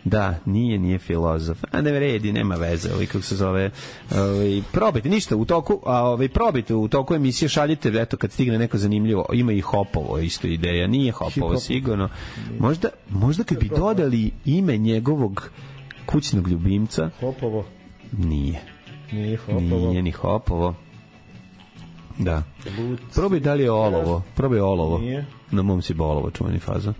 Da, nije, nije filozof. A ne vredi, nema veze, ovaj kako se zove. Ovaj probajte ništa u toku, a ovaj probajte u toku emisije, šaljite, eto kad stigne neko zanimljivo. Ima i Hopovo, isto ideja. Nije Hopovo sigurno. Možda, možda kad bi dodali ime njegovog kućnog ljubimca. Hopovo. Nije. Nije Hopovo. Nije ni Hopovo. Da. Probaj da li je olovo. Probaj olovo. Nije. Na mom si bolovo, čuveni faza.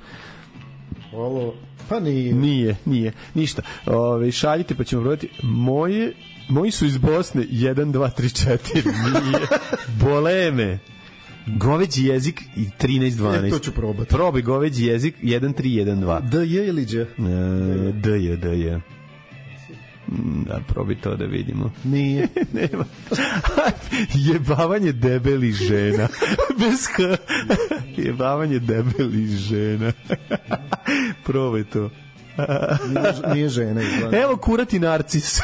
Olovo. Pa nije. Nije, nije. Ništa. Ove, šaljite pa ćemo probati. Moje, moji su iz Bosne jedan, dva, tri, četiri. Nije. Boleme. Goveđi jezik i trinaest dvanaest. E, to ću probati. Probaj goveđi jezik jedan tri jedan dva. D je ili Đ? E, D je, D je. Da, probaj to da vidimo. Nije. Nema. Jebavanje debelih žena. Bez H. Jebavanje debelih žena. Probaj to. Nije, nije žena. Izgleda. Evo kurati narcis.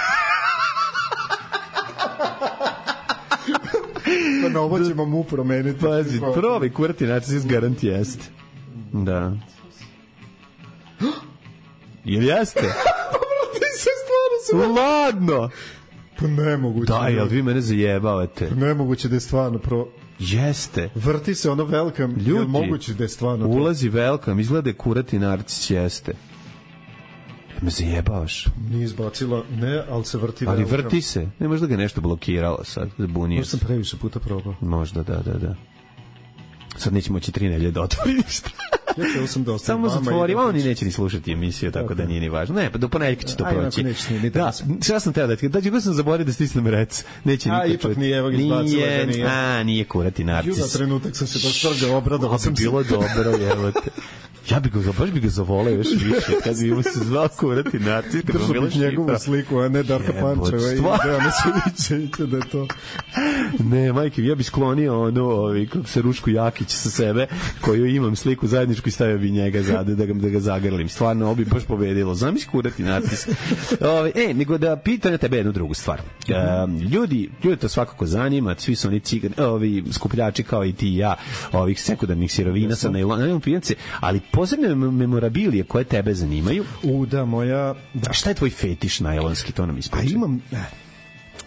Pa na ovo ćemo mu promeniti. Pazi, probaj kurati narcis, garant jeste. Da. Ili jeste? Ladno. Pa nemoguće. Da, jel vi mene zajebavate? Nemoguće da je stvarno pro... Jeste. Vrti se ono welcome. Ljudi, jel moguće da je stvarno ulazi welcome, izgleda je kurati narcis, jeste. Me zajebavaš. Nije izbacila, ne, ali se vrti ali welcome. Vrti se. Ne, možda ga nešto blokiralo sad, zbunio Možda sam previše puta probao. Možda, da, da, da. Sad neće moći tri nelje da otvori ništa. Ja ću sam da samo zatvori, oni neće ni slušati emisiju, tako okay. da nije ni važno. Ne, pa do ponedjeljka će to Aj, proći. Ni da, šta sam teo da ti, da ću sam zaboravio da stisnem rec. Neće niko čuti. A, ipak nije, evo ga izbacila da nije. A, nije kurati narcis. Ju, na trenutak sam se dostrgao, obradovao sam se. Bilo dobro, evo te. Ja bi ga, baš bi ga zavoleo još više, kad bi mu se zvao kurati narcis. Držao bih njegovu sliku, a ne Darka Pančeva i Dejana Suvićevića da je to. Ne, majke, ja bi sklonio ono, ovi, kako se Rušku Jakić sa sebe, koju imam sliku zajedničku i stavio bi njega zade, da ga, da ga zagrlim. Stvarno, ovo bi baš pobedilo. Znam iz kurati narcis. Ove, e, nego da pitam na tebe jednu drugu stvar. E, ljudi, ljudi to svakako zanima, svi su oni cigani, ovi skupljači kao i ti i ja, ovih sekundarnih sirovina sa najlonom pijance, ali posebne memorabilije koje tebe zanimaju. U, da, moja... Da. A šta je tvoj fetiš najlonski, to nam ispričaj? A imam...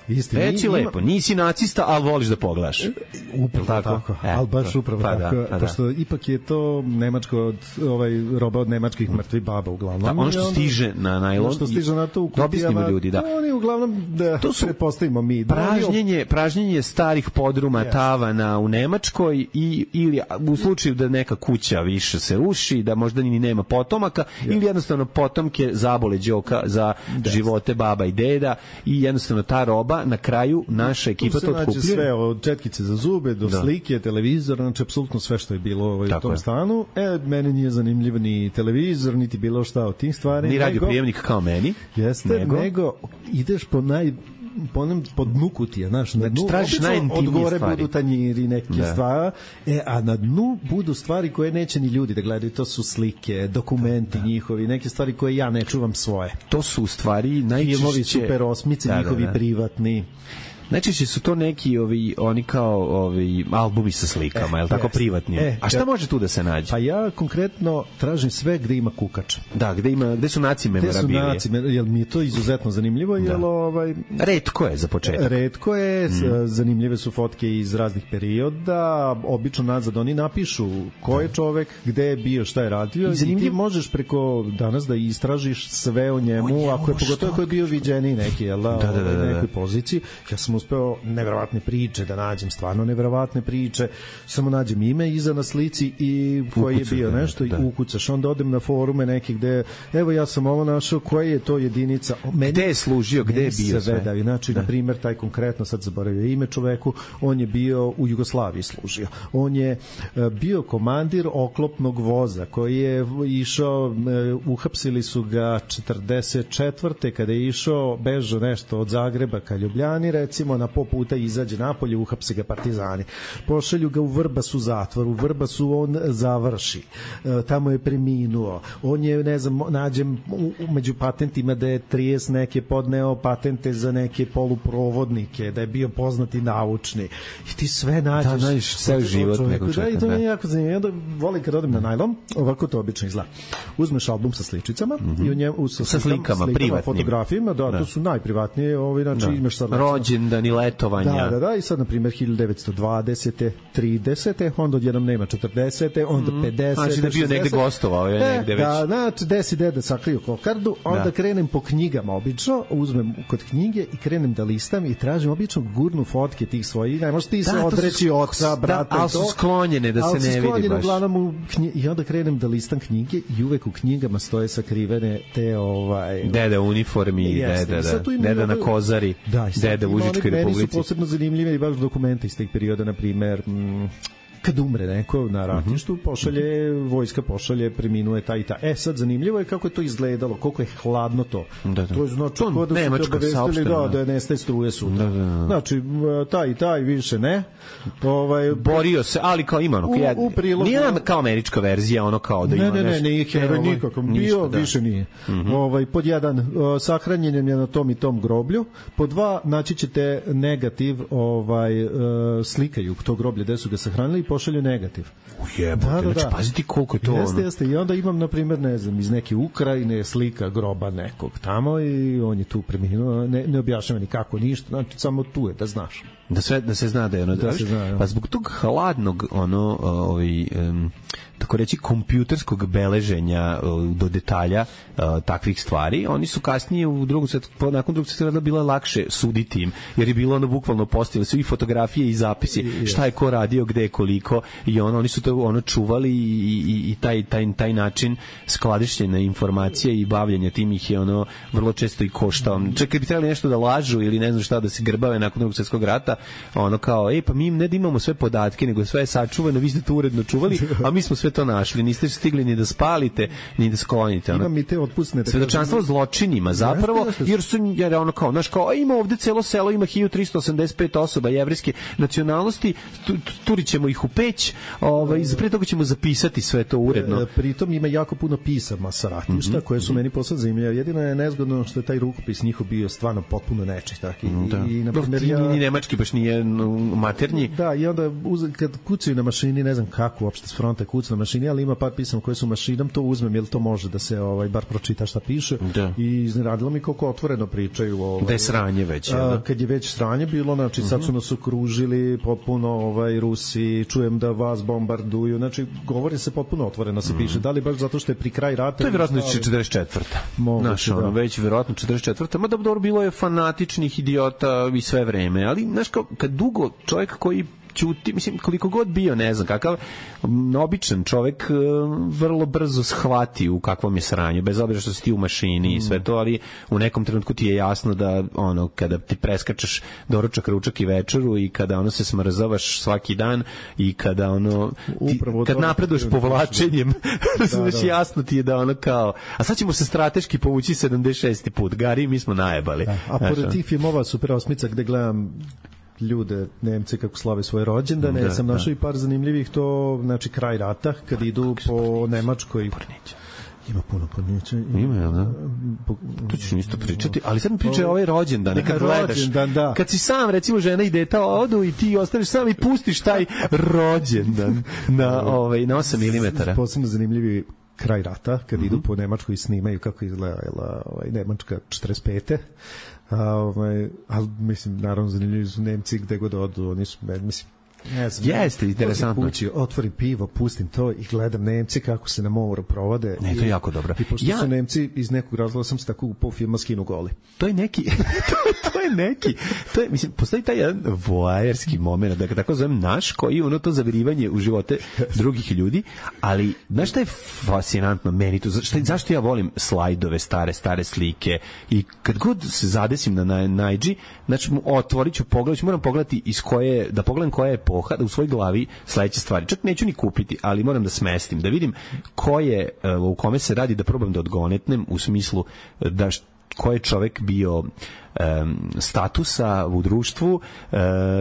Isti, Reci ima... lepo, nisi nacista, ali voliš da pogledaš. Upravo tako, tako. E, ali baš upravo pa tako, da, pa pošto da. Ipak je to nemačko od, ovaj, roba od nemačkih mrtvih baba uglavnom. Da, ono što onda, stiže na najlon, ono što stiže na to u kutijama, ljudi, da. Oni uglavnom, da to su, prepostavimo mi. Da pražnjenje, pražnjenje starih podruma, yes. tavana u Nemačkoj i, ili u slučaju da neka kuća više se ruši, da možda ni nema potomaka, yes. ili jednostavno potomke zabole đoka za yes. živote baba i deda i jednostavno ta roba na kraju naša ekipa to otkupljuje. Sve od četkice za zube do da. slike, televizor, znači apsolutno sve što je bilo ovaj, u tom je. stanu. E, meni nije zanimljiv ni televizor, niti bilo šta od tih stvari. Ni radioprijemnik kao meni. Jeste, nego, nego ideš po naj po nam pod dnu kutija, znaš, na dnu tražiš najintimnije od gore stvari. Budu tanjiri, neke da. stvari, e, a na dnu budu stvari koje neće ni ljudi da gledaju, to su slike, dokumenti da. njihovi, neke stvari koje ja ne čuvam svoje. To su stvari najčešće... Filmovi, super osmice, da, njihovi da, da. privatni. Najčešće su to neki ovi, oni kao ovi albumi sa slikama, e, je li tako, yes. privatni? E, a šta ja, može tu da se nađe? Pa ja konkretno tražim sve gde ima kukač. Da, gde ima, gde su naci memorabilije. Gde su naci, jel mi je to izuzetno zanimljivo, da. jel ovaj... Retko je za početak. Retko je, mm. zanimljive su fotke iz raznih perioda, obično nazad oni napišu ko je čovek, gde je bio, šta je radio i, zanimljiv... i ti možeš preko danas da istražiš sve o njemu, o njemu ako je pogotovo ako je bio viđeni neki, jel da, da, da, da, da. nekoj poziciji. Ja sam uspeo neverovatne priče da nađem, stvarno neverovatne priče, samo nađem ime iza na slici i koji je bio nešto da. i ukucaš, onda odem na forume neke gde, evo ja sam ovo našao, koja je to jedinica, meni, gde je služio, gde je bio sve, da, znači da. na primjer taj konkretno, sad zaboravio ime čoveku, on je bio u Jugoslaviji služio, on je bio komandir oklopnog voza koji je išao, uhapsili su ga četrdeset četvrte kada je išao, bežao nešto od Zagreba ka Ljubljani, recimo, na po puta izađe napolje, uhapse ga partizani. Pošalju ga u Vrbasu zatvor, u Vrbasu on završi. E, tamo je preminuo. On je, ne znam, nađem među patentima da je trideset neke podneo patente za neke poluprovodnike, da je bio poznati naučni. I ti sve nađeš. Da, nađeš ceo život nekog čovjeka. Da, i to mi je jako zanimljivo. Onda volim kad odem na najlon, ovako to obično izgleda. Uzmeš album sa sličicama mm -hmm. i u njemu sa, sa slikama, privatnim fotografijama, da, da, to su najprivatnije, ovaj, znači da. imaš sad rođendan i letovanja. Da, da, da, i sad, na primjer, hiljadu devetsto dvadesete, tridesete, onda odjednom nema četrdesete, onda mm. pedesete, znači da bio negde gostovao, je negde e, već. Da, znači, desi deda sakriju kokardu, onda da. krenem po knjigama obično, uzmem kod knjige i krenem da listam i tražim obično gurnu fotke tih svojih, ne možeš ti da, se odreći oca, brata, da, ali su sklonjene da se ne vidi baš. U knji, i onda krenem da listam knjige i uvek u knjigama stoje sakrivene te ovaj... Deda u uniformi, yes, deda, da, deda na kozari, da, deda u Užičkoj Republici. Meni su posebno zanimljive i baš dokumenta iz tih perioda, na primer, mm, kad umre neko na ratištu, pošalje, vojska pošalje, preminuje taj i ta. E, sad zanimljivo je kako je to izgledalo, koliko je hladno to. Da, da. To je znači kod da su te obavestili da, da nestaje struje sutra. Da, da, da. Znači, taj i taj više ne. Ovaj, borio se, ali kao ima ono, u, ja, u prilogu, nije kao američka verzija, ono kao da ima nešto. Ne, ne, nešto, ne, nije heroj nikako. Bio, da. više nije. Mm -hmm. ovaj, pod jedan, uh, sahranjen je na tom i tom groblju. Pod dva, naći ćete negativ, ovaj, uh, slikaju to groblje gde su ga sahranili i pošalju negativ. Ujebote, da, da, znači, da. Paziti koliko je to jeste, ono. Jeste, i onda imam, na primjer, ne znam, iz neke Ukrajine slika groba nekog tamo i on je tu preminuo, ne, ne objašnjava ni kako, ništa, znači, samo tu je, da znaš. Da sve, da se zna da je ono, da, da se zna, pa zbog tog hladnog, ono, ovaj, um, tako reći, kompjuterskog beleženja uh, do detalja uh, takvih stvari, oni su kasnije u drugom svetu, nakon drugog sveta bilo lakše suditi im, jer je bilo ono bukvalno postavili su i fotografije i zapisi, I, šta je ko radio, gde je koliko, i ono, oni su to ono čuvali i, i, i taj, taj, taj način skladištenja informacije i bavljenja tim ih je ono vrlo često i koštao. Čekaj, bi trebali nešto da lažu ili ne znam šta, da se grbave nakon drugog svetskog rata, ono kao, ej, pa mi ne da imamo sve podatke, nego sve je sačuvano, vi ste to uredno čuvali, a mi smo sve to našli, niste stigli ni da spalite, ni da sklonite. Ono, imam i te otpusne. Svedočanstvo zločinima, zapravo, jer su, jer ono kao, znaš kao, ima ovde celo selo, ima hiljadu trista osamdeset pet osoba jevrejske nacionalnosti, turit ćemo ih u peć, ovaj, pre toga ćemo zapisati sve to uredno. E, pritom ima jako puno pisama sa ratišta, mm -hmm. koje su meni posad zanimljive. Jedino je nezgodno što je taj rukopis njihov bio stvarno potpuno nečih. Tako. I, da. i, na primjer, ja... Ni nemački baš nije maternji. Da, i onda uz, kad kucaju na mašini, ne znam kako uopšte s fronta kucu na mašini, ali ima par pisama koje su mašinom, to uzmem, jer to može da se ovaj, bar pročita šta piše. Da. I izneradilo mi koliko otvoreno pričaju. Ovaj, da je sranje već. A, da? Kad je već sranje bilo, znači sad su nas okružili potpuno ovaj, Rusi, čujem da vas bombarduju, znači govori se potpuno otvoreno se piše. Da li baš zato što je pri kraj rata? To je vjerojatno četrdeset četvrta. Znaš, ono, već vjerojatno četrdeset četvrta. Ma dobro, bilo je fanatičnih idiota i sve vreme, ali znaš, kao, kad dugo čovjek koji ćuti, mislim, koliko god bio, ne znam, kakav običan čovjek vrlo brzo shvati u kakvom je sranju, bez obzira što si ti u mašini i sve to, ali u nekom trenutku ti je jasno da, ono, kada ti preskačeš doručak, ručak i večeru i kada, ono, se smrzavaš svaki dan i kada, ono, ti, kad napreduješ povlačenjem, da, da. jasno ti je da, ono, kao, a sad ćemo se strateški povući sedamdeset šesti put, Gari, mi smo najebali. Da, a pored tih filmova Super osmica gde gledam ljude, Nemce kako slave svoje rođendane, da, sam našao da. i par zanimljivih, to znači kraj rata, kad idu po Nemačkoj. Pornića. Ima puno pornića. Ima, jel da? To ćeš isto pričati, ali sad mi pričaj ovaj rođendan, kad gledaš, da. kad si sam, recimo, žena i deta odu i ti ostaneš sam i pustiš taj rođendan na, ovaj, na osam milimetara. Posebno zanimljivi kraj rata, kad mm-hmm. idu po Nemačkoj i snimaju kako izgleda ovaj, Nemačka četrdeset pete A, ovaj, ali mislim, naravno zanimljivi su Nemci gde god odu, oni su, mislim, ne znam, jeste, interesantno. Kući, otvorim pivo, pustim to i gledam Nemci kako se na moru provode. Ne, to je jako dobro. I pošto ja... su Nemci, iz nekog razloga sam se tako upao filma Skinu goli. To je neki, to, to je neki, to je, mislim, postoji taj jedan voajerski moment, da ga tako zovem naš, koji ono to zavirivanje u živote drugih ljudi, ali, znaš šta je fascinantno meni to, šta, zašto ja volim slajdove, stare, stare slike i kad god se zadesim na Najdži, znači otvorit ću, pogledat ću, moram pogledati iz koje, da pogledam koja je epoha, da u svojoj glavi sledeće stvari, čak neću ni kupiti, ali moram da smestim, da vidim ko je, u kome se radi, da probam da odgonetnem u smislu da ko je čovek bio um, statusa u društvu, uh,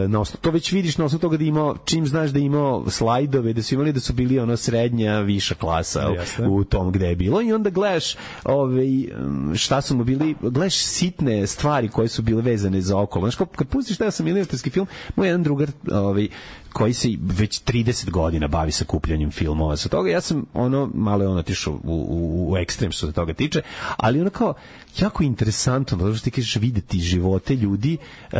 na osnovu, to već vidiš na osnovu toga da imao, čim znaš da imao slajdove, da su imali da su bili ono srednja, viša klasa u, u tom gde je bilo i onda gledaš ove, šta su mu bili, gledaš sitne stvari koje su bile vezane za okolo. Znaš, kad pustiš taj osam-milimetarski film, moj jedan drugar ove, koji se već trideset godina bavi sakupljanjem filmova sa toga, ja sam ono, malo je ono otišao u, u, u ekstrem što se toga tiče, ali ono kao jako interesantno, da što ti kažeš videti živote ljudi uh,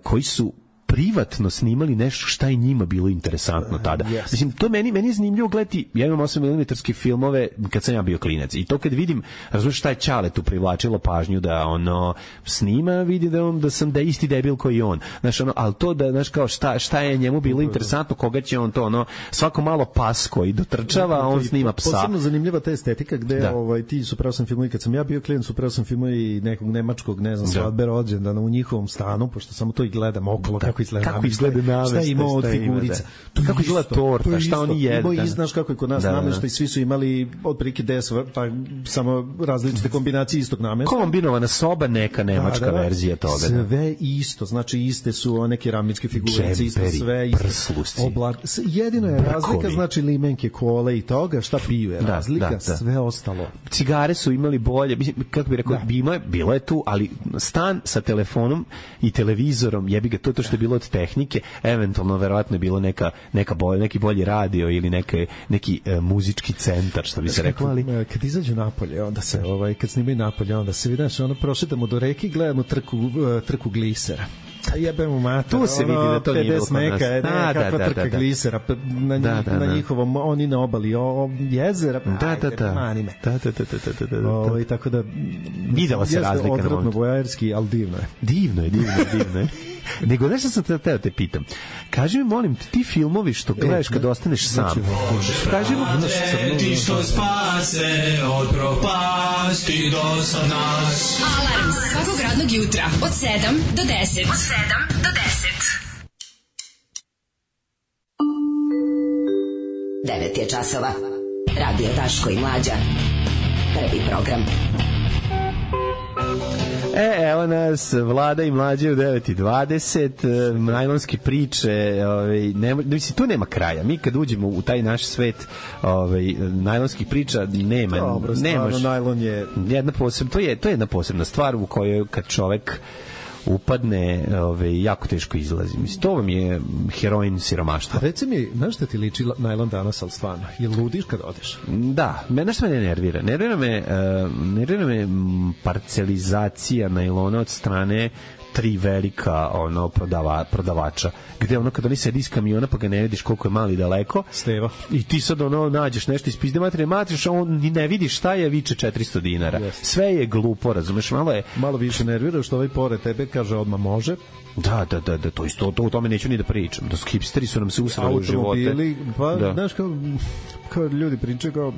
koji su privatno snimali nešto šta je njima bilo interesantno tada. Yes. Mislim, to meni, meni je zanimljivo gledati, ja imam osam milimetarske filmove kad sam ja bio klinac i to kad vidim, razumiješ šta je Ćale tu privlačilo pažnju da ono snima, vidi da, on, da sam da isti debil koji on. Znaš, ono, ali to da, znaš, kao šta, šta je njemu bilo interesantno, koga će on to, ono, svako malo pas koji dotrčava, a on snima psa. Posebno zanimljiva ta estetika gde da. ovaj, ti su pravo sam filmovi, kad sam ja bio klinac, su pravo sam filmovi nekog nemačkog, ne znam, svadbe rođendana u njihovom stanu, pošto samo to i gledam okolo, da. kako izgleda kako izgleda nameštaj, šta ima od figurica, da. kako izgleda torta, šta oni jedu. I znaš kako je kod nas da, nameštaj, svi su imali otprilike deset, pa samo različite kombinacije istog nameštaja. Kombinovana soba, neka nemačka da, da, verzija toga. Sve isto, znači iste su one keramičke figurice, isto sve isto. Obla... Jedino je razlika, znači limenke, kole i toga, šta piju je razlika, da, da, da. Sve ostalo. Cigare su imali bolje, kako bih rekao, da. Bilo, bilo je tu, ali stan sa telefonom i televizorom, jebi ga, to je to što je bilo od tehnike, eventualno verovatno je bilo neka, neka bolj, neki bolji radio ili neke, neki e, muzički centar, što bi se reklo, ali... Kad izađu napolje, onda se, ovaj, kad snimaju napolje, onda se vidiš, ono, prošetamo do reke i gledamo trku, trku glisera. A jebemo mater, tu se vidi da to nije bilo meka, ne, da, kakva da, trka da, da. Glisera na, da, da, na njihovom, oni na obali o, jezera, da, ajde, da, da. mani me. Da, da, da, da, da, da. O, i tako da... Videla se razlika. Jeste odvratno vojajerski, ali divno je. Divno je, divno je, divno je. Nego, nešto sam te, te, te pitam. Kaži mi, molim, ti filmovi što gledaš kad ostaneš sam. Kaži mi... Ti što spase od propasti do sad nas. Alarm svakog radnog jutra od sedam do deset. Od sedam do deset. devet je časova. Radio Daško i Mlađa. Prvi program. E, evo nas, Vlada i Mlađe u devet i dvadeset, najlonske priče, ovaj, nema, mislim, tu nema kraja. Mi kad uđemo u taj naš svet ovaj, najlonskih priča, nema. Dobro, nemaš, stvarno, najlon je... Jedna posebna, to, je, to je jedna posebna stvar u kojoj kad čovek upadne, ove, jako teško izlazi. Mislim, to vam je heroin siromaštva. Reci mi, znaš šta ti liči najlon danas, ali stvarno? Je ludiš kad odeš? Da, me nešto me ne nervira. Nervira me, uh, nervira me parcelizacija najlona od strane tri velika ono prodava, prodavača, gde ono kad oni sedi iz kamiona pa ga ne vidiš koliko je mali daleko Steva i ti sad ono nađeš nešto iz pizde materije matriš, a on ni ne vidiš šta je, viče četiristo dinara. Yes. Sve je glupo, razumeš, malo je malo više nervira što ovaj pored tebe kaže odmah može. Da, da, da, da, to isto, to o tome neću ni da pričam. Da hipsteri su nam se usrali u živote. Pa, da. Znaš, kao, kao ljudi pričaju kao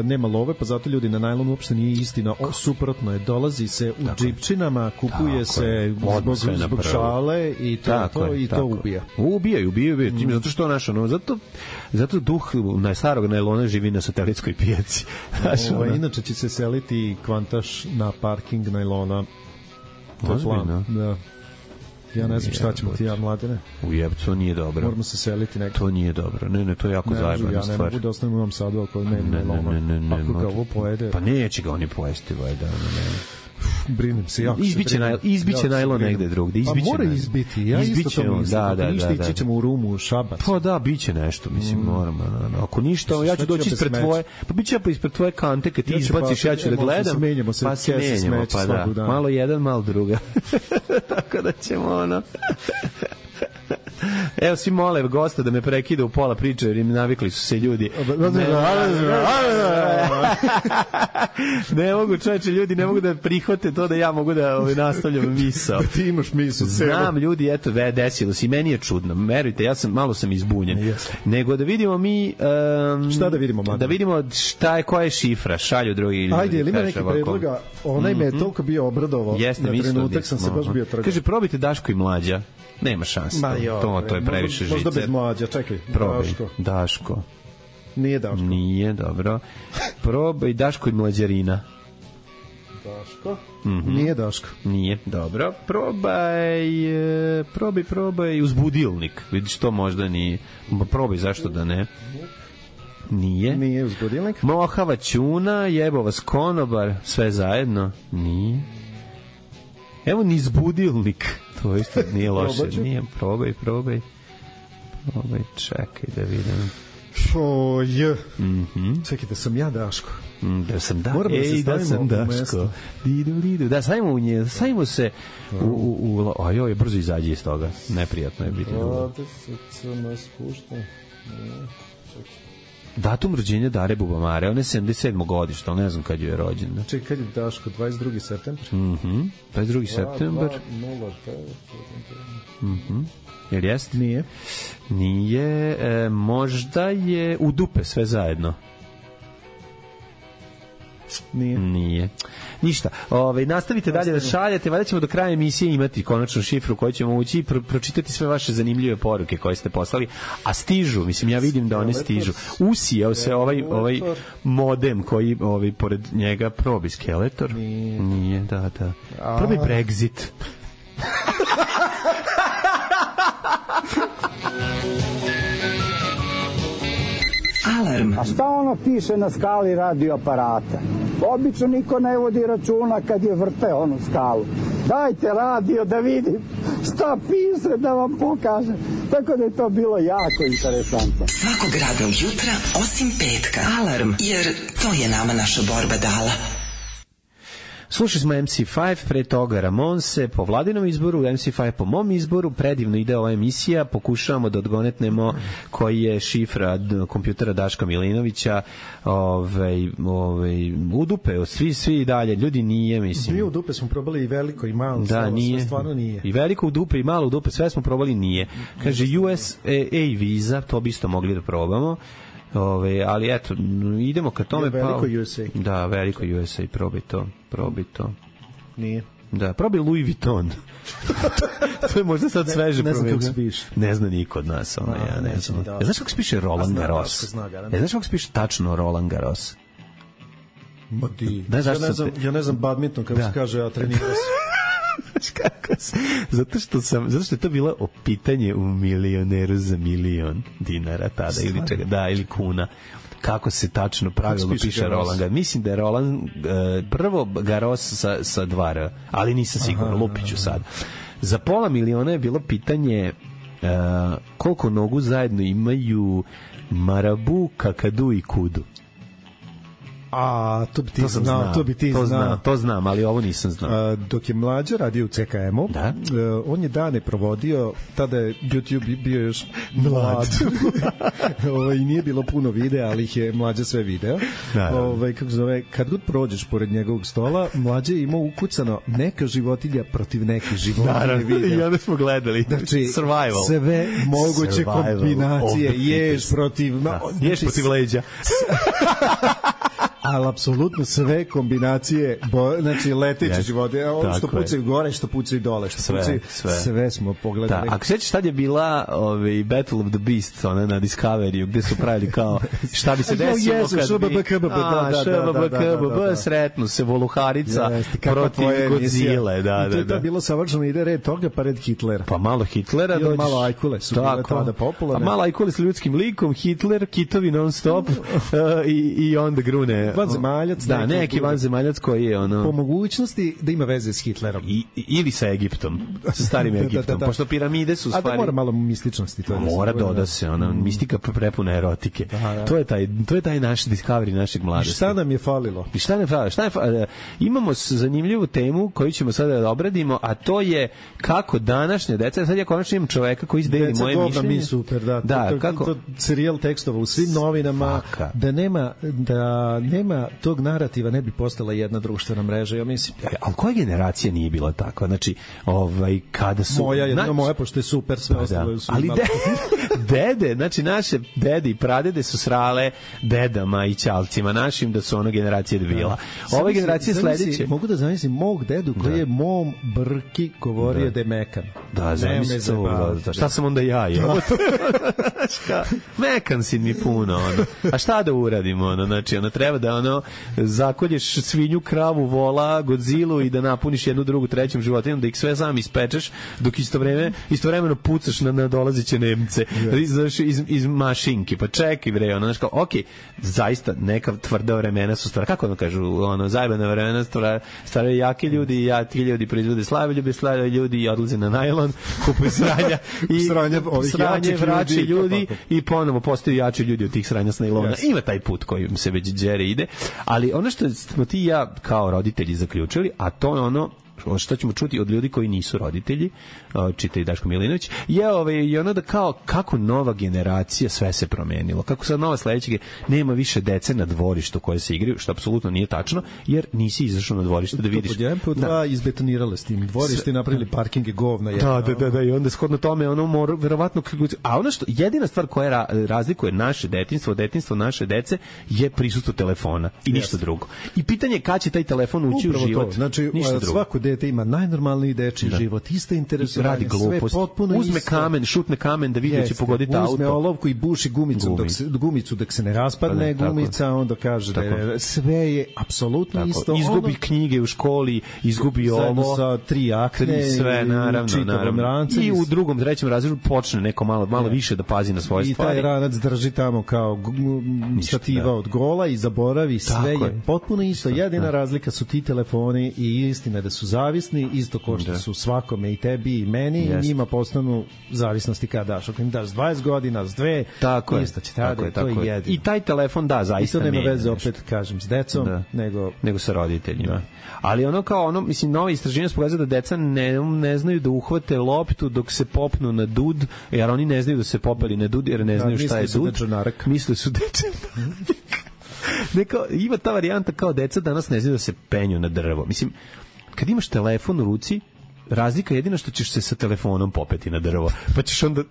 nema love, pa zato ljudi na najlon uopšte nije istina. O, suprotno je, dolazi se u tako džipčinama, kupuje tako se zbog, zbog šale i to, tako to, je, i to ubija. Ubijaju, ubijaju, ubijaju. Mm. Zato što naša, no, zato, zato duh najstarog najlona živi na satelitskoj pijaci. O, inače će se seliti kvantaš na parking najlona. To je plan. Da. Ja ne znam šta ćemo ti ja, Mladene. U jebcu, nije dobro. Moramo se seliti nekako. To nije dobro. Ne, ne, to je jako zajebana stvar. Ja ne mogu da ostavim u ovom sadu ako ne ne loma. Ako ga ovo pojede... Pa neće ga oni pojesti, vajda. Brinem se jako. Izbiće najlon, izbiće najlon negde drugde, izbiće. Pa mora izbiti. Ja isto to mislim. Da, da, ništa ići ćemo u Rumu, u Šabac. Pa da, biće nešto, mislim, moramo. Ako ništa, ja ću doći ispred tvoje, pa biće pa ispred tvoje kante kad ti izbaciš, ja ću da gledam. Pa se menjamo, pa da. Malo jedan, malo druga. Tako da ćemo ono. Evo, svi mole gosta da me prekida u pola priče, jer im navikli su se ljudi. Ne mogu, čoveče, ljudi ne mogu da prihvate to da ja mogu da ovaj, nastavljam misao. Da ti imaš misao. Znam, ljudi, eto, ve, desilo se i meni je čudno. Verujte, ja sam, malo sam izbunjen. Yes. Nego da vidimo mi... Um, šta da vidimo, Mladine? Da vidimo šta je, koja je šifra, šalju drugi ljudi. Ajde, ili ima neki predloga? Onaj me je toliko bio obradovao. Jeste, na trenutak sam se baš bio trgao. Kaže, probajte Daško i Mlađa. Nema šanse. To, to, to je previše žice. Možda bez Mlađa, čekaj. Probaj. Daško. Daško. Nije Daško. Nije, dobro. Probaj Daško i Mlađarina. Daško. Mm-hmm. Nije Daško. Nije, dobro. Probaj, probaj, probaj uzbudilnik. Vidiš, to možda nije. Probaj, zašto da ne? Nije. Nije uzbudilnik. Mohava ćuna, jebova skonobar, sve zajedno. Nije. Evo ni izbudilnik. To isto nije loše. Nije, probaj, probaj. Probaj, čekaj da vidim. Oj. Mhm. Čekajte, sam ja Daško. Mm, da sam da. Moramo Ej, da se da sam Daško. Didu, didu. Da, stavimo u nje, stavimo se u... u, u a joj, brzo izađi iz toga. Neprijatno je biti dugo. Datum rođenja Dare Bubamare, ona je sedamdeset sedmog godišta, ali ne znam kad je rođena. Čekaj, kad je Daško, dvadeset drugi septembar? Mhm, dvadeset drugi septembar. Mhm. Jel jest? Nije. Nije, e, možda je u dupe sve zajedno. Nije. Nije. Ništa. Ove, nastavite dalje da šaljate, valjda ćemo do kraja emisije imati konačnu šifru koju ćemo ući i pro, pročitati sve vaše zanimljive poruke koje ste poslali, a stižu, mislim, ja vidim da one stižu. Usijao se ovaj, ovaj modem koji ovaj, pored njega probi Skeletor. Nije. Nije, da, da. Probi Brexit. Alarm. A šta ono piše na skali radioaparata? Obično niko ne vodi računa kad je vrte onu skalu. Dajte radio da vidim šta piše, da vam pokažem. Tako da je to bilo jako interesantno. Svakog radnog jutra, osim petka. Alarm, jer to je nama naša borba dala. Slušali smo em ce pet, pre toga Ramonse po Vladinom izboru, em ce pet po mom izboru, predivno ide ova emisija, pokušavamo da odgonetnemo koji je šifra kompjutera Daška Milinovića, ovaj, ovaj, u dupe, svi, svi dalje, ljudi nije, mislim. Bio u dupe smo probali i veliko i malo, da, nije. Sve stvarno nije. I veliko u dupe i malo u dupe, sve smo probali, nije. Kaže, U S A viza, to bi isto mogli da probamo. Ove, ali eto, idemo ka tome. Je veliko pa, U S A. Da, veliko U S A, probaj to, probaj to. Nije. Da, probaj Louis Vuitton. To je možda sad sveže. Ne znam kako se piše. Ne zna niko od nas. Ono, ja ne znam. Ja, znaš kako se piše Roland Garros? Ja, znaš kako se piše tačno Roland Garros? Ma di. Ja ne znam, ja ne znam badminton kako da se kaže, a trenirao sam. Kako se, zato što sam, zato što je to bilo pitanje u Milioneru za milion dinara tada ili čega, da, ili kuna. Kako se tačno pravilno piše Roland Garros? Mislim da je Roland uh, prvo Garros sa, sa dva R, ali nisam siguran, lupiću sad. Za pola miliona je bilo pitanje uh, koliko nogu zajedno imaju Marabu, Kakadu i Kudu. A, to bi ti to znao, znao, to bi ti to znao. Znam, to znam, ali ovo nisam znao. A, dok je mlađa radio u C K M-u, da? uh, on je dane provodio, tada je YouTube bio još mlad. Ove, i nije bilo puno videa, ali ih je mlađa sve video. Ove, kako zove, kad god prođeš pored njegovog stola, mlađa je imao ukucano neka životinja protiv neke životinje. Naravno, i onda smo gledali. Znači, Survival. Sve moguće Survival. kombinacije, ješ protiv... Da. Znači, ješ protiv leđa. ali apsolutno sve kombinacije, bo, znači leteće yes, živote, ono što pucaju gore, što pucaju dole, što sve, pucaju, sve. sve smo pogledali. Da, ako sećaš tad je bila ovaj, Battle of the Beasts, ona na Discovery, gde su pravili kao šta bi se desilo jesu, kad šbb, bi... KBB, da, da, šbb, da, da, KBB, da, da. sretnu se Voluharica Jeste, protiv Godzile. Da, I to je da, da. bilo savršeno, ide red toga, pa red Hitlera. Pa malo Hitlera. I malo Ajkule su bile tada popularne. A malo Ajkule s ljudskim likom, Hitler, kitovi non stop uh, i, i onda grune. Vanzemaljac. Da, neki vanzemaljac koji je ono... Po mogućnosti da ima veze s Hitlerom. I, ili sa Egiptom, sa starim Egiptom. da, da, da. Pošto piramide su stvari... A da mora malo mističnosti. To mora doda se, ona mm. mistika prepuna erotike. Da, da. To je taj, to je taj naš Discovery našeg mladosti. I šta nam je falilo? I šta nam je falilo? Šta je falilo? Imamo zanimljivu temu koju ćemo sada da obradimo, a to je kako današnje deca, sad ja konačno imam čoveka koji izdeli moje mišljenje. Mi super, da. Da, to, to, kako? To, to serijal tekstova u svim novinama, Faka. da nema da nema tog narativa, ne bi postala jedna društvena mreža, ja mislim. Ja, ali koja generacija nije bila takva? Znači, ovaj, kada su... Moja je, na, moja, pošto je super, sve pa ostalo su... Ali de, dede, znači naše dede i pradede su srale dedama i ćalcima našim da su ono generacije debila. Da. Ove generacije sledeće... Mogu da zamislim mog dedu koji da. je mom brki govorio da, da je mekan. Da, zamislim to. Da, šta sam onda ja? Je? Mekan si mi puno, ono. A šta da uradimo, ono? Znači, ono, treba da, ono, zakolješ svinju, kravu, vola, Godzilu i da napuniš jednu, drugu, trećom životinom, da ih sve sam ispečeš, dok istovremeno, istovremeno pucaš na nadolazeće Nemce iz, iz, iz mašinki. Pa čekaj, bre, ono, znaš kao, ok, zaista neka tvrda vremena su stvar, kako ono kažu, ono, zajebana vremena stvar, stvaraju jaki ljudi i jaki ljudi proizvode slabe ljudi, slabe ljudi i odlaze na najlon, kupuju sranja i sranje, sranje vraće ljudi, ljudi i ponovo postaju jači ljudi od tih sranja s najlona. Yes. Ima taj put kojim se već džere ide, ali ono što smo ti i ja kao roditelji zaključili, a to je ono što ćemo čuti od ljudi koji nisu roditelji, čitaj Daško Milinović, je ovaj, ono da kao kako nova generacija sve se promenilo, kako sad nova sledeća nema više dece na dvorištu koje se igraju, što apsolutno nije tačno, jer nisi izašao na dvorište da vidiš. To pod jedan, pod dva da. izbetonirale s tim dvorište, napravili parkinge govna. Da, da, da, da, i onda shodno tome ono mora, verovatno, a ono što, jedina stvar koja razlikuje naše detinjstvo, detinjstvo naše dece je prisustvo telefona i ništa yes. drugo. I pitanje je kada će taj telefon ući Upravo u život. To. Znači, svako dete ima najnormalniji dečiji da. život, ista interesovanje, radi glupost, uzme isto. kamen, šutne kamen da vidi da će pogoditi auto. Uzme olovku i buši gumicom Gumi. dok se, gumicu dok se ne raspadne pa ne, gumica, tako. onda kaže tako. da je, sve je apsolutno tako. isto. Izgubi ono, knjige u školi, izgubi ovo. Sa tri akne, sve, naravno, naravno. Rance, I u drugom, trećem razredu počne neko malo, malo je. više da pazi na svoje I stvari. I taj ranac drži tamo kao stativa da. od gola i zaboravi, sve je, je potpuno isto. Jedina da. razlika su ti telefoni i istina da su zavisni, isto ko što da. su svakome i tebi i meni, yes. i njima postanu zavisnosti kada daš. Ako im daš dvadeset godina, s dve, tako isto će tada, to je jedino. I taj telefon, da, zaista nema. I to nema veze, opet kažem, s decom, da. nego... nego sa roditeljima. Da. Ali ono kao, ono, mislim, nove istraženje su pokazali da deca ne, ne znaju da uhvate loptu dok se popnu na dud, jer oni ne znaju da se popeli na dud, jer ne znaju da, šta je dud. Misle su dečanarak. Neko, ima ta varijanta kao deca danas ne znaju da se penju na drvo. Mislim, kad imaš telefon u ruci, razlika je jedina što ćeš se sa telefonom popeti na drvo. Pa ćeš onda,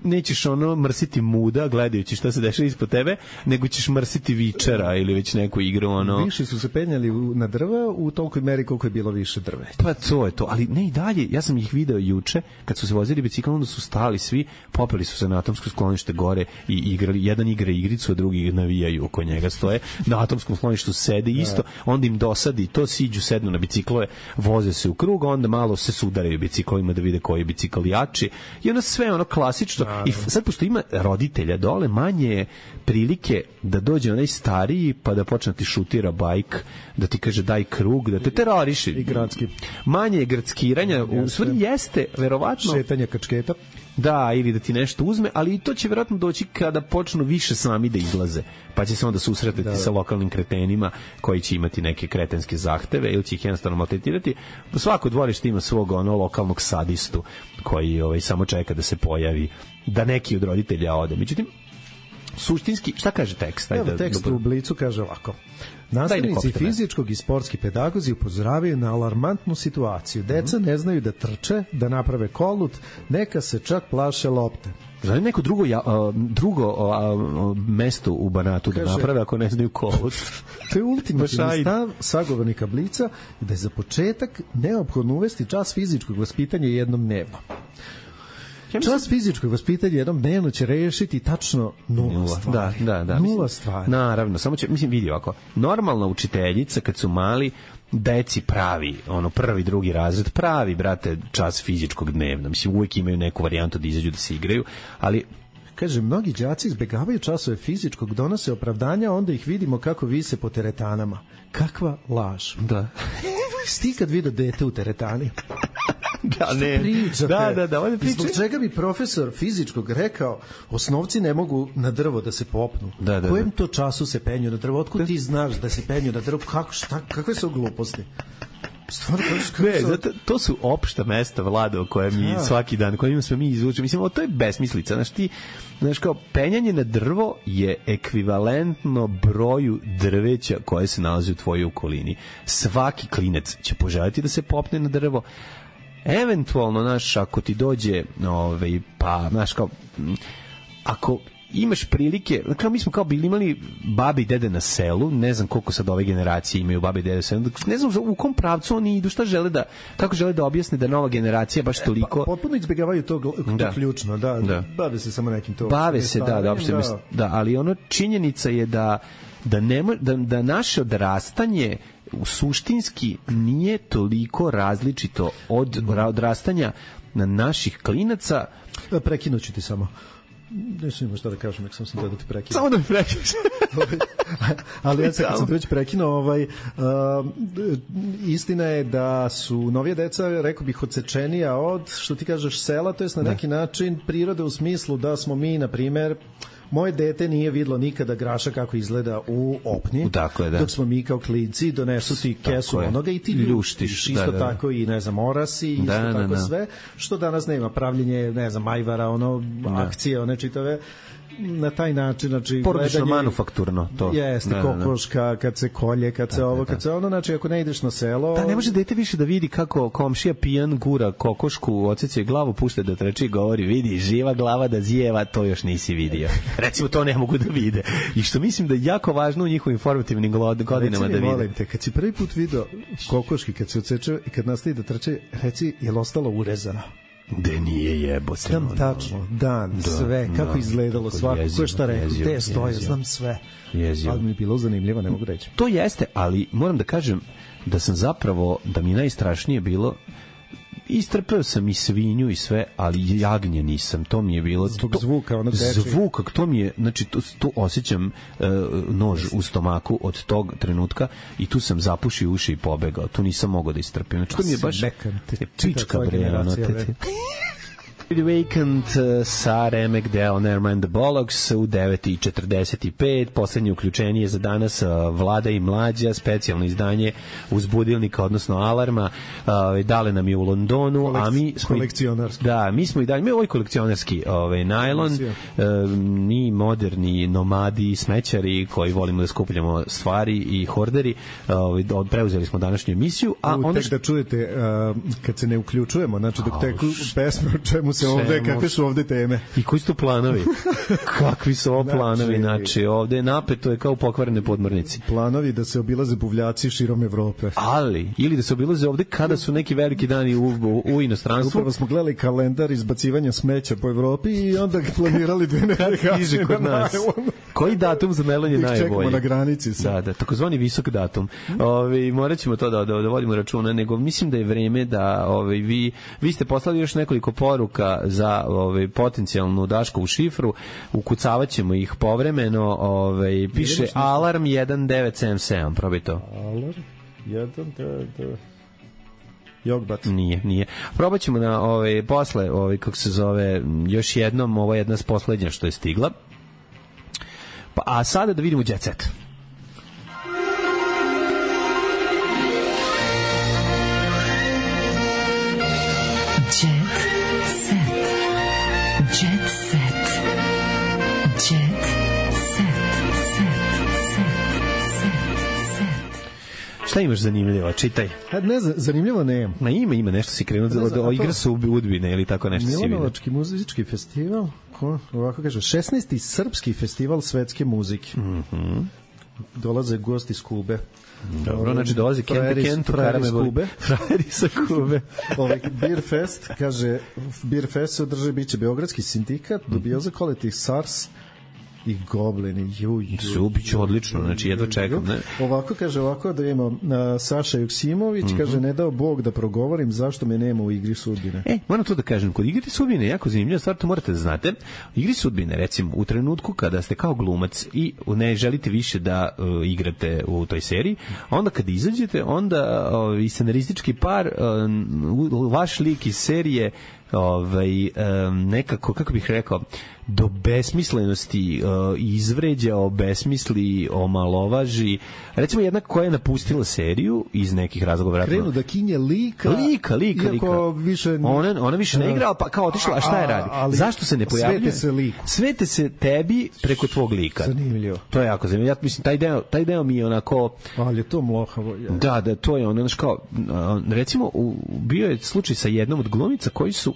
nećeš ono mrsiti muda gledajući šta se dešava ispod tebe, nego ćeš mrsiti vičera ili već neku igru. Ono. Više su se penjali na drva u tolikoj meri koliko je bilo više drve. Pa to je to, ali ne i dalje. Ja sam ih video juče, kad su se vozili biciklom, onda su stali svi, popeli su se na atomsko sklonište gore i igrali. Jedan igra igricu, a drugi navijaju oko njega stoje. Na atomskom skloništu sede isto, onda im dosadi, to siđu, sednu na biciklove, voze se u krug, onda malo se sudaraju biciklima da vide koji je bicikl jači i ono sve ono klasično i sad pošto ima roditelja dole manje je prilike da dođe onaj stariji pa da počne ti šutira bajk, da ti kaže daj krug, da te teroriši i gradski manje je gradskiranja, u stvari jeste verovatno šetanje kačketa. Da, ili da ti nešto uzme, ali i to će vjerojatno doći kada počnu više sami da izlaze, pa će se onda susretati da. sa lokalnim kretenima koji će imati neke kretenske zahteve ili će ih jednostavno maltretirati. Svako dvorište ima svog ono lokalnog sadistu koji ovaj, samo čeka da se pojavi, da neki od roditelja ode. Međutim, suštinski, šta kaže tekst? Evo, tekst dobro. U Blicu kaže ovako. Nastavnici fizičkog i sportski pedagozi upozoravaju na alarmantnu situaciju. Deca ne znaju da trče, da naprave kolut, neka se čak plaše lopte. Znači neko drugo, ja, a, drugo a, a, mesto u Banatu kaže, da naprave ako ne znaju kolut. To je ultimativni stav sagovornika Blica da je za početak neophodno uvesti čas fizičkog vaspitanja jednom dnevno. Ja mislim... Čas fizičkog vaspitanja jednom dnevno će rešiti tačno nula, nula stvari. Da, da, da. Nula mislim, stvari. Naravno, samo će, mislim, vidi ovako, normalna učiteljica kad su mali, deci pravi, ono, prvi, drugi razred, pravi, brate, čas fizičkog dnevno. Mislim, uvijek imaju neku varijantu da izađu da se igraju, ali... Kaže, mnogi đaci izbegavaju časove fizičkog, donose opravdanja, onda ih vidimo kako vise po teretanama. Kakva laž. Da. Sti kad vidio dete u teretani? Da, ne. Pričate? Da, da, da, ovdje pričate. Zbog čega bi profesor fizičkog rekao osnovci ne mogu na drvo da se popnu? Da, da, kojem da. to času se penju na drvo? Otkud ti znaš da se penju na drvo? Kako, šta, kakve su gluposti? Stvarno, kako, ne, su... zato, to su opšta mesta, Vlado, koje mi ja. svaki dan, kojima smo mi izvučili. Mislim, o, to je besmislica. Znaš, ti, znaš, kao, penjanje na drvo je ekvivalentno broju drveća koje se nalazi u tvojoj okolini. Svaki klinec će poželjeti da se popne na drvo. Eventualno, znaš, ako ti dođe, ovaj, pa, znaš, kao, ako imaš prilike, kao mi smo kao bili imali babe i dede na selu, ne znam koliko sad ove generacije imaju babe i dede na selu, ne znam u kom pravcu oni idu, šta žele da, kako žele da objasne da nova generacija baš toliko... Pa, potpuno izbjegavaju to, to da. ključno, da, da, bave se samo nekim to... Bave se, da, da, uopšte, da. da, ali ono činjenica je da, da, nema, da, da naše odrastanje suštinski nije toliko različito od odrastanja na naših klinaca. Prekinuću ti samo. Nešto ima šta da kažem, nek sam sam da ti prekinu. Samo da mi prekineš. Ali ja se kad sam već prekinuo, ovaj, uh, istina je da su novije deca, rekao bih, odsečenija od, što ti kažeš, sela, to je na neki način prirode u smislu da smo mi, na primer, moje dete nije vidlo nikada graša kako izgleda u opnji, dakle, da. dok smo mi kao klinci donesu ti kesu onoga i ti ljuštiš, isto da, da, tako i ne znam orasi, isto da, tako da, da. sve, što danas nema, pravljenje ne znam ajvara, ono da. akcije, one čitave na taj način, znači porodično manufakturno to. Jeste, da, kokoška, da, da. kad se kolje, kad da, se ovo, da, kad se ono, znači ako ne ideš na selo... Da, ne može dete više da vidi kako komšija pijan gura kokošku, odsjeće glavu, pušta da treči i govori, vidi, živa glava da zijeva, to još nisi vidio. Recimo, to ne mogu da vide. I što mislim da je jako važno u njihovim informativnim godinama reci mi, da vide. Molim te, kad si prvi put video kokoški, kad se odseče i kad nastavi da treče, reci, je li ostalo urezano? De nije jebote. Znam tačno, dan, da, sve, kako da, izgledalo svako, ko je šta rekao, gde stoje, znam sve. Jezio. Ali mi je bilo zanimljivo, ne mogu reći. To jeste, ali moram da kažem da sam zapravo, da mi najstrašnije bilo, istrpeo sam i svinju i sve, ali jagnje nisam, to mi je bilo... Zbog to, zvuka, ono teče. Zvuka, to mi je, znači, tu, tu osjećam uh, nož u stomaku od tog trenutka i tu sam zapušio uši i pobegao, tu nisam mogao da istrpim. Znači, to mi je baš... Pička bre, ono, te... The Vacant sa Remek Deo Nevermind the Bollocks u devet i četrdeset pet, poslednje uključenje za danas Vlada i Mlađa, specijalno izdanje uzbudilnika, odnosno alarma, dale nam je u Londonu, Kolekci, a mi smo kolekcionarski. Da, mi smo i dalje, mi ovaj kolekcionarski ovaj najlon, mi moderni nomadi, smećari koji volimo da skupljamo stvari i horderi, ovaj preuzeli smo današnju emisiju, a onda onda tek da čujete kad se ne uključujemo, znači dok teku pesme o čemu se ovde, kakve su ovde teme? I koji su to planovi? Kakvi su ovo planovi? Znači, ovde napeto je kao pokvarene podmornici. Planovi da se obilaze buvljaci širom Evrope. Ali, ili da se obilaze ovde kada su neki veliki dani u, u, u inostranstvu. Upravo smo gledali kalendar izbacivanja smeća po Evropi i onda planirali dve nedelje kod nas. Koji datum za melon je najbolji? Čekamo na granici. Sad. Da, da, takozvani visok datum. Ovi, morat ćemo to da, da, da vodimo računa, nego mislim da je vreme da ovi, vi, vi ste poslali još nekoliko poruka za ovi, potencijalnu Daškovu šifru, ukucavat ćemo ih povremeno, ovi, piše alarm jedan devet sedam sedam, probaj to. Alarm jedan devet sedam Jogbat. Nije, nije. Probat ćemo na ove, posle, ove, kako se zove, još jednom, ovo je jedna s poslednja što je stigla. Pa, a sada da vidimo Jet Set. Jet Set. Jet Set. Jet Šta imaš zanimljivo? Čitaj. A ne, zanimljivo ne. Ma ima, ima nešto si krenuo da, da igra su Udbine ili tako nešto si vidio. Milanovački muzički festival, ko, ovako kaže, šesnaesti srpski festival svetske muzike. Mhm. Dolaze gosti iz Kube. Dobro, znači dolazi Kente Kentu, frajeri iz Kube. Frajeri sa Kube. Ovaj Beer Fest, kaže, Beer Fest se održi, biće Beogradski sindikat, dobio za kolektiv SARS i Goblini, ju, ju. Subiće odlično, znači jedva čekam, ne? Ovako, kaže, ovako da ima uh, Saša Joksimović, mm-hmm. kaže, ne dao Bog da progovorim zašto me nema u igri sudbine. E, moram to da kažem, kod igri sudbine je jako zanimljiva stvar, to morate da znate. U igri sudbine, recimo, u trenutku kada ste kao glumac i ne želite više da uh, igrate u toj seriji, onda kad izađete, onda uh, i scenaristički par, uh, vaš lik iz serije ovaj, um, nekako, kako bih rekao, do besmislenosti uh, izvređa, obesmisli, omalovaži. Recimo jedna koja je napustila seriju iz nekih razloga. Krenu da kinje lika. Lika, lika, lika. Više... Ona, ona više ne igra, pa kao otišla, a šta je radi? Ali zašto se ne pojavljuje? Svete se liku. Svete se tebi preko tvog lika. Zanimljivo. To je jako zanimljivo. Ja mislim, taj deo, taj deo mi je onako... Ali je to mlohavo. Je. Da, da, to je ono, znaš kao, recimo, u, bio je slučaj sa jednom od glumica koji su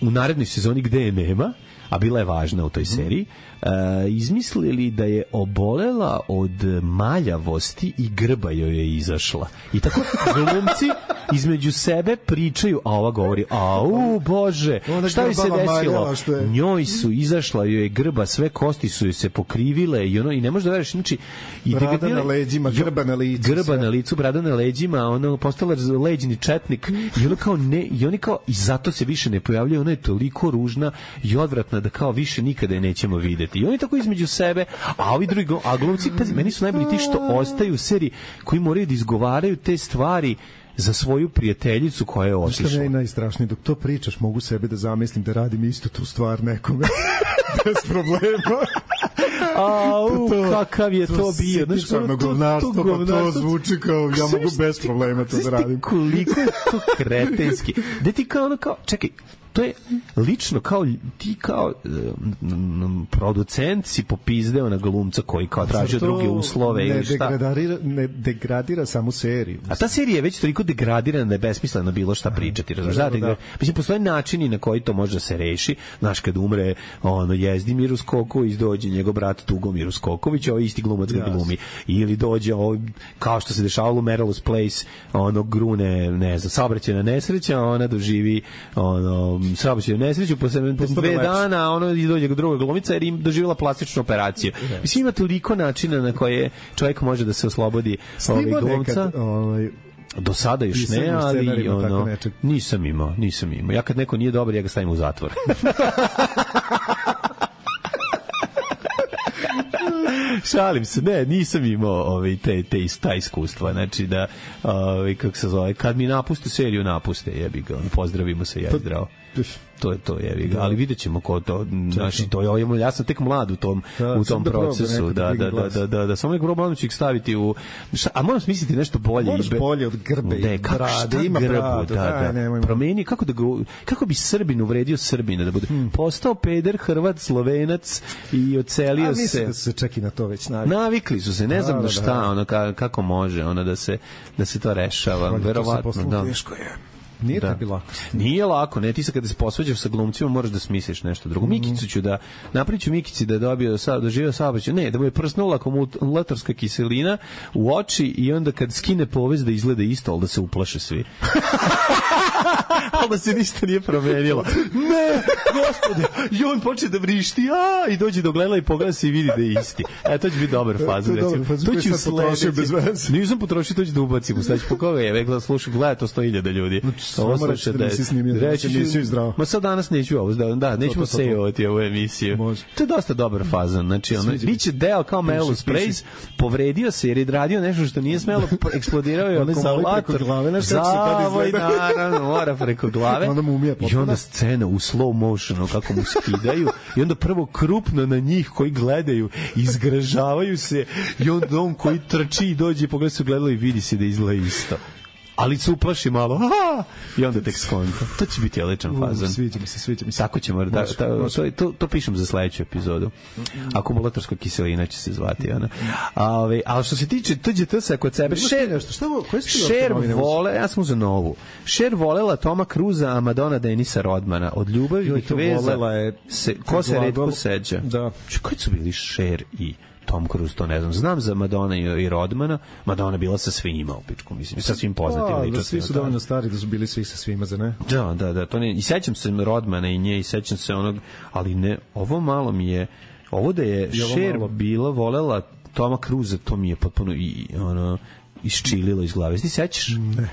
u narednoj sezoni gde je nema, a bila je važna u toj seriji, uh, izmislili da je obolela od maljavosti i grba joj je izašla. I tako glumci između sebe pričaju, a ova govori, au Bože, šta joj se desilo? Je... Njoj su izašla, joj je grba, sve kosti su joj se pokrivile i ono, i ne možeš da veriš, znači i brada na leđima, grba na licu, grba sve. na licu, brada na leđima, ono postala leđni četnik i ono kao ne, i oni kao i zato se više ne pojavljaju, ona je toliko ružna i odvratna da kao više nikada je nećemo videti. I oni tako između sebe, a ovi drugi, a glumci, pazi, meni su najbolji ti što ostaju u seriji, koji moraju da izgovaraju te stvari za svoju prijateljicu koja je otišla. Što je najstrašnije, dok to pričaš, mogu sebe da zamislim da radim isto tu stvar nekome. Bez problema. Au, to, kakav je to, to bio. Znaš, to, govnarstvo, to, to, to zvuči kao, ja mogu bez problema to da radim. Koliko je to kretenski. Da ti kao ono kao, čekaj, to je lično kao ti kao um, producent si popizdeo na glumca koji kao tražio druge uslove ne ili šta. Degradira, ne degradira samu seriju. A ta serija je već toliko degradirana da je besmisleno bilo šta pričati. Razumiješ? Da, da. Mislim, postoje načini na koji to može da se reši. Znaš, kad umre ono, Jezdimir Uskoković, dođe njegov brat Tugomir Uskoković, ovaj isti glumac ga glumi. Ili dođe, ovaj, kao što se dešavalo u Merrill's Place, ono grune, ne znam, saobraćajna nesreća, ona doživi ono saobraćajnu nesreću, posle dve dana ono i dođe druga glumica jer im doživjela plastičnu operaciju. Yes. Mislim, ima toliko načina na koje čovjek može da se oslobodi ovih glumca. Nekad, ovaj, do sada još ne, ali ono, nisam imao, nisam imao. Ja kad neko nije dobar, ja ga stavim u zatvor. Šalim se, ne, nisam imao ovaj, te, te, ta iskustva, znači da, ovaj, kako se zove, kad mi napuste seriju, napuste, jebi ga, pozdravimo se, ja i zdravo. To je to, jevi ga, ali vidjet ćemo ko to, znači, to je, ja sam tek mlad u tom, da, u tom procesu, da, da, da, da, da, da, samo neko probam ću ih staviti u, šta, a moram smisliti nešto bolje. Moraš bolje od grbe i brade, ima bradu, da, da, promeni, kako da ga, kako bi Srbin uvredio Srbina, da bude postao peder, Hrvat, Slovenac i ocelio se. A mislim da su se čak i na to već navikli. Navikli su se, ne znam na šta, ono, kako može, ono, da se, da se to rešava, verovatno, da. Teško je. Nije da. Tebi lako. Nije lako, ne, ti sad kada se posvađaš sa glumcima moraš da smisliš nešto drugo. Mikicu ću da, napravit ću Mikici da je dobio, da doživio saobraćaj, ne, da mu je prsnula akumulatorska kiselina u oči i onda kad skine povez da izgleda isto, ali da se uplaše svi. ali da se ništa nije promenilo. Ne, gospode, i on počne da vrišti, a, i dođe do gledala i pogleda se i vidi da je isti. E, to će biti dobar fazon, recimo. To će u sledeći. Nisam potrošio, to će da ubacim u sledeći. Po koga je, vekla, slušaj, gleda to sto hiljada ljudi. Samo reći da nisi snimio, reći nisi zdravo. Ma sad danas neću ovo, da, nećemo sejovati ovu emisiju. To je dosta dobar fazon, znači, ono, biće deo kao Melrose Place, povredio se jer je radio nešto što nije smelo, eksplodirao je akumulator. Zavoj, naravno, mora preko glave. I onda scena u slow motionu, kako mu skidaju, i onda prvo krupno na njih koji gledaju, izgražavaju se, i onda on koji trči i dođe i pogleda se u gledalo i vidi se da izgleda isto. Ali se uplaši malo, aha, i onda tek skonta. To će biti odličan fazon. Sviđa mi se, sviđa mi se. Tako ćemo, da, ta, to, to, to pišem za sledeću epizodu. Akumulatorska kiselina će se zvati, ona. A, ove, ali što se tiče T Đ T-sa kod sebe, Cher, Cher vole, ja sam uzeo novu, Cher volela Toma Cruza, a Madonna Denisa Rodmana. Od ljubavih veza, se, ko se retko seđa. Da. Koji su bili Cher i Tom Cruise, to ne znam. Znam za Madonna i Rodmana. Madonna bila sa svima u pičku, mislim, sa svim poznatim ličnostima. Da, svi su dovoljno stari da su bili svi sa svima, za ne? Da, da, da. To ne, i sećam se Rodmana i nje, i sećam se onog, ali ne, ovo malo mi je, ovo da je Cher bila, volela Toma Cruise, to mi je potpuno i, ono, isčililo iz glave. Ti sećaš? Ne.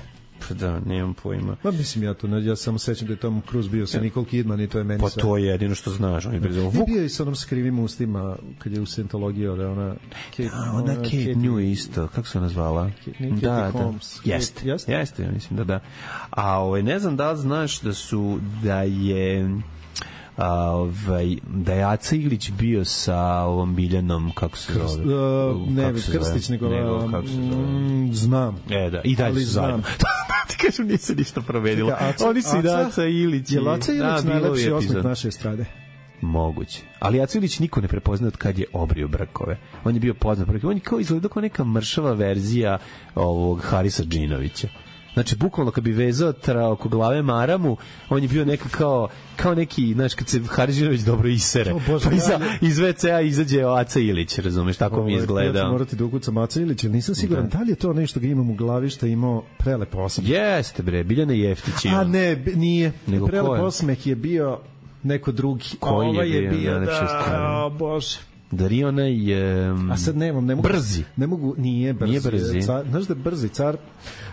Da, nemam pojma. Pa mislim ja to, ne, ja samo sećam da je Tom Cruise bio sa Nicole Kidman i to je meni pa sve. Pa to je jedino što znaš. On je Vuk... bio i sa onom skrivim ustima kad je u Scientologiji, da ona... Kate, da, ona Kate, Kate New isto, kako se ona zvala? Kate, Kate da, Holmes. Da. Jeste, jeste, jeste, ja mislim da da. A ovaj, ne znam da li znaš da su, da je... A, ovaj, da je Aca Ilić bio sa ovom Biljanom, kako se zove? Krst, uh, ne, Krstić, nego, nego kako se zove? Mm, znam. E, da, i dalje su zajedno. Ti kažem, nije se ništa promenilo. Oni su i da Aca Ilić. Je li Aca Ilić najlepši osmeh naše estrade? Moguće. Ali Aca Ilić niko ne prepozna od kad je obrio brkove. On je bio poznat. On je kao izgledao kao neka mršava verzija ovog Harisa Džinovića. Znači, bukvalno kad bi vezao tra oko glave maramu, on je bio neka kao, kao neki, znaš, kad se Haridžinović dobro isere, oh, Bože, pa iza, ja, iz ve ce a izađe Aca Ilić, razumeš, tako oh, mi izgleda. Ja ću morati da ukucam Aca Ilić, jer nisam siguran, da. da li je to nešto ga imam u glavi što je imao prelep osmeh? Jeste, bre, Biljana Jeftić. A ne, nije. Nego prelep osmeh je bio neko drugi. Koji Ova je bio? Je bio da, o Bože. Darina je... A sad nemam, ne mogu... Brzi. Ne mogu, nije brzi. Nije brzi. Car, znaš da je brzi car,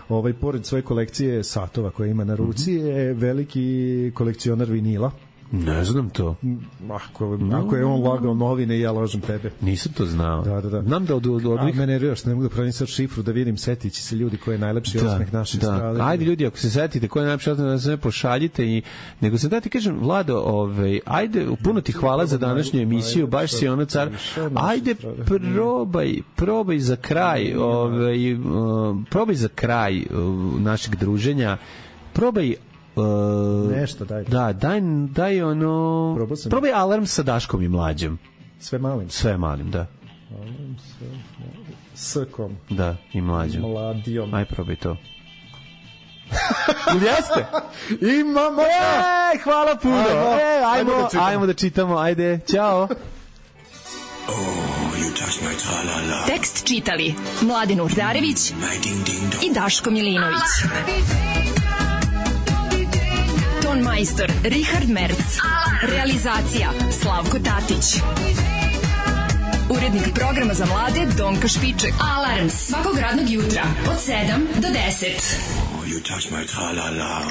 ovaj, pored svoje kolekcije satova koje ima na ruci, mm-hmm. je veliki kolekcionar vinila. Ne znam to. Ako, no. ako je on lagao novine, ja lažem tebe. Nisam to znao. Da, da, da. Znam da od, od, od ovih... A mene nerviraš, ne mogu da pravim sad šifru, da vidim, setići se ljudi koji je najlepši da, osmeh naše da. strade. Ajde ljudi, ako se setite koji je najlepši osmeh, da se ne pošaljite. I... Nego sam da ti kažem, Vlado, ovaj, ajde, puno ti hvala za današnju emisiju, baš si ono car. Ajde, probaj, probaj za kraj, ovaj, probaj za kraj našeg druženja, probaj Uh, nešto daj. Da, daj, daj ono... Probaj Alarm sa Daškom i Mlađom. Sve malim? Sve malim, da. Alarm sa... S-kom. Da, i Mlađom. Mladijom. Aj, probaj to. Ili jeste? Imamo! E, hvala puno! Ajmo, e, ajmo, ajmo, da ajmo da čitamo, ajde, ćao! Oh, you touch my tra-la-la. Tekst čitali Mladin Urdarević i Daško Milinović. Ton majstor Richard Merc. Realizacija Slavko Tatić. Urednik programa za mlade Donka Špiček. Alarms svakog radnog jutra od sedam do deset. Oh, you touch my tra-la-la.